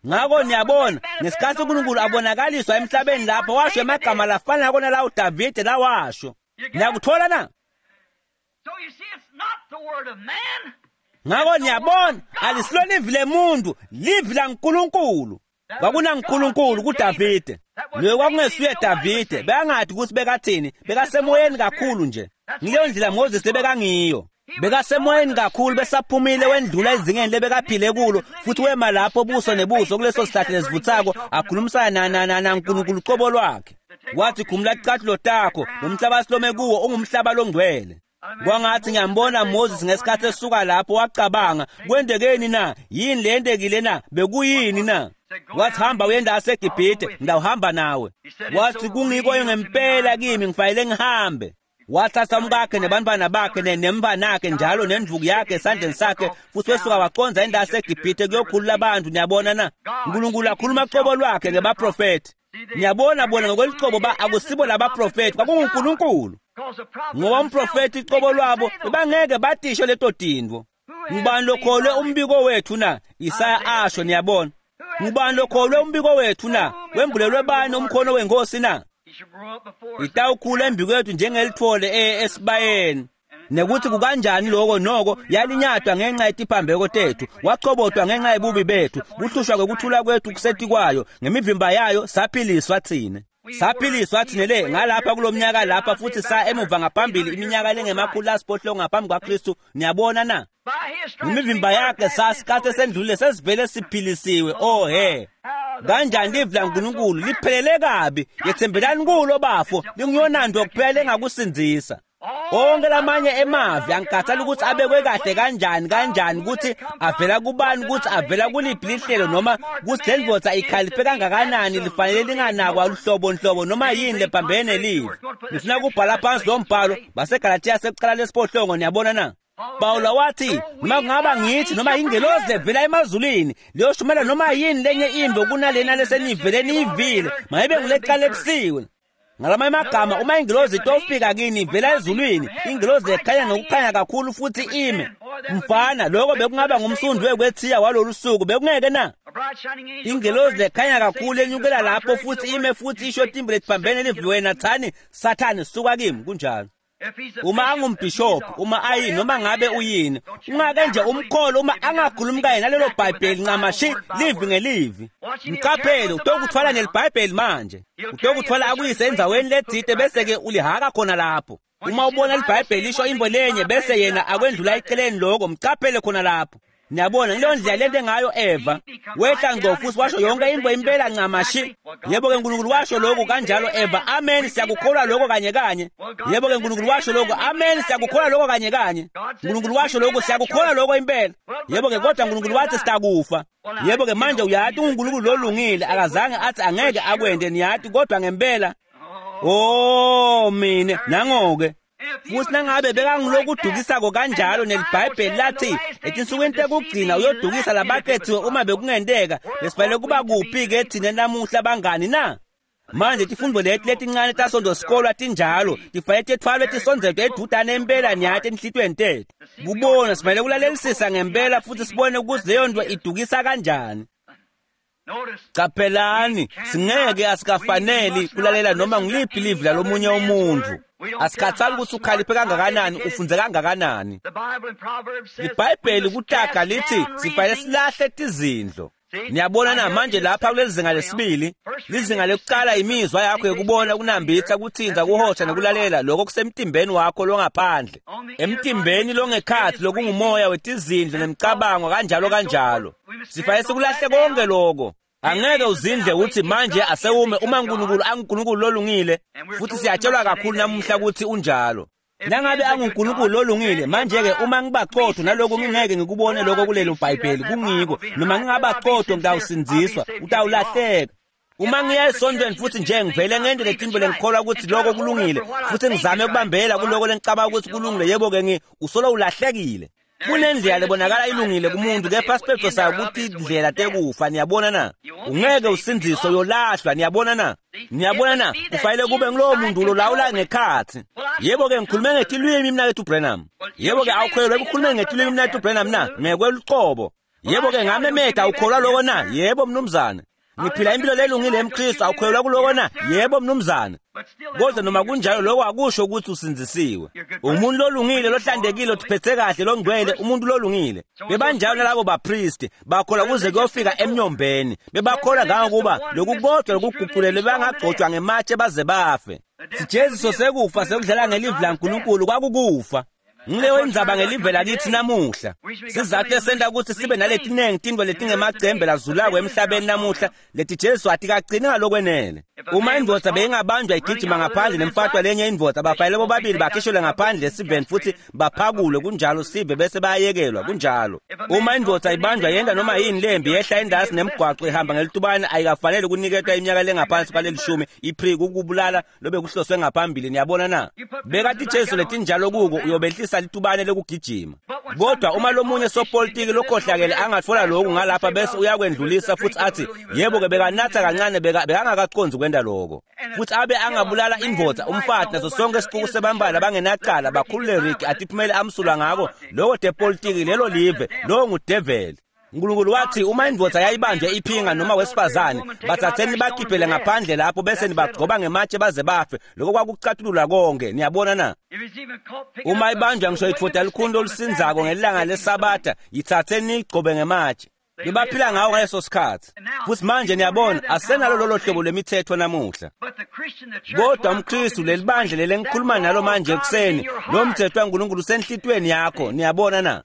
[SPEAKER 1] Ngakho niyabona, ngesikhathi uNkulunkulu abonakaliswa emhlabeni lapho washo emagama lafanako nalawo Davide lawasho. Niyakuthola na? Ngakho niyabona, alisilo livi lemuntu, livi laNkulunkulu. KwakunaNkulunkulu kuDavide. Loyo kwakungesuye Davide, bekangathi ukuthi bekathini, bekasemoyeni kakhulu nje. Ngileyo ndlela Moses lebekangiyo. Bekasemoyeni kakhulu besaphumile wendlula ezingeni lebekaphile kulo, futhi wema lapho buso nebuso kuleso sihlahla lesivuthako, akhulumisana naNkulunkulu qobo lwakhe. Wathi khumula ticathulo takho, lo mhlaba silome kuwo ungumhlaba longcwele. Kwangathi ngiyambona Moses ngesikhathi esuka lapho wacabanga, kwendekeni na? Yini le yentekile na? Bekuyini na? Wathi hamba uyenda aseGibhithe, ngidawuhamba nawe. Wathi kungiko ngempela kimi, ngifanele ngihambe. Wathatha umkakhe nebantwana bakhe nemfanakhe njalo nendvuku yakhe esandleni sakhe, futhi wesuka waconza indawo yaseGibhithe kuyokhulula abantu. Niyabona na? uNkulunkulu akhuluma qobo lwakhe ngebaprofethi. Niyabona bona ngokwelicobo ba akusibo labaprofethi, kwakunguNkulunkulu. Ngoba umprofethi icobo lwabo bebangeke batisho leto tintfo. Ngubani lokholwe umbiko wethu na? Isaya asho, niyabona. Ngubani lokholwe umbiko wethu na? Wembulelwe bani umkhono wenkosi na? Itawukhula embikwethu njengelithole esibayeni. Nekuthi kukanjani lokho noko yalinyatwa ngenxa yetiphambeko tethu, wachobotwa ngenxa yebubi bethu, kuhlushwa kwekuthula kwethu kusetikwayo, ngemivimba yayo saphiliswa thina. Saphiliswa thina le ngalapha kulomnyaka lapha, futhi sa emuva ngaphambili iminyaka lengemakhulu asiphohlongo ngaphambi kwaKristu. Niyabona na? Ngemivimba yakhe sasikhathi esendlulile sesivele siphilisiwe. Oh he, kanjani livi laNkulunkulu liphelele kabi. Yethembelani kulo bafo, linguyonanto kuphela engakusindzisa. Onke lamanye emavi angikhathali ukuthi abekwe kahle kanjani kanjani, ukuthi avela kubani, ukuthi avela kuliphi lihlelo, noma ukuthi le ndvodza ikhaliphe kangakanani, lifanele linganakwa luhlobo nhlobo noma yini lephambene livi. Ngifuna kubhala phansi lo mbhalo baseGalatiya sekuqala lesiphohlongo. Niyabona na? Pawula wathi noma kungaba ngithi noma ingelozi levela emazulwini liyoshumela noma yini lenye imvo kunalena lesenivele niyivile, mayibe nguleqalekisiwe. Ngalamanye amagama, uma ingilozi itofika kini ivela ezulwini, ingilozi ekhanya ngokukhanya kakhulu futhi ime. Mfana, lokho bekungaba ngumsundi wekwethiya walolu suku, bekungeke na? Ingilozi lekhanya kakhulu enyukela lapho futhi ime futhi isho timbi letiphambene livi wena thani, Sathane suka kimi. Kunjalo. Uma angumbhishophu, uma ayini, noma ngabe uyini, ungake nje umkholo uma angakhulumi kanye nalelo Bhayibheli ncamashi livi ngelivi. Mqaphele, utokuthwala neliBhayibheli manje. Utokuthwala akuyise endzaweni letsite bese-ke ulihaka khona lapho. Uma ubona liBhayibheli lisho imbo lenye bese yena akwendlula eceleni lokho, mqaphele khona lapho. Niyabona leyo ndlela lento ngayo Eva wehla ngqo futhi washo yonke imbo impela ncamashi. Yebo ke uNkulunkulu washo lokho kanjalo Eva, amen, siyakukholwa lokho kanye kanye. Yebo ke uNkulunkulu washo lokho, amen, siyakukholwa lokho kanye kanye. uNkulunkulu washo lokho, siyakukholwa lokho impela. Yebo ke kodwa uNkulunkulu wathi sitakufa. Yebo ke manje uyati uNkulunkulu lolungile akazange athi angeke akwende, niyati, kodwa ngempela. Oh mina nangoke futhi nangabe bekangilokudukisako kanjalo neliBhayibheli lathi etinsukwini tekugcina uyodukisa labakhethiwe uma bekungenteka, besifanele kuba kuphi-ke thina namuhla bangani na? Manje tifundvo leti letincane tasonto sikolwa tinjalo, tifanele tethwalwe tisondzelwe edudane impela niyati enhlitiyweni tethu. Kubona sifanele kulalelisisa ngempela futhi sibone ukuthi leyo nto idukisa kanjani. Qaphelani, singeke asikafaneli kulalela noma ngiliphi livi lalomunye umuntu. Asikhathali ukuthi ukhaliphe kangakanani, ufunze kangakanani. IBhayibheli kutaga lithi sifanele silahle tizindlo. Niyabona na manje lapha kuleli zinga lesibili, lizinga lokuqala imizwa yakho yokubona, ukunambitha, kuthinta, kuhosha nokulalela, lokho kusemtimbeni wakho longaphandle. Emtimbeni longekhathi lokungumoya wetizindlo nemicabango kanjalo kanjalo. Sifanele sikulahle konke lokho. Angeke uzindle uthi manje asewume uma uNkulunkulu anguNkulunkulu lolungile, futhi siyatshelwa kakhulu namuhla ukuthi unjalo. Nangabe anguNkulunkulu lolungile, manje-ke uma ngibaqotho naloko ngingeke ngikubone lokho kulelo Bhayibheli kungiko, noma ngingabaqotho ngitawusindziswa, utawulahleka. Uma ngiya esontweni futhi nje ngivele ngente letimbo lengikholwa ukuthi lokho kulungile, futhi ngizame ukubambela kuloko lengicabanga ukuthi kulungile, yebo-ke usolo ulahlekile. Kunendlela lebonakala ilungile kumuntu kepha siphetho sayo ukuthi indlela tekufa. Niyabona na? Ungeke usindziswe, uyolahlwa. Niyabona na? Niyabona na? Kufanele kube ngulowo muntu lolawula ngekhathi. Yebo-ke ngikhulume ngetilwimi mnakethu Branham. Yebo-ke awukholelwa ekukhulumeni ngetilwimi mnakethu Branham na? Ngekweluqobo. Yebo-ke ngamemeda, awukholwa loko na? Yebo mnumzane. Ngiphila impilo lelungile emKristu, awukholelwa kuloko na? Yebo mnumzane. Kodwa noma kunjalo lokho akusho ukuthi usindzisiwe. Umuntu lolungile, lohlantekile, otiphethe kahle, longcwele, umuntu lolungile. Bebanjalo nalabo bapristi, bakholwa kuze kuyofika emnyombeni. Bebakholwa ngangokuba lokukodwa lokuguqulelwe bangagcotshwa ngematshe baze bafe. Sijeziso sekufa sekudlala ngelivi laNkulunkulu kwakukufa. Ngileyo indzaba ngelive lakithi namuhla. Sizathu esenta ukuthi sibe naletinengi tintfo letingemacembe lazulako emhlabeni namuhla leti Jesu atikagcini ngalokwenele. Uma indvodza beyingabanjwa igijima ngaphandle nemfatwa lenye indvodza, bafanele bobabili bakhishelwe ngaphandle esiveni futhi baphakulwe, kunjalo sive bese bayayekelwa, kunjalo. Uma indvodza ibanjwa yenta noma yini lembi yehla endasi nemgwaco ihamba ngelitubane, ayikafanele kuniketwa iminyaka lengaphansi kwalelishumi ipri kukubulala lobekuhloswe ngaphambili. Niyabona na? Beka tijeziso letinjalo kuko, uyobehlisa litubane lekugijima. Kodwa uma lomunye sopolitiki lokhohlakele angatfola lokhu ngalapha bese uyakwendlulisa futhi athi yebo-ke bekanatha kancane, bekangakacondzi kwenta loko, futhi abe angabulala indvodza, umfati, naso sonke isipuku sebambala bangenacala, bakhulule Ricky atiphumele amsulwa ngako loko tepolitiki lelo live, lowo ngudeveli. Nkulunkulu wathi uma indvodza yayibanjwe iphinga noma wesifazane, bathatheni bakhiphele ngaphandle lapho bese nibagcoba ngematshe baze bafe. Lokho kwakucatulula konke. Niyabona na? Uma ibanjwa ngisho itfoda likhulu lolusindzako ngelanga leSabatha, yithatheni niyigcobe ngematshe. Bebaphila ngawo ngaleso sikhathi. Futhi manje niyabona asenalo lolo hlobo lwemithetho namuhla. Kodwa umKristu, lelibandla leli engikhuluma nalo manje ekuseni, lo mthetho waNkulunkulu usenhlitweni yakho. Niyabona na?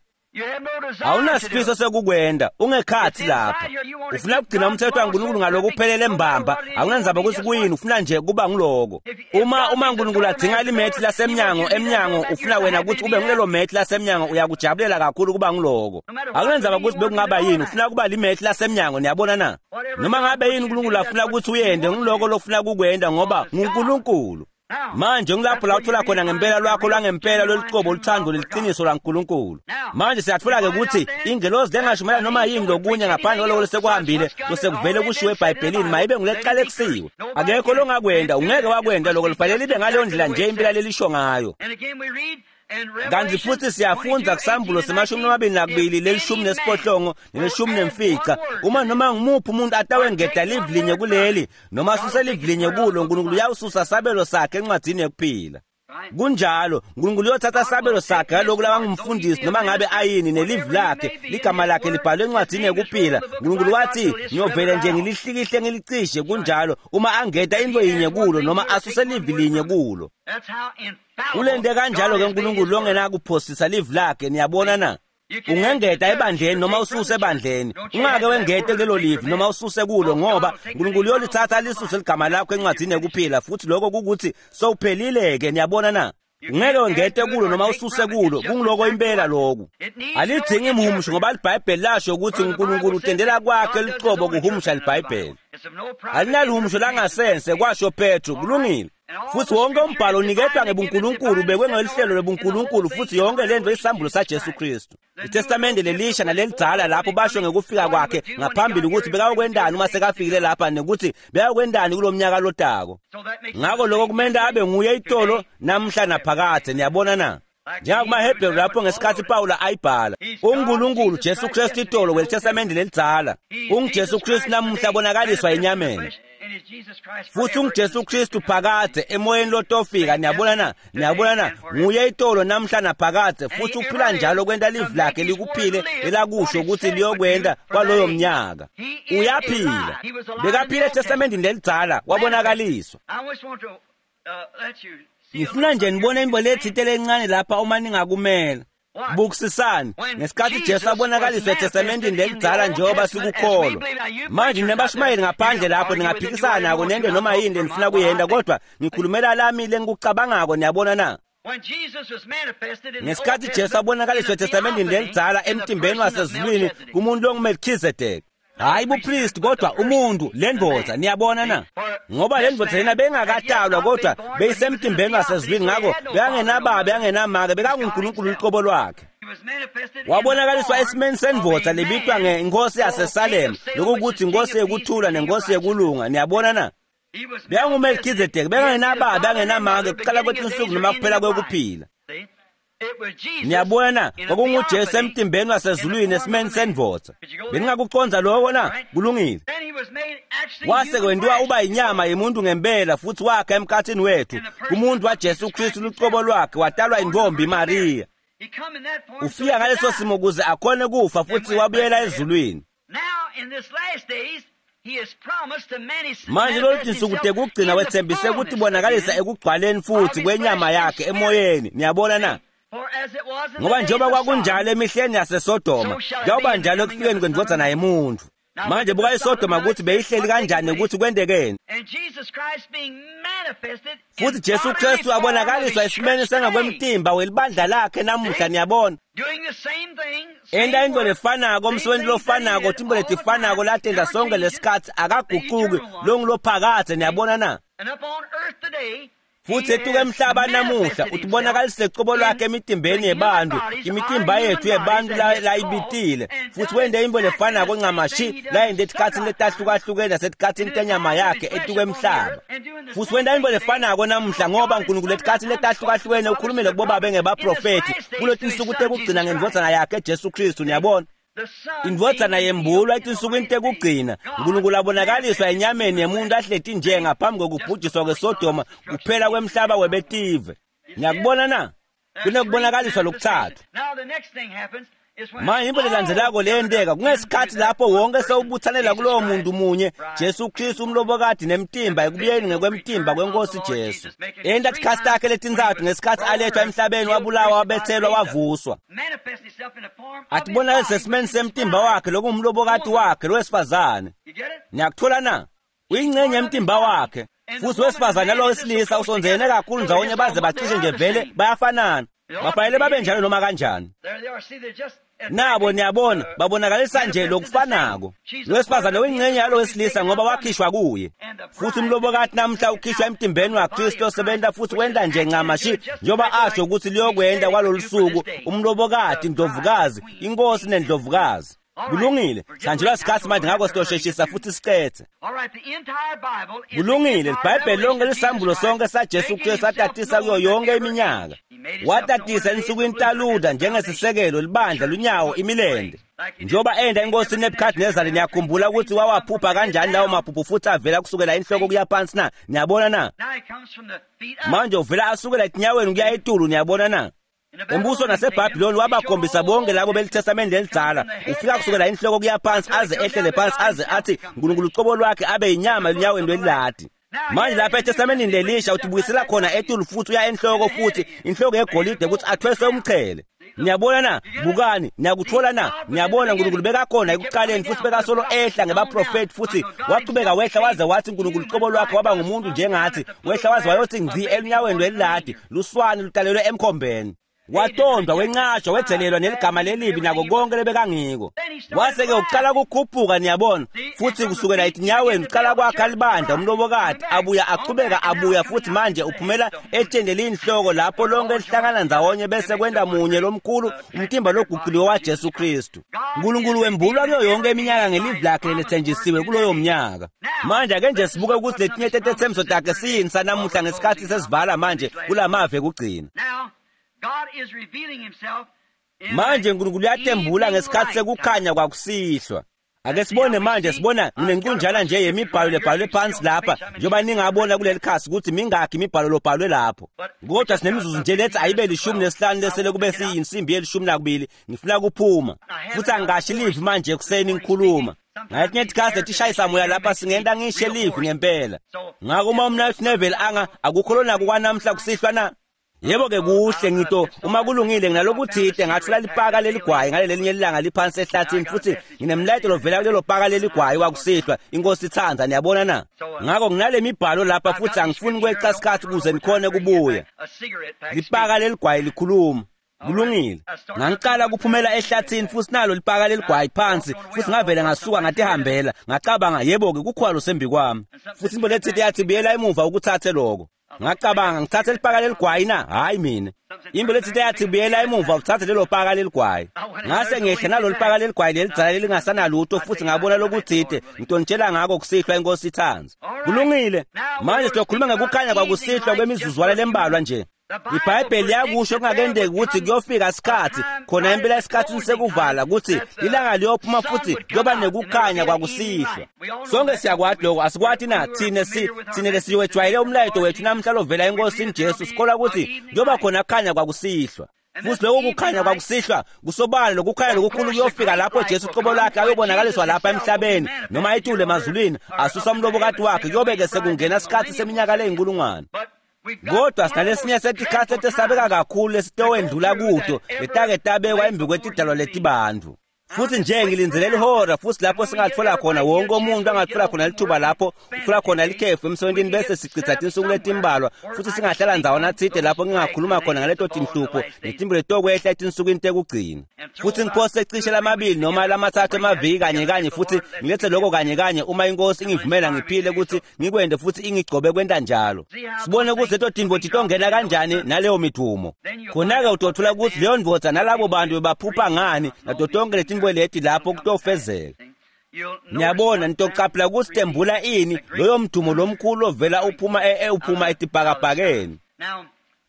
[SPEAKER 1] Awunasifiso sekukwenda, ungekhathi lapha. Ufuna kugcina umthetho waNkulunkulu ngalokuphelele mbamba, awunandzaba ukuthi kuyini, ufuna nje kuba nguloko. Uma uNkulunkulu adzinga limethi lasemnyango emnyango, ufuna wena ukuthi ube ngulelo methi lasemnyango, uyakujabulela kakhulu kuba nguloko. Awunandzaba ukuthi bekungaba yini, ufuna kuba limethi lasemnyango. Niyabona na? Noma ngabe yini uNkulunkulu afuna ukuthi uyende, nguloko lokufuna kukwenda ngoba nguNkulunkulu. Manje ngilapho la uthola khona ngempela lwakho lwangempela lolucobo luthando leliqiniso laNkulunkulu. Manje siyathola ke ukuthi ingelozi lengashumayela noma yini lokunye ngaphandle kwaloko lesekuhambile losekuvele kushiwo eBhayibhelini mayibe nguleqalekisiwe. Akekho longakwenda, ungeke wakwenda lokho, lifanele libe ngaleyo ndlela nje impela lelisho ngayo. Kanti futhi siyafundza kusambulo se-22 lelishumi nesiphohlongo nelishumi nemfica, uma noma ngumuphi umuntu atawengeta livi linye kuleli noma asuse livi linye kulo, uNkulunkulu uyawususa sabelo sakhe encwadzini yekuphila. Kunjalo, uNkulunkulu uyothatha sabelo sakhe ngalokhu labangumfundisi noma ngabe ayini nelivi lakhe, ligama lakhe libhalwe encwadzini yekuphila. uNkulunkulu wathi ngiyovele nje ngilihlikihle ngilicishe. Kunjalo, uma angeta into yinye kulo noma asuse livi linye kulo. Ulente kanjalo ke uNkulunkulu longenakuphosisa livi lakhe. Niyabona na? Ungengeta ebandleni noma ususe ebandleni, ungake wengete kulelo livi noma ususe kulo, ngoba uNkulunkulu uyolithatha lisuse ligama lakho encwadzini yekuphila, futhi lokho kukuthi sowuphelile ke. Niyabona na? Ungeke wengete kulo noma ususe kulo, kungiloko impela lokhu. Alidzingi imhumusho ngoba liBhayibheli lasho ukuthi uNkulunkulu utendela kwakhe lucobo kuhumusha liBhayibheli. Alinaluhumusho langasense, kwasho Petro. Kulungile. Futhi wonke umbhalo uniketwa ngebuNkulunkulu, ubekwe ngelihlelo lobuNkulunkulu, futhi yonke lento isambulo saJesu Kristu. ITestamente lelisha nalelidzala lapho basho ngekufika kwakhe ngaphambili ukuthi bekayokwendani uma sekafikile lapha nekuthi bekayokwendani kulomnyaka lotako. Ngakho lokho kumele abe nguye itolo namhla naphakadze. Niyabona na? NjengakumaHebheru lapho ngesikhathi Pawula ayibhala, uNkulunkulu Jesu Kristu itolo kweliTestamente lelidzala, unguJesu Kristu namuhla bonakaliswa enyameni, futhi unguJesu Kristu phakadze emoyeni lotofika. Niyabona na? Niyabona na? Nguye itolo namhla naphakadze, futhi uphila njalo kwenta livi lakhe likuphile lelakusho ukuthi liyokwenta kwaloyo mnyaka. Uyaphila. Bekaphila eTestamentini lelidzala, wabonakaliswa. Ngifuna nje nibone into lethite lencane lapha uma ningakumela. Bukusisani ngesikhathi Jesu abonakaliswa eTestamentini lelidzala njengoba sikukholwa. Manje nibashumayeli ngaphandle lapho ningaphikisana nako nento noma yini lenifuna kuyenta, kodwa ngikhulumela lami lengikucabangako. Niyabona na? Ngesikhathi Jesu abonakaliswa eTestamentini lelidzala emtimbeni wasezulwini kumuntu longuMelchizedek, hayi bupristi kodwa umuntu, lendvodza. Niyabona na? Ngoba lendvodza yena bengakatalwa kodwa beyisemtimbeni wasezulwini, ngakho bekangenababa bekangenamake, bekanguNkulunkulu uqobo lwakhe. Wabonakaliswa esimeni sendvodza lebitwa ngenkosi yaseSalem, lokukuthi inkosi yekuthula nenkosi yekulunga. Niyabona na? BekanguMelkhizedeki, bekangenababa, bengenamake, kuqala kwetinsuku noma kuphela kwekuphila. Niyabona na? KwakunguJesu emtimbeni wasezulwini esimeni sendvodza. Beningakucondza lokho na? Kulungile. Wase kwentiwa uba inyama yemuntu ngempela futhi wakha emkhathini wethu kumuntu waJesu Kristu lucobo lwakhe, watalwa intombi Maria. Ufika ngaleso simo ukuze akhone kufa futhi wabuyela ezulwini. Manje lolu tinsuku tekugcina wethembise ukuthi bonakalisa ekugcwaleni futhi kwenyama yakhe emoyeni. Niyabona na? Ngoba njengoba kwakunjalo emihleni yaseSodoma, kuyawuba njalo ekufikeni kwendvodzana yemuntu. Manje buka iSodoma ukuthi beyihleli kanjani ukuthi kwendekeni. Futhi Jesu Kristu abonakaliswa esimeni sengakwemtimba welibandla lakhe namuhla. Niyabona? Enta into lefanako, umsebenzi lofanako, tintfo letifanako latenta sonke lesikhatsi, akaguquki, longulophakadze. Niyabona na? Futhi etuka emhlaba namuhla utibonakalise cobo lwakhe emitimbeni yebantu, imitimba yethu yebantu layibitile, futhi wente intfo lefanako ncamashi layente etikhatsini letahlukahlukene nasetikhatsini tenyama yakhe etuka emhlaba. Futhi wenta intfo lefanako namuhla, ngoba uNkulunkulu etikhatsini letahlukahlukene ukhulumile kubobabe ngebaprofethi kuletinsuku tekugcina ngendvodzana yakhe Jesu Kristu. Niyabona? Indvodzana yembulwa etinsukwini tekugcina. uNkulunkulu abonakaliswa enyameni yemuntu ahleti nje ngaphambi kokubhujiswa kweSodoma, kuphela kwemhlaba webetive. Niyakubona na? Kunekubonakaliswa lokutsatfu. Manje into lelandzelako leyenteka kungesikhathi lapho wonke sewubuthanela kulowo muntu munye, Jesu Kristu umlobokati nemtimba, ekubuyeni ngekwemtimba kwenkosi Jesu. Enta tikhatsi takhe letintsatfu ngesikhatsi alethwa emhlabeni, wabulawa, wabethelwa, wavuswa. Atibonakalise esimeni semtimba wakhe lokungumlobokati wakhe lowesifazane. Niyakuthola na? Uyingcenye yemtimba wakhe. Futhi wesifazane nalowesilisa usondzene kakhulu ndzawonye baze bacishe nje vele bayafanana. Bafanele babe njalo noma kanjani. Nabo niyabona babonakalisa nje lokufanako. Lowesifazane uyingcenye yalowesilisa ngoba wakhishwa kuye. Futhi umlobokati namhla ukhishwa emtimbeni waKristu osebenta futhi wenta nje ncamashi njengoba asho ukuthi liyokwenta kwalolu suku, umlobokati, indlovukazi, inkosi nendlovukazi. Kulungile, sihanjelwa sikhatsi manje, ngakho sitosheshisa futhi sicethe. Kulungile, iBhayibheli lonke lisambulo sonke saJesu Kristu atatisa kuyo yonke iminyaka. Watatisa ensukwini taLuther njengesisekelo, libandla, lunyawo, imilente. Njengoba enda inkosi Nebuchadnezzar, niyakhumbula ukuthi wawaphupha kanjani lawo maphupho futhi avela kusukela inhloko kuya phansi na? Niyabona na? Manje uvela asukela etinyaweni kuya etulu. Niyabona na? Umbuso naseBhabhiloni wabakhombisa bonke labo belitestamende lelidzala. Ufika kusukela inhloko kuya phansi aze ehlele phansi aze athi uNkulunkulu ucobo lwakhe abe yinyama elunyaweni lweliladi. Manje lapha etestamentini lelisha utibuyisela khona etulu futhi uya enhloko futhi inhloko yegolide ukuthi athweswe umchele. Niyabona na? Bukani, niyakuthola na? Niyabona uNkulunkulu bekakhona ekuqaleni futhi bekasolo ehla ngebaprofeti futhi wachubeka wehla waze wathi uNkulunkulu ucobo lwakhe waba ngumuntu njengathi, wehla waze wayothi ngci elunyaweni lweliladi, luswane lutalelwe emkhombeni. Watondwa, wenqatshwa, wedzelelwa neligama lelibi nako konke lebekangiko. Wase-ke uqala kukhuphuka, niyabona, futhi kusukela etinyaweni uqala kwakha libandla, umlobokati, abuya achubeka abuya futhi manje uphumela etsheni leliyinhloko lapho lonke lihlangana ndzawonye bese kwenta munye lomkhulu umtimba loguquliwe waJesu Kristu. uNkulunkulu wembulwa kuyo yonke iminyaka ngelivi lakhe lelethenjisiwe kuloyo mnyaka. Manje ake nje sibuke ukuthi letinye tetethembiso takhe siyini sanamuhla ngesikhathi sesivala manje kulamavi ekugcina. Manje uNkulunkulu uyatembula ngesikhathi sekukhanya kwakusihlwa. Ake sibone manje, sibona nginenkunjana nje yemibhalo lebhalwe phansi lapha, njengoba ningabona kuleli khasi ukuthi mingakhi imibhalo lobhalwe lapho. Kodwa sinemizuzu nje lethi ayibe 15 lesele kube siyinsimbi ye-12, ngifuna kuphuma. Futhi angashi livi manje ekuseni ngikhuluma. Ngathi ngetikhathi letishayisa moya lapha singenta ngishe livi ngempela. Ngakho uma uMnaketfu Neville anga akukho lonako kwanamhla kusihlwa na? Yebo ke kuhle ngito uma kulungile nginalokuthide ngathola lipaka leligwayi ngalelelinye ilanga liphansi ehlathini futhi nginemlayito lovela kulelo paka leligwayi wakusihlwa, inkosi ithanda. Niyabona na? Ngakho nginale mibhalo lapha futhi angifuni kweca isikhathi ukuze nikhone kubuya. Lipaka leligwayi likhuluma. Kulungile. Ngangiqala kuphumela ehlathini futhi nalo lipaka leligwayi phansi futhi ngavele ngasuka ngatihambela, ngacabanga yebo ke kukhwalo sembi kwami. Futhi into lethile yathi buyela emuva ukuthathe lokho. Ngacabanga ngithathe lipaka leligwayi na? Hhayi mina. Imbo letsite yathi buyela emuva uthathe lelo paka leligwayi. Ngase ngehle nalolu paka leligwayi lelidzala lelingasanalutho futhi ngabona lokutsite ngitonitshela ngako kusihlwa inkosi ithanda. Kulungile. Manje sizokhuluma ngekukhanya kwakusihlwa kwemizuzwana lembalwa nje. IBhayibheli liyakusho kungakendeki ukuthi kuyofika isikhathi khona impela esikhathini sekuvala ukuthi ilanga liyophuma futhi kuyoba nekukhanya kwakusihlwa. Sonke siyakwati lokho, asikwati na? Thine thine lesiwejwayele umlayeto wethu namhla lovela eNkosini Jesu, sikholwa ukuthi kuyoba khona kukhanya kwakusihlwa. Futhi lokho kukhanya kwakusihlwa kusobala lokukhanya lokukhulu kuyofika lapho Jesu uqobo lwakhe ayobonakaliswa lapha emhlabeni noma etule emazulwini asusa umlobokati wakhe, kuyobe-ke sekungena isikhathi seminyaka leyinkulungwane. Kodwa sinalesinye setikhatsi letesabeka kakhulu lesitowendlula kuto letake tabekwa embi kwetidalwa letibantfu. Futhi nje ngilindzele lihora futhi lapho singatfola khona wonke umuntu angatfola khona lithuba lapho utfola khona likhefu emsebentini bese sichitha tinsuku letimbalwa futhi singahlala ndzawana tsite lapho ngingakhuluma khona ngaleto tinhlupho netimbo letokwehla etinsukwini tekugcina. Futhi ngiphose cishe lamabili noma lamathathu emaviki kanye kanye futhi ngilethe lokho kanye kanye uma inkosi ingivumela ngiphile ukuthi ngikwende futhi ingigcobe kwenta njalo. Sibone ukuthi leto tintfo titongena kanjani naleyo midumo. Khona-ke utotfola ukuthi leyo ndvodza nalabo bantu bebaphupha ngani nato tonke letintfo leti lapho kutofezeka. Niyabona nitocaphela ukuthi tembula ini loyo mdumo lomkhulu ovela uphuma uphuma etibhakabhakeni.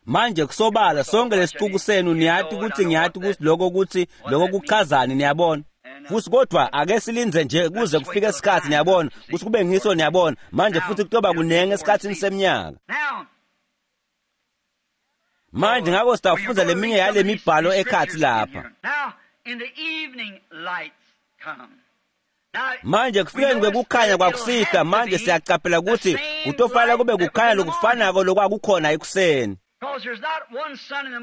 [SPEAKER 1] Manje kusobala sonke lesicuku senu niyati ukuthi ngiyati ukuthi lokho kuchazani, niyabona. Futhi kodwa ake silindze nje kuze kufike isikhathi, niyabona, ukuthi kube ngiso, niyabona. Manje futhi kutoba kunengi esikhathini seminyaka. Manje ngako sitawufundza leminye yale mibhalo ekhathi lapha. Manje kufikeni kwekukhanya kwakusihlwa, manje siyacaphela ukuthi kutofanele kube kukhanya lokufanako lokwakukhona ekuseni.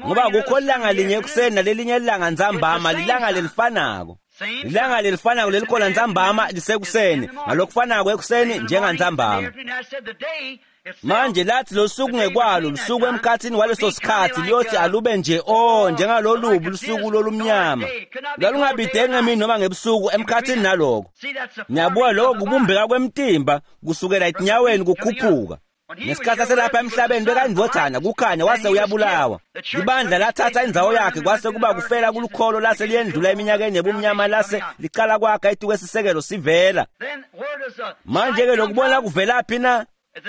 [SPEAKER 1] Ngoba kukho ilanga linye ekuseni nalelinye ilanga ntsambama, lilanga lelifanako. Ilanga lelifanako lelikhona ntsambama lisekuseni, ngalokufanako ekuseni njengantsambama. Manje lathi losuku ngekwalo lusuku emkhathini waleso sikhathi liyothi alube nje njengalolubu lusuku lolumnyama. Lwalungabideki ngemini noma ngebusuku emkhathini naloko. Ngiyabuka lokho kubumbeka kwemtimba kusukela etinyaweni kukhuphuka. Ngesikhathi aselapha emhlabeni bekayindvodzana kukhanya wase uyabulawa. Ibandla lathatha indzawo yakhe kwase kuba kufela kulukholo lase liyendlula eminyakeni yebumnyama lase licala kwakha etukwesisekelo sivela. Manje-ke lokubona kuvelaphi na?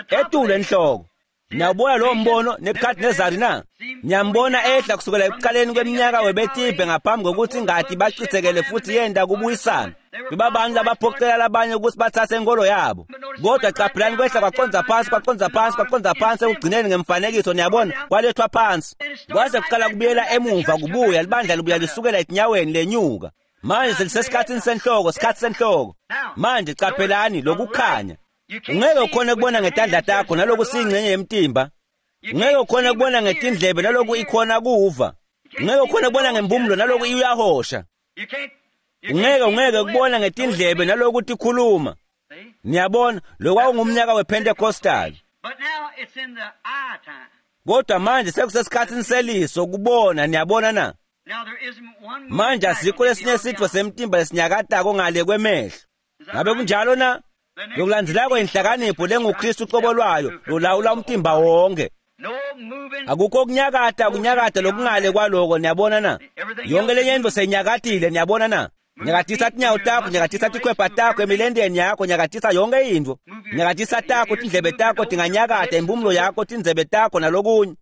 [SPEAKER 1] Etulu enhloko. Niyabona lowo mbono Nebuchadnezzar na? Niyambona ehla kusukela ekuqaleni kweminyaka webetibhe ngaphambi kokuthi ingadi bachithekele futhi yenda kubuyisana. Bebabantu labaphoqela labanye ukuthi bathathe inkolo yabo. Kodwa qaphelani kwehla kwaqonza phansi kwaqonza phansi kwaqonza phansi ekugcineni ngemfanekiso, niyabona, kwalethwa phansi. Kwaze kuqala kubuyela emuva kubuya libandla libuya lisukela etinyaweni lenyuka. Manje selisesikhathini senhloko, sikhathi senhloko. Manje qaphelani lokukhanya. Ungeke ukhone kubona ngetandla takho naloku siyingxenye yemtimba. Ungeke ukhone kubona ngetindlebe naloku ikhona kuva. Ungeke ukhone kubona ngempumulo naloku iyahosha. Ungeke kubona ngetindlebe naloku tikhuluma. Niyabona, lokho ngumnyaka wePentecostal. Kodwa manje sekusesikhathini seliso kubona, niyabona na? Manje asikho lesinye sitfo semtimba lesinyakatako ngale kwemehlo. Ngabe kunjalo na? Lokulandzelako inhlakanipho lenguKristu uqobo lwayo lolawula umtimba wonke. Akukho kunyakata kunyakata lokungale kwaloko, niyabona na? Yonke lenye intfo seyinyakatile, niyabona na? Nyakatisa tinyawo takho, nyakatisa tikhwepha takho emilendeni yakho, nyakatisa yonke intfo. Nyakatisa takho, tindlebe takho tinganyakata, impumulo yakho, tindzebe takho nalokunye.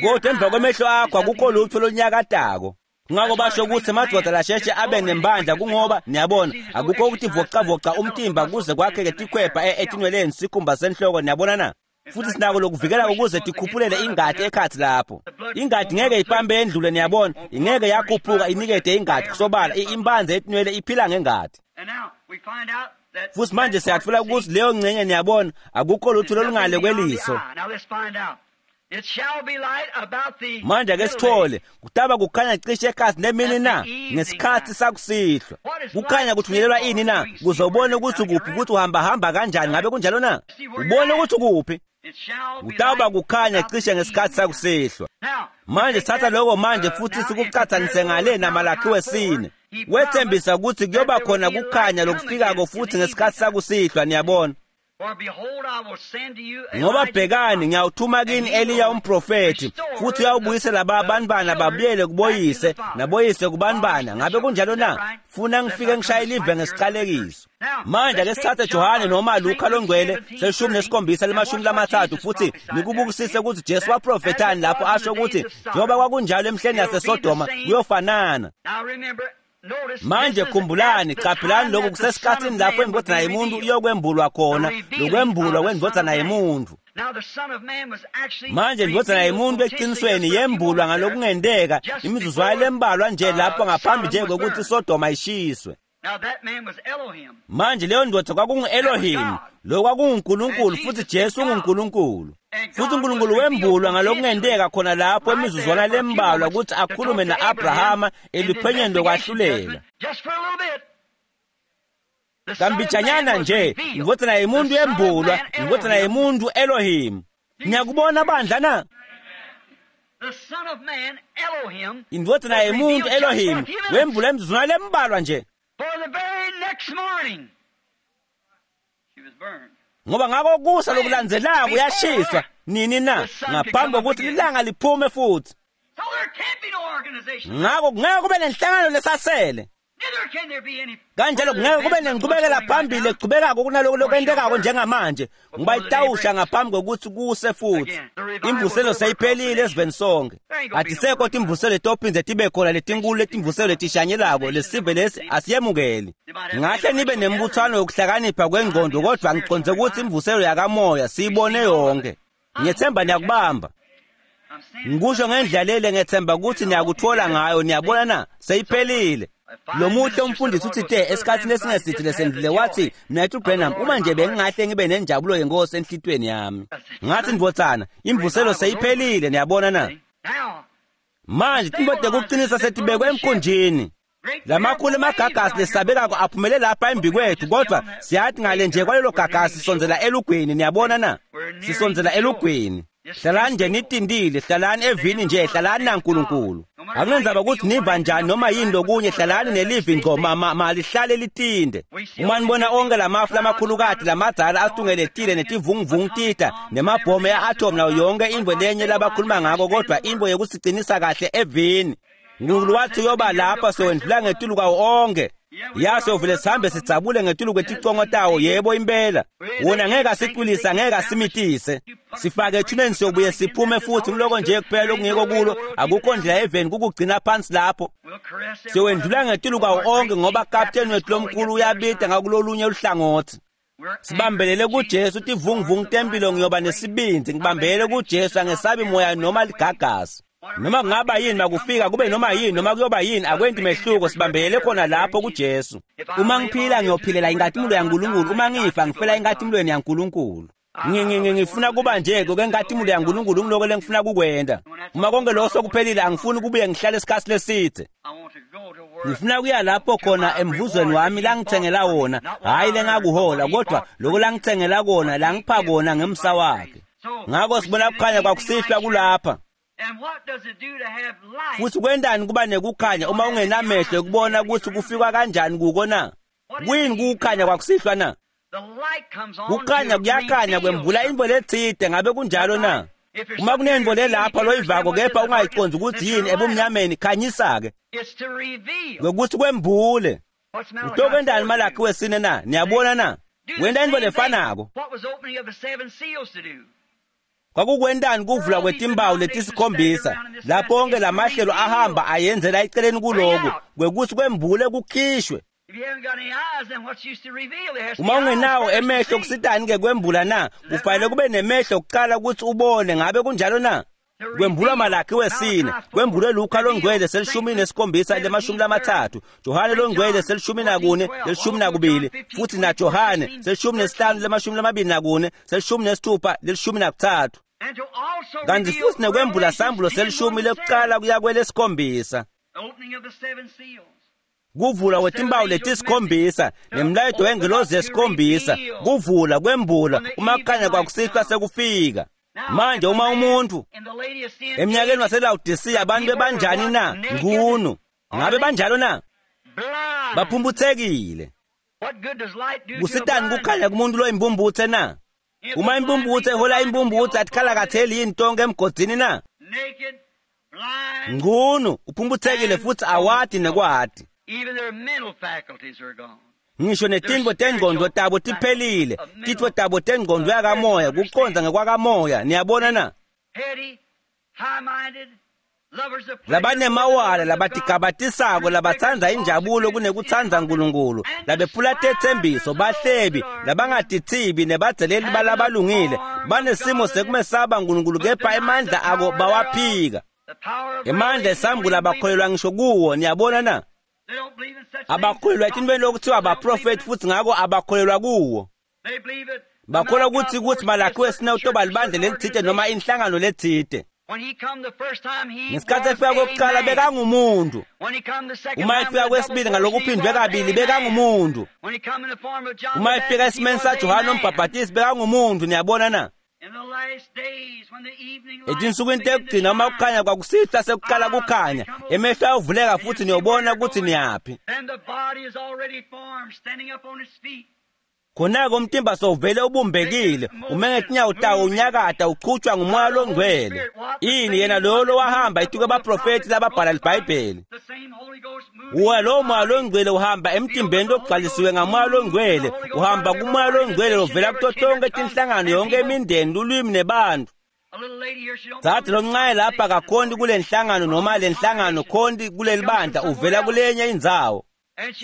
[SPEAKER 1] Kodwa emva kwemehlo akho akukho lutho lolunyakatako. Ngako basho ukuthi emadvodza lasheshe abe nembandla kungoba niyabona akukho ukuthi vocavoca umtimba kuze kwakheke tikhwepha etinweleni sikhumba senhloko, niyabona na? Futhi sinako lokuvikela ukuze tikhuphulele ingadi ekhathi lapho. Ingadi ngeke ipambe endlule, niyabona, ingeke yakhuphuka inikete ingadi kusobala, imbanze etinwele iphila ngengadi. Futhi manje siyatfola ukuthi leyo ngcenye, niyabona, akukho lutho lolungale kweliso. Manje ake sithole kutaba kukhanya cishe ekhathi nemini na ngesikhathi sakusihlwa. Kukhanya kuthunyelelwa ini na? Kuze ubone ukuthi ukuphi, ukuthi uhamba hamba kanjani. Ngabe kunjalo na? Ubone ukuthi ukuphi. Kutaba kukhanya cishe ngesikhathi sakusihlwa. Manje sithatha lokho manje futhi sikucathanise ngale naMalakhi wesine. Wethembisa ukuthi kuyoba khona kukhanya lokufikako futhi ngesikhathi sakusihlwa, niyabona. Ngoba bhekani, ngiyawuthuma kini Eliya umprofethi, futhi uyawubuyisela abantwana babuyele kuboyise, naboyise kubantwana. Ngabe kunjalo na? Funa ngifike ngishaye live ngesiqalekiso. Manje ake sithathe Johane noma Luka longcwele 17:30 futhi nikubukisise ukuthi Jesu waprofethani lapho asho ukuthi njengoba kwakunjalo emhleni yaseSodoma kuyofanana. Manje khumbulani, qaphelani lokhu kusesikhathini lapho indvodzana yemuntu iyokwembulwa khona, lokwembulwa kwendvodzana yemuntu. Manje indvodzana yemuntu eqinisweni yembulwa ngalokungenteka imizuzwana lembalwa nje lapho ngaphambi nje kokuthi iSodoma ishiswe. Manje leyo ndoda kwakungu-Elohim, lo kwakunguNkulunkulu futhi Jesu unguNkulunkulu. Futhi uNkulunkulu wembulwa ngalokungenteka khona lapho emizuzwana lembalwa ukuthi akhulume na-Abrahama eluphenyeni lokwahlulela. Kambijanyana nje, indvodzana yemuntu yembulwa, indvodzana yemuntu Elohim. Niyakubona bandla na? Indvodzana yemuntu Elohim wembulwa emizuzwana lembalwa nje. Ngoba ngako kusa lokulandzelako uyashiswa nini na ngaphambi kokuthi lilanga liphume futhi. Ngako kungeke kube nenhlangano lesasele. Kanjalo kungeke kube nenqubekela phambili echubekako kunaloko lokwentekako njengamanje, ngoba itawusha ngaphambi kokuthi kuse futhi. Imvuselo seyiphelile esiveni sonke. Atisekho timvuselo letophindze tibe khona letinkulu letimvuselo letishanyelako lesive lesi asiyemukeli. Ngahle nibe nembuthano yokuhlakanipha kwengqondo, kodwa ngiconze ukuthi imvuselo yakamoya siyibone yonke. Ngiyethemba niyakubamba. Ngikusho ngendlela lele ngethemba ukuthi niyakuthola ngayo, niyabona na? Seyiphelile. Lo muhle umfundisi uthi te esikhathini esingesithe lesendlule wathi, "Mnethu Branham, uma nje bengingahle ngibe nenjabulo yenkosi enhlitweni yami." Ngathi ndvodzana, imvuselo seyiphelile, niyabona na? Manje tintfo tekuqinisa setibekwe emkhunjini. Lamakhulu emagagasi lesabekako aphumele lapha embi kwethu, kodwa siyathi ngale nje kwalelo gagasi sisondzela elugwini, niyabona na? Sisondzela elugwini. Hlalani nje nitindile, hlalani evini nje, hlalani naNkulunkulu. Akunendzaba ukuthi niva njani noma yini lokunye, hlalani nelivi ngco, malihlale litinde. Uma nibona onke lamafu lamakhulukati lamadzala atungeletile netivunguvungu tita nemabhomu e-atom nayo yonke intfo lenye labakhuluma ngako, kodwa intfo yekusicinisa kahle evini. Nkulunkulu wathi uyoba lapha sowendlula ngetulu kwawo onke. Yaso vele sihambe sidzabule ngetulu kweticongo tawo, yebo impela. Wona ngeke asicwilise, ngeke asimitise. Sifake ethuneni siyobuye siphume futhi kuloko nje kuphela okungekho kulo, akukho ndlela eveni kukugcina phansi lapho. Siyowendlula ngetulu kwawo onke ngoba kapteni wethu lomkhulu uyabida ngakulolunye luhlangothi. Sibambelele kuJesu tivunguvungu tempilo, ngiyoba nesibindi, ngibambelele kuJesu, angesabi moya noma ligagasi. Noma kungaba yini makufika kube noma yini noma kuyoba yini akwenti mehluko, sibambelele khona lapho kuJesu. Uma ngiphila ngiyophilela inkazimulo yaNkulunkulu, uma ngifa ngifela inkatimulweni yaNkulunkulu. Ngifuna kuba nje kwenkazimulo yaNkulunkulu, ngiloko lengifuna kukwenta. Uma konke lokho sokuphelile angifuni kubuye ngihlale isikhathi leside. Ngifuna kuya lapho khona emvuzweni wami langithengela wona, hhayi lengakuhola, kodwa lokho langithengela kona, langipha kona ngemsa wakhe. Ngakho sibona kukhanya kwakusihlwa kulapha. Futhi kwendani kuba nekukhanya uma ungenamehlo ekubona ukuthi kufikwa kanjani kuko na? Kuyini kukhanya kwakusihlwa na? Kukhanya kuyakhanya kwembula intfo letsite, ngabe kunjalo na? Uma kunentfo lelapha loyivako kepha ungayiconzi ukuthi yini ebumnyameni, khanyisa-ke ngokuthi kwembule. Utokwendani Malakhi wesine na? Niyabona na? Wenta intfo lefanako. Kwakukwentani kuvula kwetimbawu letisikhombisa lapho onke lamahlelo ahamba ayenzela eceleni kuloku kwekuthi kwembule kukhishwe. Uma ungenawo emehlo kusitani-ke kwembula na? Kufanele kube nemehlo kuqala ukuthi ubone, ngabe kunjalo na? Kwembulwa Malakhi wesine, kwembulwe Luka longcwele 17 30, Johane longcwele 14 12, futhi na Johane 15 24, 16 13. Kanti futhi nekwembula sambulo selishumi lekuqala kuya kwelesikhombisa. Kuvula kwetimbawu letisikhombisa nemlayeto wengelozi yesikhombisa, kuvula kwembula uma kukhanya kwakusihlwa sekufika. Manje uma umuntu eminyakeni waseLawodisiya abantu bebanjani na? Ngunu. Ngabe banjalo na? Baphumputhekile. Kusitani kukhanya kumuntu loyimpumputse na? Uma impumputse ihola impumputse atikhalakatheli yini tonke emgodzini na? Ngunu uphumputhekile futhi awati nekwati. Ngisho netintfo tengqondo tabo tiphelile, titfo tabo tengqondo yakamoya, kucondza ngekwakamoya, niyabona na? Labanemawala, labatigabatisako, labatsandza injabulo kunekutsandza Nkulunkulu, labephula tetsembiso, bahlebi, labangatithibi nebadzeleli balabalungile, banesimo sekumesaba Nkulunkulu kepha emandla ako bawaphika. Emandla esambula abakholelwa ngisho kuwo, niyabona na? Abakholelwa etintfweni lokuthiwa abaprofethi futhi ngako abakholelwa kuwo. Bakholwa kutsi Malakhi wesine utoba libandla lelitsite noma inhlangano letsite. Ngesikhathi efika kokuqala bekangumuntu. Uma efika kwesibili ngalokuphindwe kabili bekangumuntu. Uma efika esimeni saJohane umbhabhatisi bekangumuntu, niyabona na? Etinsukwini tekugcina uma kukhanya kwakusihlwa sekuqala kukhanya, emehlo ayovuleka futhi niyobona ukuthi niyaphi. Khona-ke umtimba sowuvele ubumbekile, ume ngetinyawo tawo unyakata uchutshwa ngumoya longcwele. Ini yena loyo lowahamba etuke abaprofethi lababhala libhayibheli. Uwa lowo moya longcwele uhamba emtimbeni logcwalisiwe ngamoya longcwele, uhamba kumoya longcwele lovela kuto tonke tinhlangano yonke imindeni, lulwimi nebantu. Dzadze lomncane lapha akakhonti kule nhlangano noma le nhlangano khonti kuleli bandla, uvela kulenye indzawo.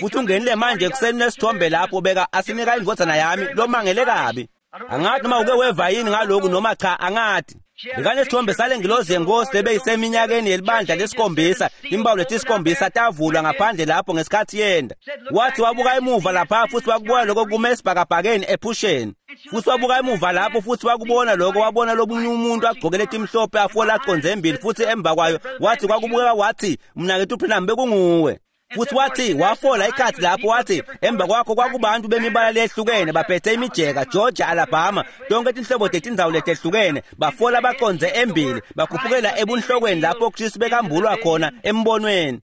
[SPEAKER 1] Futhi ungenile manje ekuseni nesithombe lapho beka asinika indvodzana yami lomangele kabi. Angathi noma uke weva yini ngaloku noma cha, angati. Bekanesithombe sale ngilozi yenkosi lebeyiseminyakeni yelibandla lesikhombisa, timpawu letisikhombisa tavulwa ngaphandle lapho ngesikhathi yenda. Wathi wabuka emuva lapha futhi wakubona lokho kume esibhakabhakeni ephusheni. Futhi wabuka emuva lapho futhi wakubona lokho, wabona lomunye umuntu agqoke letimhlophe afola aconze embili futhi emva kwayo wathi kwakubukeka wathi mnakethu Branham bekunguwe. Futhi wathi wafola ikhathi lapho wathi emva kwakho kwakubantu bemibala lehlukene baphethe imijeka Georgia, Alabama, tonke tinhlobo tetindzawo letehlukene, bafola baconze embili bakhuphukela ebunhlokweni lapho Kristu bekambulwa khona embonweni.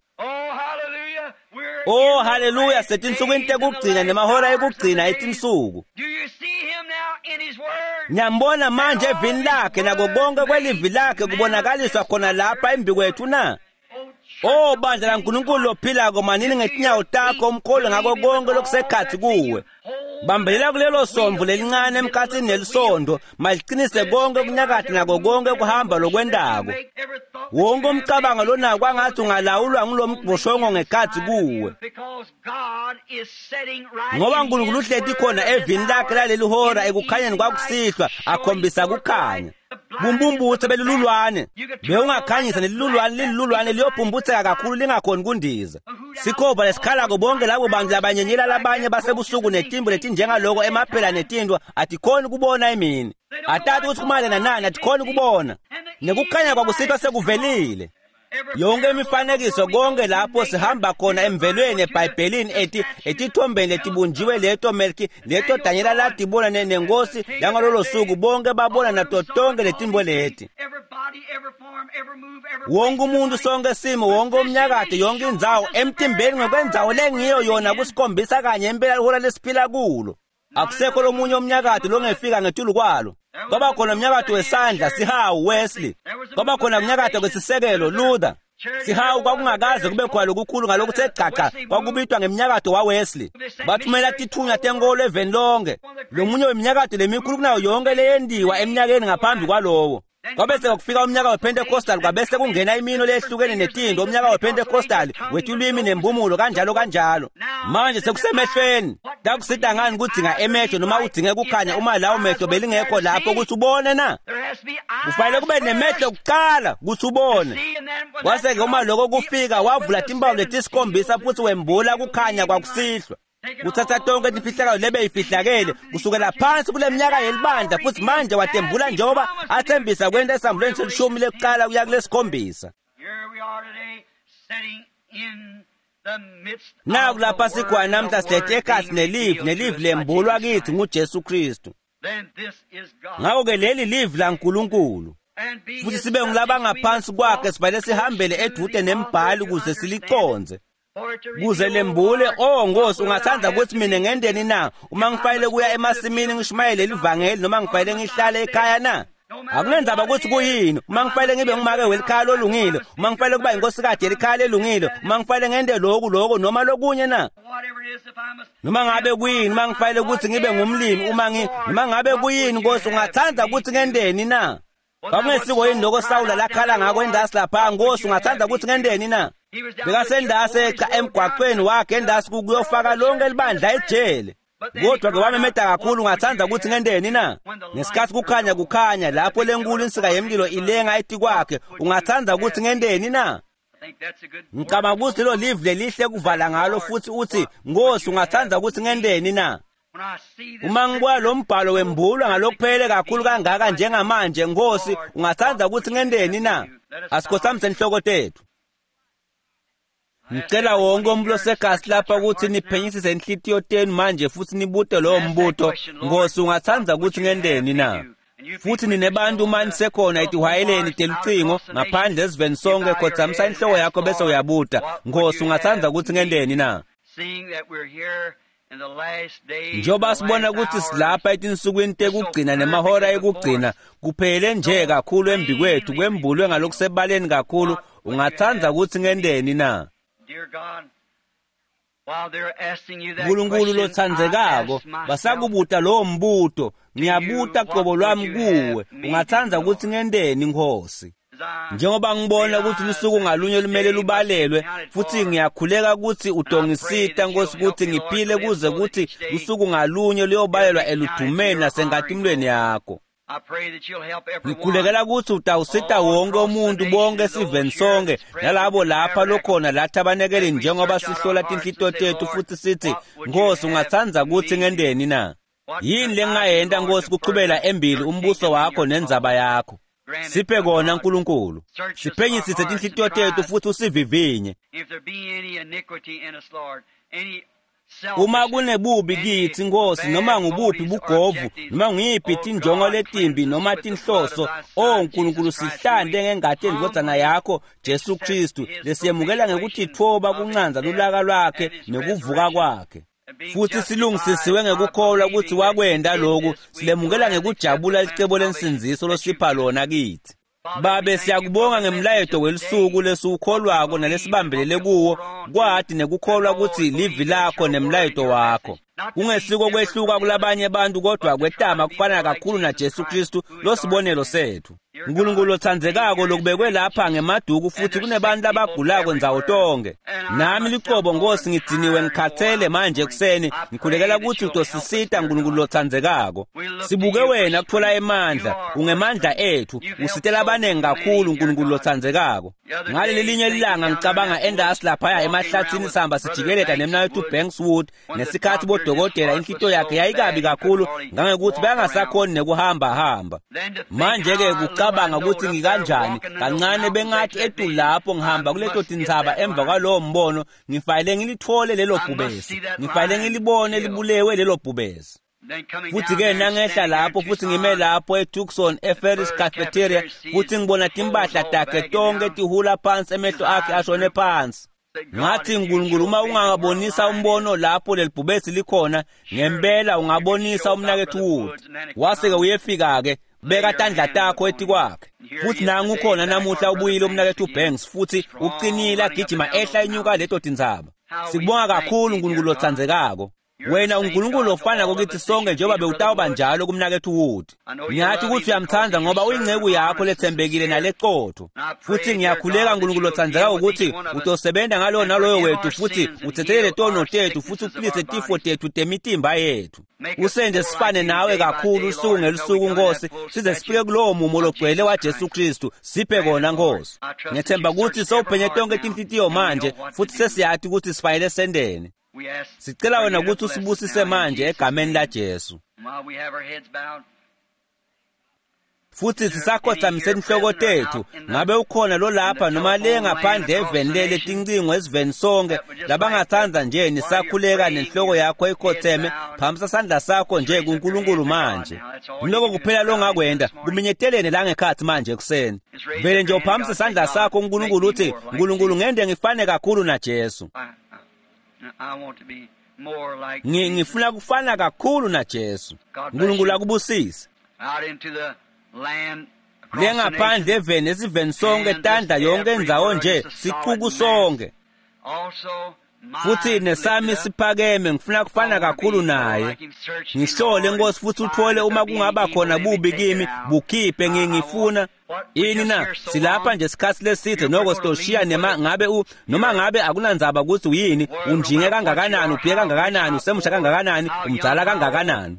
[SPEAKER 1] Oh haleluya, setinsukwini tekugcina nemahora ekugcina etinsuku. Niyambona manje evini lakhe nako konke kwelivi lakhe kubonakaliswa khona lapha embi kwethu na? Oh bandla laNkulunkulu lophilako, manini ngetinyawo takho umkholo ngako konke lokusekhathi kuwe. Bambelela kulelo somvu lelincane emkhatsini nelisondo, maliqinise konke kunyakade nako konke kuhamba lokwendako. Wonke umcabango lonako kwangathi ungalawulwa ngulomboshongo ngekhathi kuwe. Ngoba uNkulunkulu uhleti khona evini lakhe laleli hora ekukhanyeni kwakusihlwa akhombisa kukhanya. Bumbumbutse belululwane bewungakhanyisa nelilulwane lilulwane liyophumputseka kakhulu lingakhoni kundiza. Sikhova lesikhalako bonke labo bantu labanyenyela labanye basebusuku netimbo letinjengaloko emaphela netintwa atikhoni kubona emini. Atati ukuthi kumayelana nani, atikhoni kubona. Nekukhanya kwakusihlwa sekuvelile. Yonke imifanekiso konke lapho sihamba khona emvelweni eBhayibhelini etithombeni letibunjiwe leto Melki leto Danyela latibona nenkosi yangalolo suku, bonke babona nato tonke letimbo leti. Wonke umuntu, sonke simo, wonke umnyakato, yonke indzawo emtimbeni ngokwendzawo lengiyo yona kusikhombisa kanye impela lihora lesiphila kulo. Akusekho lomunye umnyakato longefika ngetulu kwalo. Kwaba khona umnyakato wesandla, sihawu, Wesley. Kwaba khona umnyakato kwesisekelo, Luther. Sihawu kwakungakaze kube khona lokukhulu ngalokuthe gcaca, kwakubitwa ngemnyakato waWesley. Bathumela tithunywa tenkolo eveni lonke. Lomunye weminyakato lemikhulu kunayo yonke leyendiwa eminyakeni ngaphambi kwalowo. Kwabese kufika umnyaka wePentecostal, kwabese kungena imino lehlukene netinto, umnyaka wePentecostal wetulwimi nembumulo kanjalo kanjalo. Manje sekusemehlweni. Takusita ngani kudzinga emehlo noma udzinge kukhanya uma lawo mehlo belingekho lapho ukuthi ubone na? Kufanele kube nemehlo kuqala ukuthi ubone. Kwase-ke uma lokho kufika wavula timpawu letisikhombisa futhi wembula kukhanya kwakusihlwa. Kuthatha tonke timfihlakalo lebeyifihlakele kusukela phansi kule minyaka yelibandla futhi manje watembula njengoba athembisa kwenta esambulweni selishumi lekuqala kuya kulesikhombisa. Naku lapha sikhona namhla silethe ekhatsi nelivi, nelivi lembulwa kithi nguJesu Kristu. Ngakho-ke leli livi laNkulunkulu futhi sibe ngulabangaphansi kwakhe, sifanele sihambele edude nembhali ukuze siliconze. Kuze lembule, oh Nkosi, ungathanda ukuthi mina ngendeni na? Uma ngifanele kuya emasimini ngishumayele livangeli noma ngifanele ngihlale ekhaya na? Akunenzaba ukuthi kuyini. Uma ngifanele ngibe ngumake welikhaya lolungile, uma ngifanele kuba inkosikazi yelikhaya lelungile, uma ngifanele ngente lokhu lokho noma lokunye na? Noma ngabe kuyini, uma ngifanele ukuthi ngibe ngumlimi, uma noma ngabe kuyini, Nkosi, ungathanda ukuthi ngendeni na? Kwakungesiko yini lokho Sawula lakhala ngako endasi lapha, Nkosi, ungathanda ukuthi ngendeni na? Bekasendase echa emgwaqweni wakhe endasi kuyofaka lonke libandla ejele. Kodwa ke wamemeda kakhulu, ungathanda ukuthi ngendeni na? Ngesikhathi kukhanya kukhanya lapho lenkulu insika yemlilo ilenga etikwakhe, ungathanda ukuthi ngendeni na? Ngicabanga ukuthi lelo live lelihle kuvala ngalo futhi uthi, Nkosi, ungathanda ukuthi ngendeni na? Uma ngibona lo mbhalo wembulwa ngalokuphelele kakhulu kangaka njengamanje, Nkosi, ungathanda ukuthi ngendeni na? Asikhothamise inhloko tethu. Ngicela wonke umuntu osegasi lapha ukuthi niphenyisise inhlitiyo tenu manje futhi nibute lowo mbuto, Nkosi, ungathanda ukuthi ngendeni na? Futhi ninebantu uma nisekhona etihwayeleni telucingo ngaphandle esiveni sonke, khothamisa inhloko yakho bese uyabuta, Nkosi, ungathanda ukuthi ngendeni na? Njengoba sibona ukuthi silapha etinsukwini tekugcina nemahora ekugcina, kuphele nje kakhulu embi kwethu, kwembulwe ngalokusebaleni kakhulu, ungathanda ukuthi ngendeni na? Nkulunkulu lothandzekako, basakubuta lowo mbuto, ngiyabuta qobo lwami kuwe, ungathanda ukuthi ngendeni Nkosi? Njengoba ngibona ukuthi lusuku ngalunye lumele lubalelwe, futhi ngiyakhuleka ukuthi utongisita Nkosi ukuthi ngiphile kuze kuthi lusuku ngalunye luyobalelwa eludumeni nasenkatimulweni yakho. Ngikhulekela ukuthi utawusita wonke umuntu bonke esiveni sonke nalabo lapha lokhona lathi abanekeleni njengoba sihlola tinhlito tethu futhi sithi, Nkosi, ungathanda ukuthi ngendeni na? Yini lengingayenta Nkosi kuchubela embili umbuso wakho nendzaba yakho? Siphe kona Nkulunkulu. Siphenyisise tinhlitiyo tethu futhi usivivinye. Uma kunebubi kithi Nkosi, noma ngubuphi bugovu, noma ngiyiphi tinjongo letimbi noma tinhloso, o Nkulunkulu, sihlante ngengati yendvodzana yakho Jesu Kristu, lesiyemukela ngekutitfoba kuncanza lulaka lwakhe nekuvuka kwakhe. Futhi silungisisiwe ngekukholwa ukuthi wakwenda lokhu, silemukela ngekujabula licebo lensindziso losipha lona kithi. Babe, siyakubonga ngemlayeto welusuku lesiwukholwako nalesibambelele kuwo, kwati nekukholwa ukuthi livi lakho nemlayeto wakho. Kungesiko kwehluka kulabanye abantu kodwa kwetama kufana kakhulu naJesu Kristu losibonelo sethu. Nkulunkulu lothandzekako lokubekwe lapha ngemaduku futhi kunebantu abagulako ndzawo tonke. Nami liqobo Nkosi ngidiniwe ngikhathele manje ekuseni, ngikhulekela ukuthi utosisita Nkulunkulu lothandzekako. Sibuke wena kuthola emandla, ungemandla ethu, usitela abaningi kakhulu Nkulunkulu lothandzekako. Ngaleli linye ilanga ngicabanga endasi laphaya emahlathini sihamba sijikeleta nemnaketfu Bankswood ngesikhathi bodokotela inhlito yakhe yayikabi kakhulu ngangekuthi bayangasakhoni nekuhamba hamba. Manje-ke kucabanga ukuthi ngikanjani kancane bengathi etu lapho ngihamba kuleto tintsaba emva kwalowo mbono, ngifanele ngilithole lelo bhubesi, ngifanele ngilibone libulewe lelo bhubesi. Futhi-ke nangehla lapho futhi ngime lapho eTucson eFerris Cafeteria futhi ngibona timpahla takhe tonke tihula phansi, emehlo akhe ashone phansi. Ngathi, Nkulunkulu, uma ungabonisa umbono lapho lelibhubesi likhona, ngempela ungabonisa umnaketfu Wood. Wase-ke uyefika-ke, beka tandla takho etikwakhe. Futhi nangu ukhona namuhla ubuyile umnaketfu Banks futhi uqinile agijima ehla enyuka leto tintsaba. Sikubonga kakhulu Nkulunkulu lotsandzekako. Wena uNkulunkulu ofanako kithi sonke njengoba bewutawuba njalo kumnaketfu Wood. Ngiyathi ukuthi uyamthanda ngoba uyinceku yakho lethembekile naleqotho. Futhi ngiyakhuleka Nkulunkulu lotsandzekako ukuthi utosebenza ngalowo naloyo wethu futhi uthethelele tono tethu futhi uphilise tifo tethu temitimba yethu. Usenze sifane nawe kakhulu usuku ngelusuku Nkosi, size sifike kulowo mumo logcwele waJesu Kristu. Siphe kona Nkosi. Ngethemba ukuthi sowuphenye tonke tinhlitiyo manje futhi sesiyathi ukuthi sifanele sendeni. Sicela wena ukuthi usibusise manje egameni laJesu. Futhi sisakhothamise inhloko tethu, ngabe ukhona lo lapha noma le ngaphandle eveni lele tincingo esiveni sonke labangathanda nje nisakhuleka nenhloko yakho ikhotheme, phamisa sandla sakho nje kuNkulunkulu manje. Lokho kuphela longakwenda, kuminyetelene la ngekhathi manje ekuseni. Vele nje uphamise isandla sakho kuNkulunkulu uthi, Nkulunkulu ngende ngifane kakhulu naJesu. Ngifuna kufana kakhulu naJesu. uNkulunkulu akubusise. Lengaphandle eveni esiveni sonke tandla yonke indzawo nje sicuku sonke. Futhi nesami siphakeme ngifuna kufana kakhulu naye. Ngihlole Nkosi futhi uthole uma kungaba khona bubi kimi bukhiphe ngifuna ini na silapha nje isikhathi leside noko sitoshiya nema ngabe noma ngabe akunandzaba ukuthi uyini unjinge kangakanani ubhiye kangakanani usemusha kangakanani umdzala kangakanani.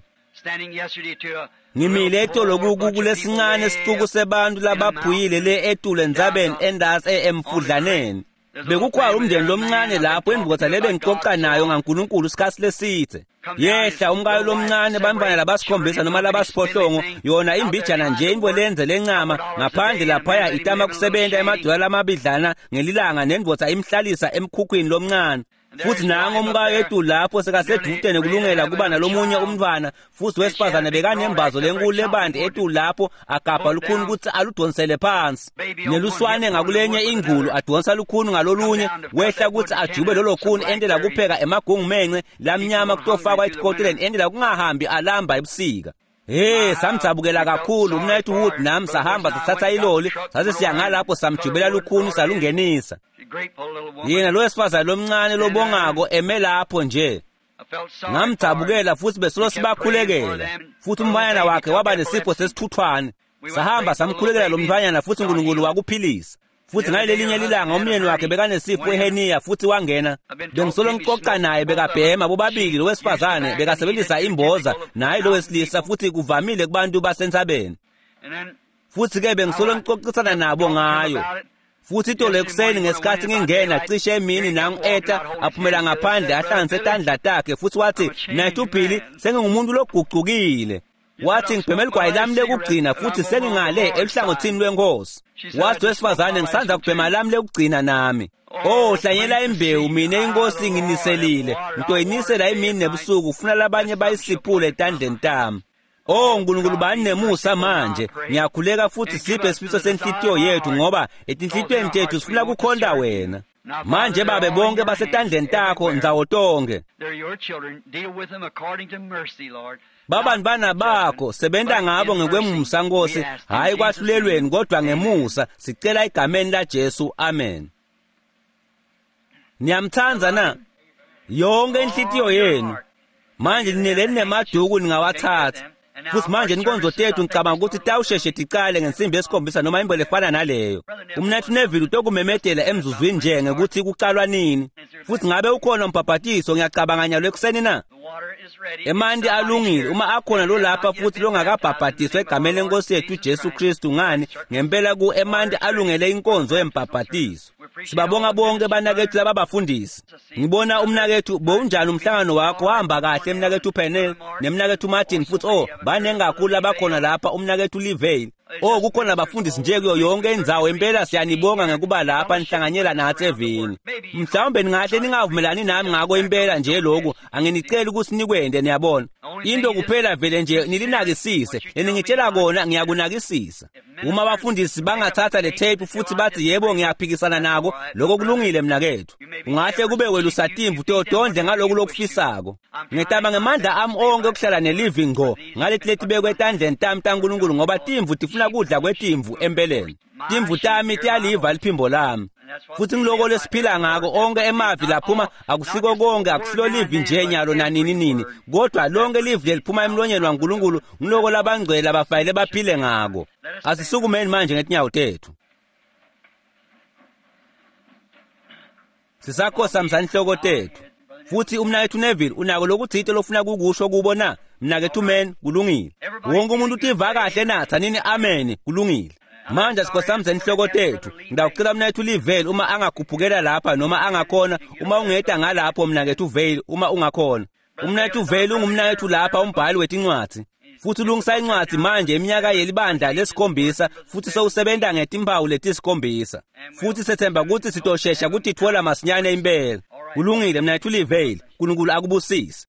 [SPEAKER 1] Ngimile etolo kulesincane sicuku sebantu labaphuyile le etule endzabeni endasi emfudlaneni. Bekukhona umndeni lomncane lapho indvodza lebengixoxa nayo ngaNkulunkulu isikhathi leside. Yehla umkayo lomncane bantwana labasikhombisa noma labasiphohlongo yona imbijana nje into lenze lencama ngaphandle laphaya itama kusebenta emadola lamabidlana ngelilanga nendvodza imhlalisa emkhukhwini lomncane. Futhi nango umkayo ethu lapho sekasedude nekulungela kuba nalomunye umntwana futhi wesifazane bekanembazo lenkulu lebandi ethu lapho agabha lukhuni ukuthi aludonsele phansi neluswane ngakulenye ingulu adonsa lukhuni ngalolunye wehla ukuthi ajube lolo khuni entela kupheka emagungumenxe lamnyama kutofakwa etikoteleni entela kungahambi alamba ebusika. Hey, samdzabukela kakhulu umnayethu Wood nami sahamba sithatha iloli sase siya ngalapho samjubela lukhuni salungenisa. Yena lo wesifazane lomncane lobongako eme lapho nje. Ngamdzabukela futhi besolo sibakhulekela. Futhi umfanyana wakhe waba nesifo sesithuthwane. Sahamba samkhulekela lo mfanyana futhi uNkulunkulu wakuphilisa. Futhi ngalelinye lilanga umyeni wakhe bekanesifo eheniya futhi wangena. Bengisolo ngixoxa naye bekabhema bobabili lo wesifazane bekasebenzisa imboza naye lo wesilisa futhi kuvamile kubantu basentsabeni. Futhi ke bengisolo ngixoxisana nabo ngayo. Futhi itolo ekuseni ngesikhathi ngingena cishe emini nangu-eta aphumela ngaphandle ahlanganise tandla takhe futhi wathi mnayethu Billy sengingumuntu logucukile. Wathi ngibheme ligwayi lami lekugcina futhi sengingale eluhlangothini lwenkosi. Wathi wesifazane ngisanza kubhema lami lekugcina nami. Oh hlanyela imbewu mina inkosi nginiselile ngitoyinisela imini nebusuku ufuna labanye bayisiphule etandleni tami. Oh uNkulunkulu bani nemusa manje ngiyakhuleka futhi siphe isifiso senhlitiyo yethu ngoba etinhlitiyweni tethu sifuna kukhonta wena. Manje babe bonke basetandleni takho ndzawo tonke. Babantwana bakho sebenta ngabo ngekwemusa Nkosi hayi kwahlulelweni kodwa ngemusa sicela egameni laJesu amen. Niyamthanda na? Yonke inhlitiyo yenu. Manje nineleni nemaduku ningawathatha. Futhi manje inkonzo tethu ngicabanga ukuthi tawusheshe ticale ngensimbi yesikhombisa noma imbo lefana naleyo. Umnathu Neville utokumemedela emzuzwini nje ngekuthi kucalwa nini. Futhi ngabe ukhona umbhabhatiso ngiyacabanga nyalo ekuseni na? Emanti alungile uma akhona lo lapha futhi longakabhabhatiswa egameni lenkosi yethu Jesu Kristu ngani ngempela ku emanti alungele inkonzo yembhabhatiso. Sibabonga bonke banakethu lababafundisi. Ngibona umnakethu bowunjani umhlangano wakho wahamba kahle mnakethu Penel nemnakethu Martin futhi oh baningi kakhulu labakhona lapha umnakethu Livale. Oh kukhona abafundisi nje kuyo yonke indzawo impela siyanibonga ngekuba lapha nihlanganyela nathi evini. Mhlawumbe ningahle ningavumelani nami ngako impela nje lokhu anginiceli ukuthi nikwende niyabona. Into kuphela vele nje nilinakisise leningitshela kona ngiyakunakisisa. Uma abafundisi bangathatha le tape futhi bathi yebo ngiyaphikisana nako lokho kulungile mnakethu. Ungahle kube welusa timvu todondle ngaloku lokufisako. Ngitama ngemandla ami onke ukuhlala nelivi ngqo ngaleti letibekwe etandleni tami taNkulunkulu ngoba timvu tifuna kudla kwetimvu empeleni. Timvu tami tiyaliva liphimbo lami. Futhi ngiloko lesiphila ngako onke emavi laphuma akusiko konke akusilo livi nje nyalo nanini nini kodwa lonke livi leliphuma emlonyeni waNkulunkulu ngiloko labangcwele abafanele baphile ngako. Asisukumeni manje ngetinyawo tethu. Sisakhosa inhloko tethu. Futhi umnakethu Neville unako lokuthite lofuna kukusho kubo na? Mnakethu Men kulungile. Wonke umuntu utiva kahle na? Thanini amen kulungile. Manje sikhosamze inhloko tethu. Ngidawucela mnakethu Livale uma angakhuphukela lapha noma angakhona uma ungeda ngalapho mnakethu Vale uma ungakhona. Umnakethu Vale ungumnakethu lapha umbhali wetincwadzi. Futhi ulungisa incwadzi manje iminyaka yelibandla lesikhombisa futhi sewusebenta ngetimpawu letisikhombisa. Futhi sethemba ukuthi sitoshesha kutitfola masinyane impela. Kulungile mnakethu Livale, uNkulunkulu akubusise.